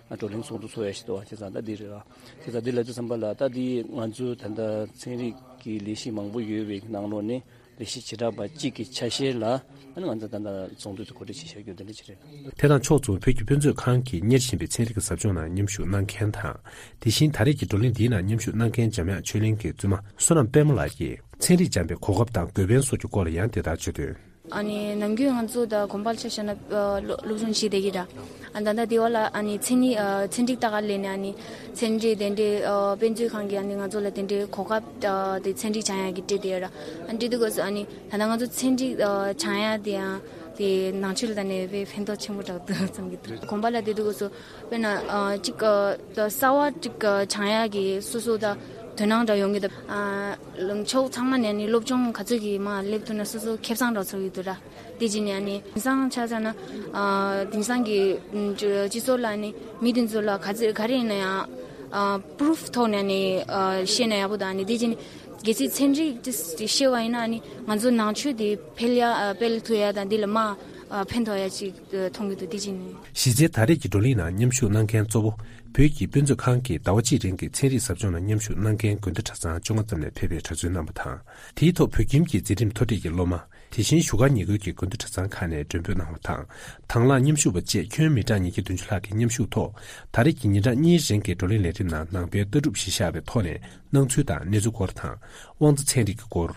བགྲོ་གླེང་ཚོགས་འདུ་ཚོགས་ཡ་ཞིག་འདུག་བ། བྱས་ཙང་ད་འདི་རེད་བ། བྱས་ཙང་འདི་ལ་དུས་བསམ་པ་ལ་ད་འདི་ང་ཚོའི་ད་ལྟ་ཚན་རིག་གི་ལས་གཞི་མང་པོ་ཡོད་པའི་གི་ནང་ལོགས་ནས་ལས་གཞི་བྱེ་བྲག་པ་གཅིག་གི་ཆ་ཤས་ལ་ཨ་ནི་ང་ཚོ་ད་ལྟ་ཚོགས་འདུ་དེ་གོ་སྒྲིག་བྱེད་བཞག་རྒྱུ་དེ་འདྲ་ཅིག་རེད། དེ་དང་ཕྱོགས་མཚུངས་བོད་ཀྱི་དཔེ་མཛོད་ཁང་གིས་གཉེར་བཞིན་པའི་ཚན་རིག་གི་ཟབ་སྦྱོང་ནང་མཉམ་ཞུགས་གནང་མཁན་དང་། དེ་བཞིན་ད་རེས་ཀྱི་བགྲོ་གླེང་འདིའི་ནང་མཉམ་ཞུགས་གནང་མཁན་འཇམ་དབྱངས་ཆོས་གླིང་གི་བཙུན་མ་བསོད་ནམས་དཔལ་མོ་ལགས་ཀྱིས་ཚན་རིག་སྦྱངས་པའི་གོ་སྐབས་དང་དགོས་ཕན་སོགས་ཀྱི་སྐོར་ལ་ཡང་དེ་ལྟར་བརྗོད་དོན། ཨ་ནི་ནམ་རྒྱུན་ང་ཚོ་ད་དགོན་པར་ཆ་བཞག་ན་ཨ་སློབ་སློབ་སྦྱོང་བྱེད་བསྡད་ཀྱི་ར། ཨ་ད་ལྟ་དེ་བ་ལ་ཨ་ནི་མཚན་ཉིད་ཨ་ཚན་རིག་ལྟ་ག་ལས་ནས་ཨ་ནི་ཚན་རིག་དེ་འདྲའི་ཨ་དཔེ་མཛོད་ཁང་གིས་ཨ་ནི་ང་ཚོ་ལ་དེ་འདྲའི་གོ་སྐབས་ཨ་དེ་ཚན་རིག་སྦྱང་ཡག་གི་སྤྲད་བསྡད་ཡོད་ར། ཨ་འདྲི་དུས་སྐབས་སུ་ཨ་ནི་ད་ལྟ་ང་ཚོ་ཚན་རིག་ཨ་སྦྱང་ཡག་དེ་ཡང་དེ་ནང་ཆོས་ལ་ད་ནས་དཔེ་ཕན་ཐོགས་ཆེན་པོ་རག་འདུག་བསམ་གྱི་འདུག་དགོན་པ་ལ་དེ་དུས་སྐབས་སུ་དཔེར་ན་ཨ་གཅིག་ཨ་ད་གསར་བ་གཅིག་ཨ་སྦྱང་ཡག་གི་སོ་སོ་ད་དོ་སྣང་འདྲ་ཡོང་གི་འདུག་ཨ་ལུང་ཕྱོགས་ཚང་མ་ནས་ནི་སློབ་སྦྱོང་ག་ཚོད་ཀྱིས་མར་སླེབས་ཐུབ་ན་སོ་སོ་ཁེ་བཟང་འདྲ་ཚོར་གྱི་འདུག་ར། དེ་རྗེས་ནས་ཨ་ནི་དེང་སང་ཆ་བཞག་ན་ཨ་དེང་སང་གི་ཨ་སྤྱི་ཚོགས་ལ་ནི་མི་དེ་ཚོ་ལ་ག་ཚོད་ག་རེ་ཡིན་ན་ཡང་ཨ་པུ་རུབ་ཐོག་ནས་ནི་ཨ་བཤད་ན་ཡག་པོ་དང་ནི་དེ་རྗེས་ནས་གལ་སྲིད་ཚན་རིག་དེ་བཤད་པ་ཡིན་ན་ནི་ང་ཚོ་ནང་ཆོས་དེ་འཕེལ་ཡ་ཨ་འཕེལ་ཐུབ་ཡ་དང་འདི་ལ་མར་ཨ་ཕན་ཐོགས་ཡ་ཅིག་ཨ་མཐོང་གི་འདུག་དེ་རྗེས་ནས། གཞི་རྩའི་ད་རེས་ཀྱི་བགྲོ་གླེང་ནང་མཉམ་ཞུགས་གནང་མཁན་གཙོ་བོ་བོད་ཀྱི་དཔེ་མཛོད་ཁང་གིས་ཟླ་བ་གཅིག་རིང་གི་ཚན་རིག་ཟབ་སྦྱོང་ནང་མཉམ་ཞུགས་གནང་མཁན་དགོན་སྡེ་གྲྭ་ཚང་བཅོ་ལྔ་ཙམ་ནས་ཕེབས་པའི་གྲྭ་བཙུན་རྣམ་པ་དང་། དེའི་ཐོག་བོད་ཁྱིམ་གྱི་འཛིན་རིམ་མཐོ་གྲས་ཀྱི་སློབ་མ། དེ་བཞིན་བཞུགས་སྒར་ཉེ་ཁུལ་གྱི་དགོན་སྡེ་གྲྭ་ཚང་ཁག་ནས་མགྲོན་འབོད་གནང་བ་དང་། དང་བླངས་མཉམ་ཞུགས་པ་བཅས་ཁྱོན་མི་གྲངས་ཉིས་བརྒྱ་བདུན་ཅུ་ལྷག་གིས་མཉམ་ཞུགས་ཐོག་ད་རེས་ཀྱི་ཉིན་གྲངས་གཉིས་རིང་གི་བགྲོ་གླེང་ལས་རིམ་ནང་ནང་པའི་ལྟ་གྲུབ་གཞི་བཞག་པའི་ཐོག་ནས་སྣང་ཚུལ་དང་གནས་ཚུལ་སྐོར་དང་། དབང་རྩ་ཚན་རིག་གི་སྐོར།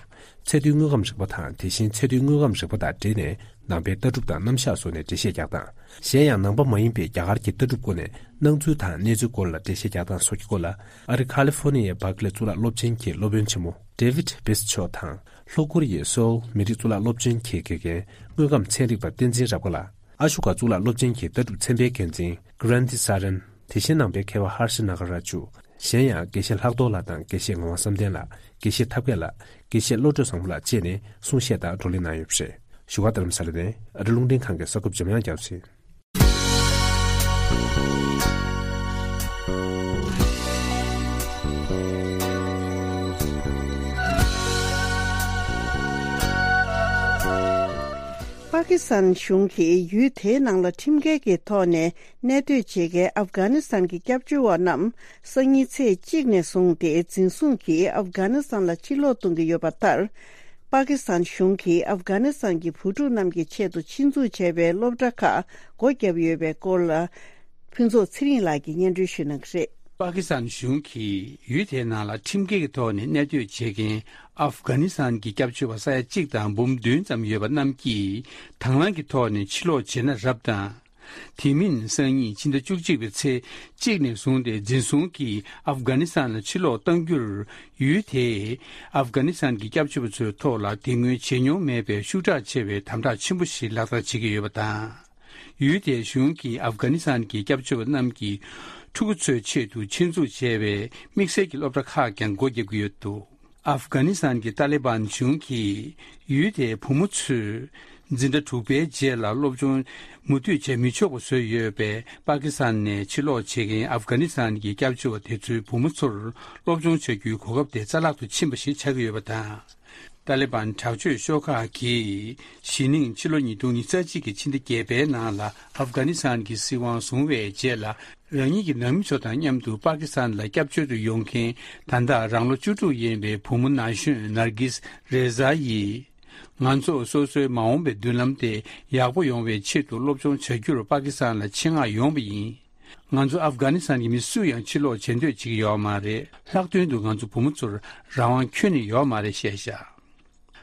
ཚད་མཐོའི་དངོས་ཁམས་རིག་པ་དང་དེ་བཞིན་ཚད་མཐོའི་དངོས་ཁམས་རིག་པ་དང་འབྲེལ་ནས་ནང་པའི་ལྟ་གྲུབ་དང་རྣམ་གཞག་སོགས་ནས་འགྲེལ་བཤད་རྒྱག་སྟངས། གཞན་ཡང་ནང་པ་མ་ཡིན་པའི་རྒྱ་གར་གྱི་ལྟ་གྲུབ་སྐོར་ནས་སྣང་ཚུལ་དང་གནས་ཚུལ་སྐོར་ལ་འགྲེལ་བཤད་རྒྱག་སྟངས་སོགས་ཀྱི་སྐོར་ལ་ཨ་རི་ཁ་ལི་ཧྥོ་ནི་ཡའི་བྷར་ཀ་ལེ་གཙུག་ལག་སློབ་ཆེན་གྱི་སློབ་དཔོན་ཆེན་མོ་ཌེ་ཝིད་བྷིས་མཆོག་དང་། ལྷོ་ཀོ་རི་ཡའི་སོའུལ་མི་རིགས་གཙུག་ལག་སློབ་ཆེན་གྱི་དགེ་རྒན་དངོས་ཁམས་ཚན་རིག་པ་བསྟན་འཛིན་རབ་དགའ་ལགས། ཨ་ཤུ་ག་གཙུག་ལག་སློབ་ཆེན་གྱི་ལྟ་གྲུབ་ཚན་པའི་འགན་འཛིན་ཀི་རན་ཏི་ས་རན། དེ་བཞིན་ནང་པའི་མཁས་པ་ཧར་ཤི་ན་ག་ར་ཇུ། གཞན་ཡང་དགེ་བཤེས་ལྷག་རྡོར་ལགས་དང་དགེ་བཤེས་ངག་དབང་བསམ་གཏན་ལགས། དགེ་བཤེས་ཐབས་མཁས་ལགས། དགེ་བཤེས་བློ་གྲོས་བཟང་པོ་ལགས་བཅས་ནས་གསུང་བཤད་དང་བགྲོ་གླེང་གནང་ཡོད་པ་རེད། བཞུགས་སྒར་རྡ་རམ་ས་ལ་ནས་ཨ་རི་རླུང་འཕྲིན་ཁང་གི་གསར་འགོད་པ་འཇམ་དབྱངས་རྒྱ་མཚོ་ཡིན། པ་ཀི་སི་ཐན་གཞུང་གིས་ཡུལ་དེའི་ནང་ལ་ཁྲིམས་འགལ་གྱི་ཐོག་ནས་གནས་སྡོད་བྱེད་མཁན་ཨབ་གྷ་ནི་སི་ཐན་གྱི་སྐྱབས་བཅོལ་བ་རྣམས་སང་ཉིན་ཚེས་གཅིག་ནས་བཟུང་སྟེ་འཛིན་བཟུང་གིས་ཨབ་གྷ་ནི་སི་ཐན་ལ་ཕྱིར་ལོག་གཏོང་གི་ཡོད་པ་ལྟར། པ་ཀི་སི་ཐན་གཞུང་གིས་ཨབ་གྷ་ནི་སི་ཐན་གྱི་བུ་ཕྲུག་རྣམས་ཀྱི་ཆེད་དུ་ཆེད་འཛུགས་བྱས་པའི་སློབ་གྲྭ་ཁག་སྒོ་བརྒྱབ་ཡོད་པའི་སྐོར་ལ། ཕུན་ཚོགས་ཚེ་རིང་ལགས་ཀྱིས་སྙན་སྒྲོན་ཞུ་གནང་གི་རེད། པ་ཀི་སི་ཐན་གཞུང་གིས་ཡུལ་དེའི་ནང་ལ་ཁྲིམས་འགལ་གྱི་ཐོག་ནས་གནས་སྡོད་བྱེད་མཁན་ཨབ་གྷ་ནི་སི་ཐན་གྱི་སྐྱབས་བཅོལ་བ་ས་ཡ་གཅིག་དང་འབུམ་བདུན་ཙམ་ཡོད་པ་རྣམས་ཀྱིས་དང་བླངས་ཀྱི་ཐོག་ནས་ཕྱིར་ལོག་བྱེད་ན་རབ་དང་། དེ་མིན་སང་ཉིན་ཕྱི་ཟླ་བཅུ་གཅིག་པའི་ཚེས་གཅིག་ནས་བཟུང་སྟེ་འཛིན་བཟུང་གིས་ཨབ་གྷ་ནི་སི་ཐན་ལ་ཕྱིར་ལོག་གཏང་རྒྱུར། ཡུལ་དེས་ཨབ་གྷ་ནི་སི་ཐན་གྱི་སྐྱབས་བཅོལ་བ་ཚོའི་ཐོག་ལ་དེ་སྔོན་བྱེད་མྱོང་མེད་པའི་ཤུགས་དྲག་ཆེ་བའི་དམ་དྲག་ཆེན་པོ་ཞིག་ལག་བསྟར་བྱེད་ཀྱི་ཡོད་པ་དང་། ཡུལ་དེའི་གཞུང་གིས་ཨབ་གྷ་ནི་སི་ཐན་གྱི་སྐྱབས་བཅོལ་བ་རྣམས་ཀྱི་ཕྲུ་གུ་ཚོའི་ཆེད་དུ་ཆེད་འཛུགས་བྱས་པའི་དམིགས་བསལ་གྱི་སློབ་གྲྭ་ཁག་ཀྱང་སྒོ་བརྒྱབ་ཀྱི་ཡོད་འདུག་ཨབ་གྷ་ནི་སི་ཐན་གྱི་ཏཱ་ལི་བན་གཞུང་གིས་ཡུལ་དེའི་བུ་མོ་ཚོས་འཛིན་གྲྭ་དྲུག་པའི་རྗེས་ལ་སློབ་སྦྱོང་མུ་མཐུད་བྱེད་མི་ཆོག་པ་བཟོས་ཡོད་པས། པ་ཀི་སི་ཐན་ནས་ཕྱིར་ལོག་བྱེད་མཁན་ཨབ་གྷ་ནི་སི་ཐན་གྱི་སྐྱབས་བཅོལ་བ་དེ་ཚོའི་བུ་མོ་ཚོར་སློབ་སྦྱོང་བྱ་རྒྱུའི་གོ་སྐབས་དེ་རྩ་བརླག་ཏུ་ཕྱིན་པ་ཞིག་ཆགས་ཀྱི་ཡོད་པ་དང་། ཏཱ་ལི་བན་དྲག་སྤྱོད་ཤོག་ཁག་གིས་གཞེས་ནིང་ཕྱི་ལོ་ཉིས་སྟོང་ཉི་ཤུ་རྩ་གཅིག་གི་ཕྱི་ཟླ་བརྒྱད་པའི་ནང་ལ་ཨབ་གྷ་ནི་སི་ཐན་གྱི་སྲིད་དབང་བཟུང་བའི་རྗེས་ལ། རང་ཉིད་ཀྱི་ནང་མི་ཚོ་དང་མཉམ་དུ་པ་ཀི་སི་ཐན་ལ་སྐྱབས་བཅོལ་དུ་ཡོང་མཁན་ད་ལྟ་རང་ལོ་བཅུ་དྲུག་ཡིན་པའི་བུ་མོ་ན་གཞོན་ནར་གིས་རེ་ཛ་ཡིས། ང་ཚོ་སོ་སོའི་མ་འོངས་པའི་མདུན་ལམ་དེ་ཡག་པོ་ཡོང་བའི་ཆེད་དུ་སློབ་སྦྱོང་བྱ་རྒྱུར་པ་ཀི་སི་ཐན་ལ་ཆེད་མངགས་ཡོང་བ་ཡིན། ང་ཚོ་ཨབ་གྷ་ནི་སི་ཐན་གྱི་མི་སུ་ཡང་ཕྱིར་ལོག་བྱེད་འདོད་བྱེད་ཀྱི་ཡོད་མ་རེད། ལྷག་དོན་དུ་ང་ཚོ་བུ་མོ་ཚོར་རང་དབང་ཁྱོན་ནས་ཡོད་མ་རེད་བཤད་བཞག་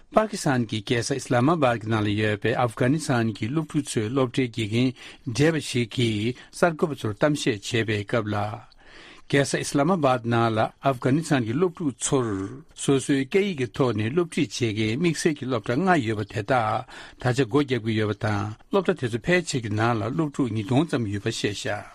པ་ཀི་སི་ཐན་གྱི་རྒྱལ་ས་ཨི་སི་ལ་མ་བཱད་ཀྱི་ནང་ལ་ཡོད་པའི་ཨབ་གྷ་ནི་སི་ཐན་གྱི་སློབ་ཕྲུག་ཚོའི་སློབ་གྲྭའི་དགེ་རྒན་བགྲེས་པ་ཞིག་གིས་གསར་འགོད་པ་ཚོར་གཏམ་བཤད་བྱེད་པའི་སྐབས་ལ། རྒྱལ་ས་ཨི་སི་ལ་མ་བཱད་ནང་ལ་ཨབ་གྷ་ནི་སི་ཐན་གྱི་སློབ་ཕྲུག་ཚོར་སོ་སོའི་སྐད་ཡིག་གི་ཐོག་ནས་སློབ་ཁྲིད་བྱེད་མཁན་དམིགས་བསལ་གྱི་སློབ་གྲྭ་ལྔ་ཡོད་པ་དེ་དག་ད་ཆ་སྒོ་བརྒྱབ་ཀྱི་ཡོད་པ་དང་། སློབ་གྲྭ་དེ་ཚོ་ཕལ་ཆེར་གྱི་ནང་ལ་སློབ་ཕྲུག་ཉིས་སྟོང་ཙམ་ཡོད་པ་བཤད་བཞག་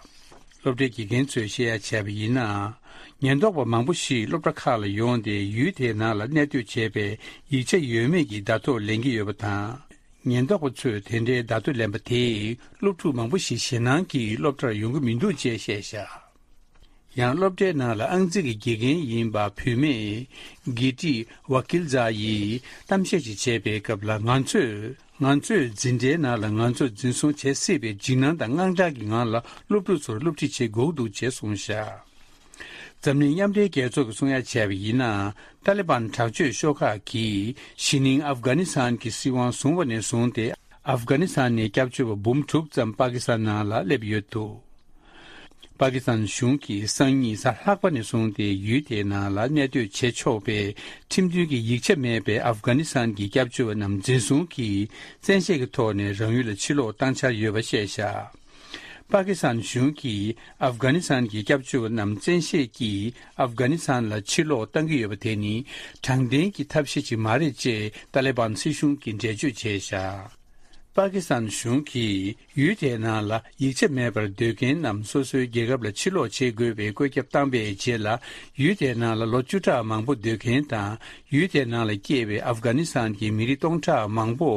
སློབ་གྲྭའི་དགེ་རྒན་ཚོས་བཤད་ཡ་བྱས་པ་ཡིན་ན། ཉེན་རྟོག་པ་མང་པོ་ཞིག་སློབ་གྲྭ་ཁག་ལ་ཡོང་སྟེ་ཡུལ་དེའི་ནང་ལ་གནས་སྡོད་བྱས་པའི་ཡིག་ཆ་ཡོད་མེད་ཀྱི་བརྡ་ཐོ་ལེན་གྱི་ཡོད་པ་དང་། ཉེན་རྟོག་པ་ཚོས་དེ་འདྲའི་བརྡ་ཐོ་ལེན་པ་དེས་སློབ་ཕྲུག་མང་པོ་ཞིག་ཞེད་སྣང་གིས་སློབ་གྲྭར་ཡོང་གི་མི་འདུག་ཅེས་བཤད་བཞག་ཡང་སློབ་གྲྭའི་ནང་ལ་ཨང་རྩིས་ཀྱི་དགེ་རྒན་ཡིན་པ་བུད་མེད་གྷི་ཏི་ཝ་ཀིལ་ཛ་ཡིས་གཏམ་བཤད་ཅིག་བྱས་པའི་སྐབས་ལ། ང་ཚོས་ང་ཚོའི་འཛིན་གྲྭའི་ནང་ལ་ང་ཚོ་འཛིན་བཟུང་བྱེད་སྲིད་པའི་འཇིགས་སྣང་དང་དངངས་སྐྲག་གི་ངང་ལ་སློབ་ཕྲུག་ཚོར་སློབ་ཁྲིད་བྱེད་དགོས་འདུག་ཅེས་གསུངས་བཞག་འཛམ་གླིང་མཉམ་འབྲེལ་རྒྱལ་ཚོགས་ཀྱིས་གསུང་ཡ་བྱས་པ་ཡིན་ན། ཏཱ་ལི་བན་དྲག་སྤྱོད་ཤོག་ཁག་གིས་གཞེས་ནིང་ཨབ་གྷ་ནི་སི་ཐན་གྱི་སྲིད་དབང་བཟུང་བ་ནས་བཟུང་སྟེ། ཨབ་གྷ་ནི་སི་ཐན་ནས་སྐྱབས་བཅོལ་བ་འབུམ་དྲུག་ཙམ་པ་ཀི་སི་ཐན་ནང་ལ་སླེབས་ཡོད་འདུག་པ་ཀི་སི་ཐན་གཞུང་གིས་སང་ཉིན་གཟའ་ལྷག་པ་ནས་བཟུང་སྟེ་ཡུལ་དེའི་ནང་ལ་གནས་སྡོད་བྱེད་ཆོག་པའི་ཁྲིམས་མཐུན་གྱི་ཡིག་ཆ་མེད་པའི་ཨབ་གྷ་ནི་སི་ཐན་གྱི་སྐྱབས་བཅོལ་བ་རྣམས་འཛིན་བཟུང་གིས་བཙན་ཤེད་ཀྱི་ཐོག་ནས་རང་ཡུལ་ལ་ཕྱིར་ལོག་བཏང་འཆར་ཡོད་པ་བཤད་བཞག་པ་ཀི་སི་ཐན་གཞུང་གིས་ཨབ་གྷ་ནི་སི་ཐན་གྱི་སྐྱབས་བཅོལ་བ་རྣམས་བཙན་ཤེད་ཀྱིས་ཨབ་གྷ་ནི་སི་ཐན་ལ་ཕྱིར་ལོག་བཏང་གི་ཡོད་པ་དེ་ནི་དྲང་བདེན་གྱི་ཐབས་ཤེས་ཅིག་མ་རེད་ཅེས་ཏཱ་ལི་བན་སྲིད་གཞུང་གིས་འགྲེལ་བརྗོད་བྱས་བཞག་པ་ཀི་སི་ཐན་གཞུང་གིས་ཡུལ་དེའི་ནང་ལ་ཡིག་ཆ་མེད་པར་སྡོད་མཁན་རྣམས་སོ་སོའི་རྒྱལ་ཁབ་ལ་ཕྱིར་ལོག་བྱེད་དགོས་པའི་བཀོད་ཁྱབ་བཏང་པའི་རྗེས་ལ། ཡུལ་དེའི་ནང་ལ་ལོ་བཅུ་ཕྲག་མང་པོ་སྡོད་མཁན་དང་། ཡུལ་དེའི་ནང་ལ་སྐྱེས་པའི་ཨབ་གྷ་ནི་སི་ཐན་གྱི་མི་རིགས་སྟོང་ཕྲག་མང་པོ་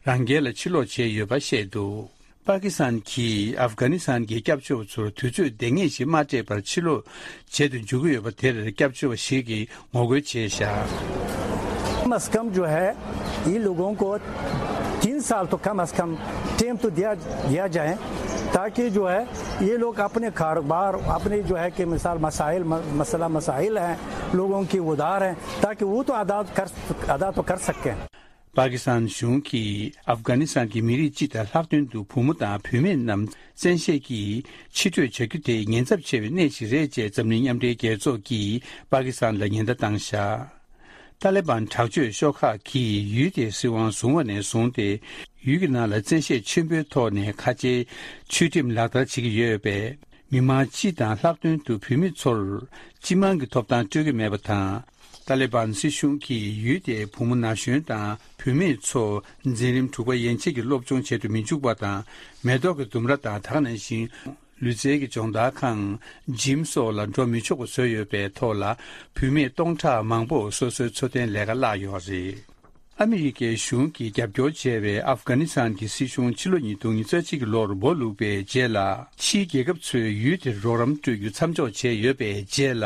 རང་རྒྱལ་ལ་ཕྱིར་ལོག་བྱས་ཡོད་པ་བཤད་འདུག་པ་ཀི་སི་ཐན་གྱིས་ཨབ་གྷ་ནི་སི་ཐན་གྱི་སྐྱབས་བཅོལ་བ་ཚོར་དུས་ཚོད་འདང་ངེས་ཤིག་མ་སྤྲད་པར་ཕྱིར་ལོག་བྱེད་དུ་འཇུག་གི་ཡོད་པ་དེར་སྐྱབས་བཅོལ་བ་ཞིག་གིས་ངོ་རྒོལ་བྱས་བཞག कम अज कम जो है, इन लोगों को तीन साल तो कम अज कम टाइम तो दिया दिया जाए, ताकि जो है ये लोग अपने कारोबार, अपने जो है कि मिसाल मसाइल म- मसला मसाइल हैं, लोगों की उधार हैं, ताकि वो तो अदा कर अदा तो कर सकें। པ་ཀི་སི་ཐན་གཞུང་གིས་ཨབ་གྷ་ནི་སི་ཐན་གྱི་མི་རིགས་སྤྱི་དང་ལྷག་དོན་དུ་བུ་མོ་དང་བུད་མེད་རྣམས་བཙན་ཤེད་ཀྱིས་ཕྱིར་སྤྲོད་བྱ་རྒྱུ་དེ་ཉེན་ཚབས་ཆེ་བའི་གནས་ཤིག་རེད་ཅེས་འཛམ་གླིང་མཉམ་འབྲེལ་རྒྱལ་ཚོགས་ཀྱིས་པ་ཀི་སི་ཐན་ལ་ཉེན་བརྡ་བཏང་བཞག་ཏཱ་ལི་བན་དྲག་སྤྱོད་ཤོག་ཁག་གིས་ཡུལ་དེའི་སྲིད་དབང་བཟུང་བ་ནས་བཟུང་སྟེ། ཡུལ་གྱི་ནང་ལ་བཙན་ཤེད་ཆེན་པོའི་ཐོག་ནས་ཁ་ཆེའི་ཆོས་ཁྲིམས་ལག་བསྟར་བྱེད་ཀྱི་ཡོད་པས། མི་མང་སྤྱི་དང་ལྷག་དོན་དུ་བུད་མེད་ཚོར་སྤྱི་དམངས་ཀྱི་ཐོབ་ཐང་སྤྲོད་ཀྱི་མེད་པ་དང་། ཏཱ་ལི་བན་སྲིད་གཞུང་གིས་ཡུལ་དེའི་བུ་མོ་ན་གཞོན་དང་བུད་མེད་ཚོ་འཛིན་རིམ་དྲུག་པ་ཡན་ཆད་ཀྱི་སློབ་སྦྱོང་བྱེད་དུ་མི་འཇུག་པ་དང་། མེ་ཏོག་གི་ལྡུམ་ར་དང་དེ་ག་ནང་བཞིན་ལུས་རྩལ་གྱི་སྦྱོང་བརྡར་ཁང་། འཇིམ་སོགས་ལ་འགྲོ་མི་ཆོག་པ་བཟོས་ཡོད་པའི་ཐོག་ལ། བུད་མེད་སྟོང་ཕྲག་མང་པོ་སོ་སོའི་འཚོ་རྟེན་ལས་ཀ་བརླག་ཡོད་རེད། ཨ་མི་རི་ཀའི་གཞུང་གིས་རྒྱབ་སྐྱོར་བྱས་པའི་ཨབ་གྷ་ནི་སི་ཐན་གྱི་སྲིད་གཞུང་ཕྱི་ལོ་ཉིས་སྟོང་ཉི་ཤུ་རྩ་གཅིག་གི་ལོར་སྦོ་ལུག་པའི་རྗེས་ལ། ཕྱིའི་རྒྱལ་ཁབ་ཚོས་ཡུལ་དེར་རོགས་རམ་སྤྲོད་རྒྱུ་མཚམས་འཇོག་བྱས་ཡོད་པའི་རྗེས་ལ།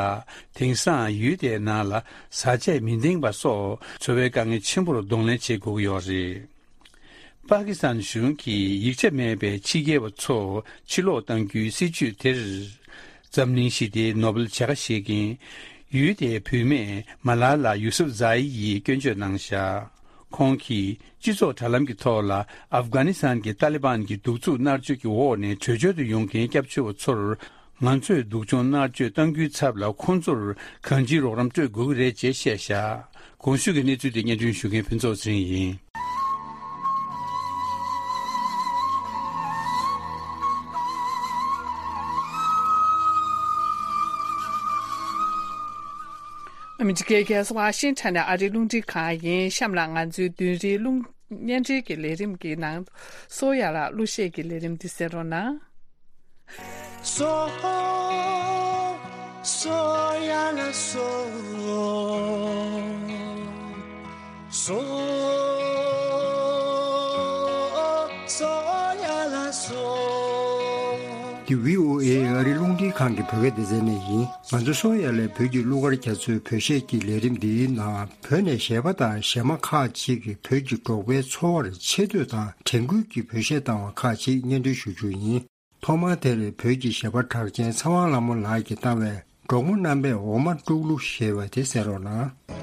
དེང་སང་ཡུལ་དེའི་ནང་ལ་བཟའ་ཆས་མི་འདང་པ་སོགས་འཚོ་བའི་དཀའ་ངལ་ཆེན་པོར་གདོང་ལེན་བྱེད་དགོས་ཀྱི་ཡོད་རེད། པ་ཀི་སི་ཐན་གཞུང་གིས་ཡིག་ཆ་མེད་པའི་ཕྱི་རྒྱལ་བ་ཚོ་ཕྱིར་ལོག་གཏང་རྒྱུའི་སྲིད་ཇུས་དེར། འཛམ་གླིང་ཞི་བདེའི་ནོ་བེལ་བྱ་དགའ་བཞེས་མཁན་ཡུལ་དེའི་བུད་མེད་མ་ལ་ལ་ཡུ་སུབ་ཛ་ཨི་ཡིས་སྐྱོན་བརྗོད་གནང་བཞག་ཁོང་གིས་སྤྱི་ཚོགས་དྲ་ལམ་གྱི་ཐོག་ལ་ཨབ་གྷ་ནི་སི་ཐན་གྱི་ཏཱ་ལི་བན་གྱི་གདུག་རྩུབ་མནར་གཅོད་ཀྱི་འོག་ནས་བྲོས་བྱོལ་དུ་ཡོང་མཁན་སྐྱབས་བཅོལ་བ་ཚོར། ང་ཚོས་སྡུག་སྦྱོང་མནར་གཅོད་གཏང་རྒྱུའི་ཚབ་ལ་ཁོང་ཚོར་གང་ཅིའི་རོགས་རམ་སྤྲོད་དགོས་ཀྱི་རེད་ཅེས་བཤད་བཞག་གོང་ཞུས་ཀྱི་གནས་ཚུལ་དེ་སྙན་སྒྲོན་ཞུ་མཁན་ཕུན་ཚོགས་ཚེ་རིང་ཡིན། ཨ་མི་རི་ཀའི་རྒྱལ་ས་ཝ་ཤིང་ཊོན་ནས་ཨ་རིའི་རླུང་འཕྲིན་ཁང་ཡིན། གཤམ་ལ་ང་ཚོའི་བདུན་རེའི་རླུང་བརྙན་འཕྲིན་གྱི་ལས་རིམ་གྱི་ནང་སོ་ཡ་ལ་གླུ་གཞས་ཀྱི་ལས་རིམ་འདི་གསན་རོགས་གནང་། སོ། སོ་ཡ་ལ་སོ། སོ། སོ་ཡ་ལ་སོ། འདི་བྷི་ཨོ་ཨེ་ཨ་རིའི་རླུང་འཕྲིན་ཁང་གི་བོད་སྐད་སྡེ་ཚན་ནས་ཡིན། ང་ཚོ་སོ་ཡ་ལའི་བོད་ཀྱི་གླུ་གར་རྒྱ་མཚོའི་བོད་གཞས་ཀྱི་ལས་རིམ་འདིའི་ནང་བོད་ནས་གཞས་པ་དང་གཞས་མ་ཁག་ཅིག་གིས་བོད་ཀྱི་འབྲོག་པའི་འཚོ་བར་ཆེ་བསྟོད་དང་དྲན་སྐུལ་གྱི་བོད་གཞས་བཏང་བ་ཁག་ཅིག་སྙན་སྒྲོན་ཞུ་རྒྱུ་ཡིན། ཐོག་མར་དེར་བོད་ཀྱི་གཞས་པ་གྲགས་ཅན་ཚེ་དབང་ལྷ་མོ་ལགས་ཀྱིས་བཏང་བའི་འབྲོག་མོ་རྣམ་པས་འོ་མ་དཀྲུག་གླུ་ཞེས་པ་དེ་གསན་རོགས་གནང་།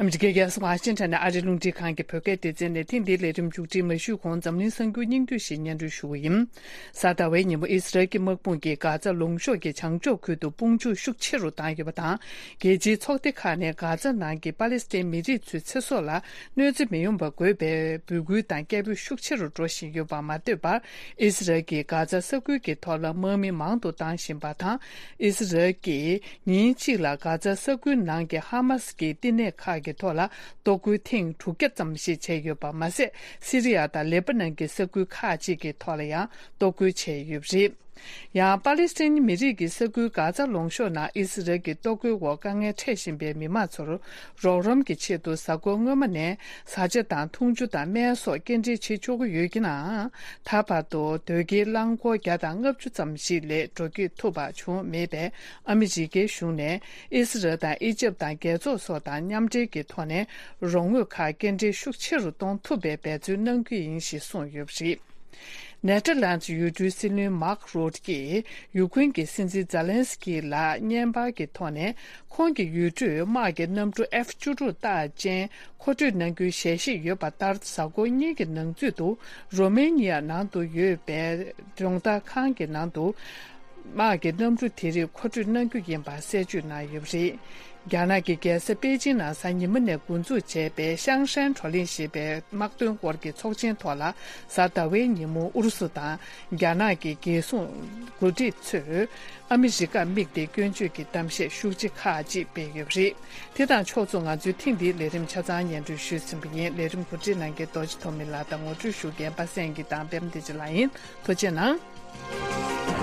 ཨ་མི་རི་ཀའི་རྒྱལ་ས་ཝ་ཤིང་ཊོན་ནས་ཨ་རིའི་རླུང་འཕྲིན་ཁང་གི་བོད་སྐད་སྡེ་ཚན་ནས་ཐེངས་འདིའི་ལས་རིམ་མཇུག་སྒྲིལ་མ་ཞུས་གོང་འཛམ་གླིང་གསར་འགྱུར་སྙིང་བསྡུས་ཤིག་སྙན་སྒྲོན་ཞུ་གི་ཡིན། གཟའ་ཟླ་བའི་ཉིན་མོ་ཨི་སི་རལ་གྱི་དམག་དཔུང་གིས་གྷ་ཛ་ལུང་གཤོང་གི་བྱང་ཕྱོགས་ཁུལ་དུ་དཔུང་འཇུག་ཤུགས་ཆེ་རུ་བཏང་ཡོད་པ་དང་། རྒྱལ་སྤྱིའི་ཚོགས་སྡེ་ཁག་ནས་གྷ་ཛ་ནང་གི་པ་ལེ་སི་ཐན་མི་རིགས་ཚོའི་ཚེ་སྲོག་ལ་གནོད་འཚེ་མི་ཡོང་བ་དགོས་པའི་འབོད་སྐུལ་དང་སྐད་འབོད་ཤུགས་ཆེ་རུ་འགྲོ་བཞིན་ཡོད་པ་མ་ལྟོས་པར། ཨི་སི་རལ་གྱིས་གྷ་ཛ་ས་ཁུལ་གྱི་ཐོག་ལ་དམག་མི་མང་དུ་བཏང་བཞིན་པ་དང་། ཨི་སི་རལ་གྱིས་ཉིན་གཅིག་ལ་གྷ་ཛ་ས་ཁུལ་ནང་གི་ཧ་མ་སི་གི་བསྟི་གནས་ཁག་གི་ཐོག་ལ་གཏོར་རྒོལ་ཐེངས་དྲུག་བརྒྱ་ཙམ་ཞིག་བྱས་ཡོད་པ་མ་ཟད། སི་རི་ཡ་དང་ལེ་པ་ནན་གྱི་ས་ཁུལ་ཁག་ཅིག་གི་ཐོག་ལ་ཡང་གཏོར་རྒོལ་བྱས་ཡོད་པ་རེད། ཡང་པ་ལི་སི་ཐན་མི་རིགས་ཀྱི་ས་ཁུལ་གྷ་ཛ་ལུང་གཤོང་ནང་ཨི་སི་རལ་གྱི་གཏོར་རྒོལ་འོག་དཀའ་ངལ་འཕྲད་བཞིན་པའི་མི་མང་ཚོར་རོགས་རམ་གྱི་ཆེད་དུ་གཟའ་འཁོར་སྔོན་མ་ནས་བཟའ་བཅའ་དང་འཐུང་ཆུ་དང་སྨན་སོགས་སྐྱེལ་འདྲེན་བྱེད་ཆོག་གི་ཡོད་ཀྱི་ནའང་། ད་བར་དུ་དོས་སྐྱེལ་རླངས་འཁོར་བརྒྱ་དང་ལྔ་བཅུ་ཙམ་ཞིག་ལས་འགྲོ་སྐྱོད་ཐུབ་པ་བྱུང་མེད་པས། ཨ་མི་རི་ཀའི་གཞུང་ནས་ཨི་སི་རལ་དང་ཨི་ཇེབ་དང་རྒྱལ་ཚོགས་སོགས་དང་མཉམ་འབྲེལ་གྱི་ཐོག་ནས་རོགས་དངུལ་ཁག་སྐྱེལ་འདྲེན་ཤུགས་ཆེ་རུ་གཏོང་ཐུབ་པའི་འབད་བརྩོན་གནང་རྒྱུ་ཡིན་ཞེས་གསུངས་ཡོད་པ་རེད། ནེ་ཐར་ལན་ཌི་ཡུལ་གྲུའི་སྲིད་བློན་མཱག་རུད་ཀྱིས་ཡུ་ཀེ་རེན་གྱི་སྲིད་འཛིན་ཛེ་ལན་སི་ཀི་ལ་བརྙན་པར་གྱི་ཐོག་ནས། ཁོང་གི་ཡུལ་གྲུས་དམག་གི་གནམ་གྲུ་ཨེཕ་བཅུ་དྲུག་རྟགས་ཅན་མཁོ་སྤྲོད་གནང་རྒྱུའི་ཞལ་བཞེས་ཡོད་པ་ལྟར། གཟའ་འཁོར་གཉིས་ཀྱི་ནང་ཚུད་དུ་རོ་མེ་ནི་ཡ་ནང་དུ་ཡོད་པའི་སྦྱོང་བརྡར་ཁང་གི་ནང་དུ་ དམག་གི་གནམ་གྲུ་དེ་རིགས་མཁོ་སྤྲོད་གནང་རྒྱུ་ཡིན་པ་གསལ་བརྗོད་གནང་ཡོད་པ་རེད། རྒྱ་ནག་གི་རྒྱལ་ས་པེ་ཅིང་ནང་གཟའ་ཉི་མ་ནས་འགོ་འཛུགས་བྱས་པའི་ཤང་ཧྲན་བགྲོ་གླེང་ཞེས་པའི་དམག་དོན་སྐོར་གྱི་ཚོགས་ཆེན་ཐོག་ལ། གཟའ་ཟླ་བའི་ཉིན་མོ་ཨུ་རུ་སུ་དང་རྒྱ་ནག་གི་རྒྱལ་སྲུང་འགོ་ཁྲིད་ཚོས་ཨ་མི་རི་ཀར་དམིགས་ཏེ་སྐྱོན་བརྗོད་ཀྱི་གཏམ་བཤད་ཤུགས་ཆེ་ཁག་ཅིག་སྤེལ་ཡོད་པ་རེད། དེ་དང་ཕྱོགས་མཚུངས། ང་ཚོའི་ཐེངས་འདིའི་ལས་རིམ་ཆ་ཚང་སྙན་སྒྲོན་ཞུས་ཟིན་པ་ཡིན། ལས་རིམ་གོ་སྒྲིག་གནང་མཁན་རྡོ་རྗེ་ཐོགས་མེད་ལགས་དང་ངོ་སྤྲོད་ཞུ་མཁན་པ་སངས་སྐྱིད་དང་པད་མ་བདེ་ཆེན་ལགས་ཡིན། ཐུགས་རྗེ་གནང་།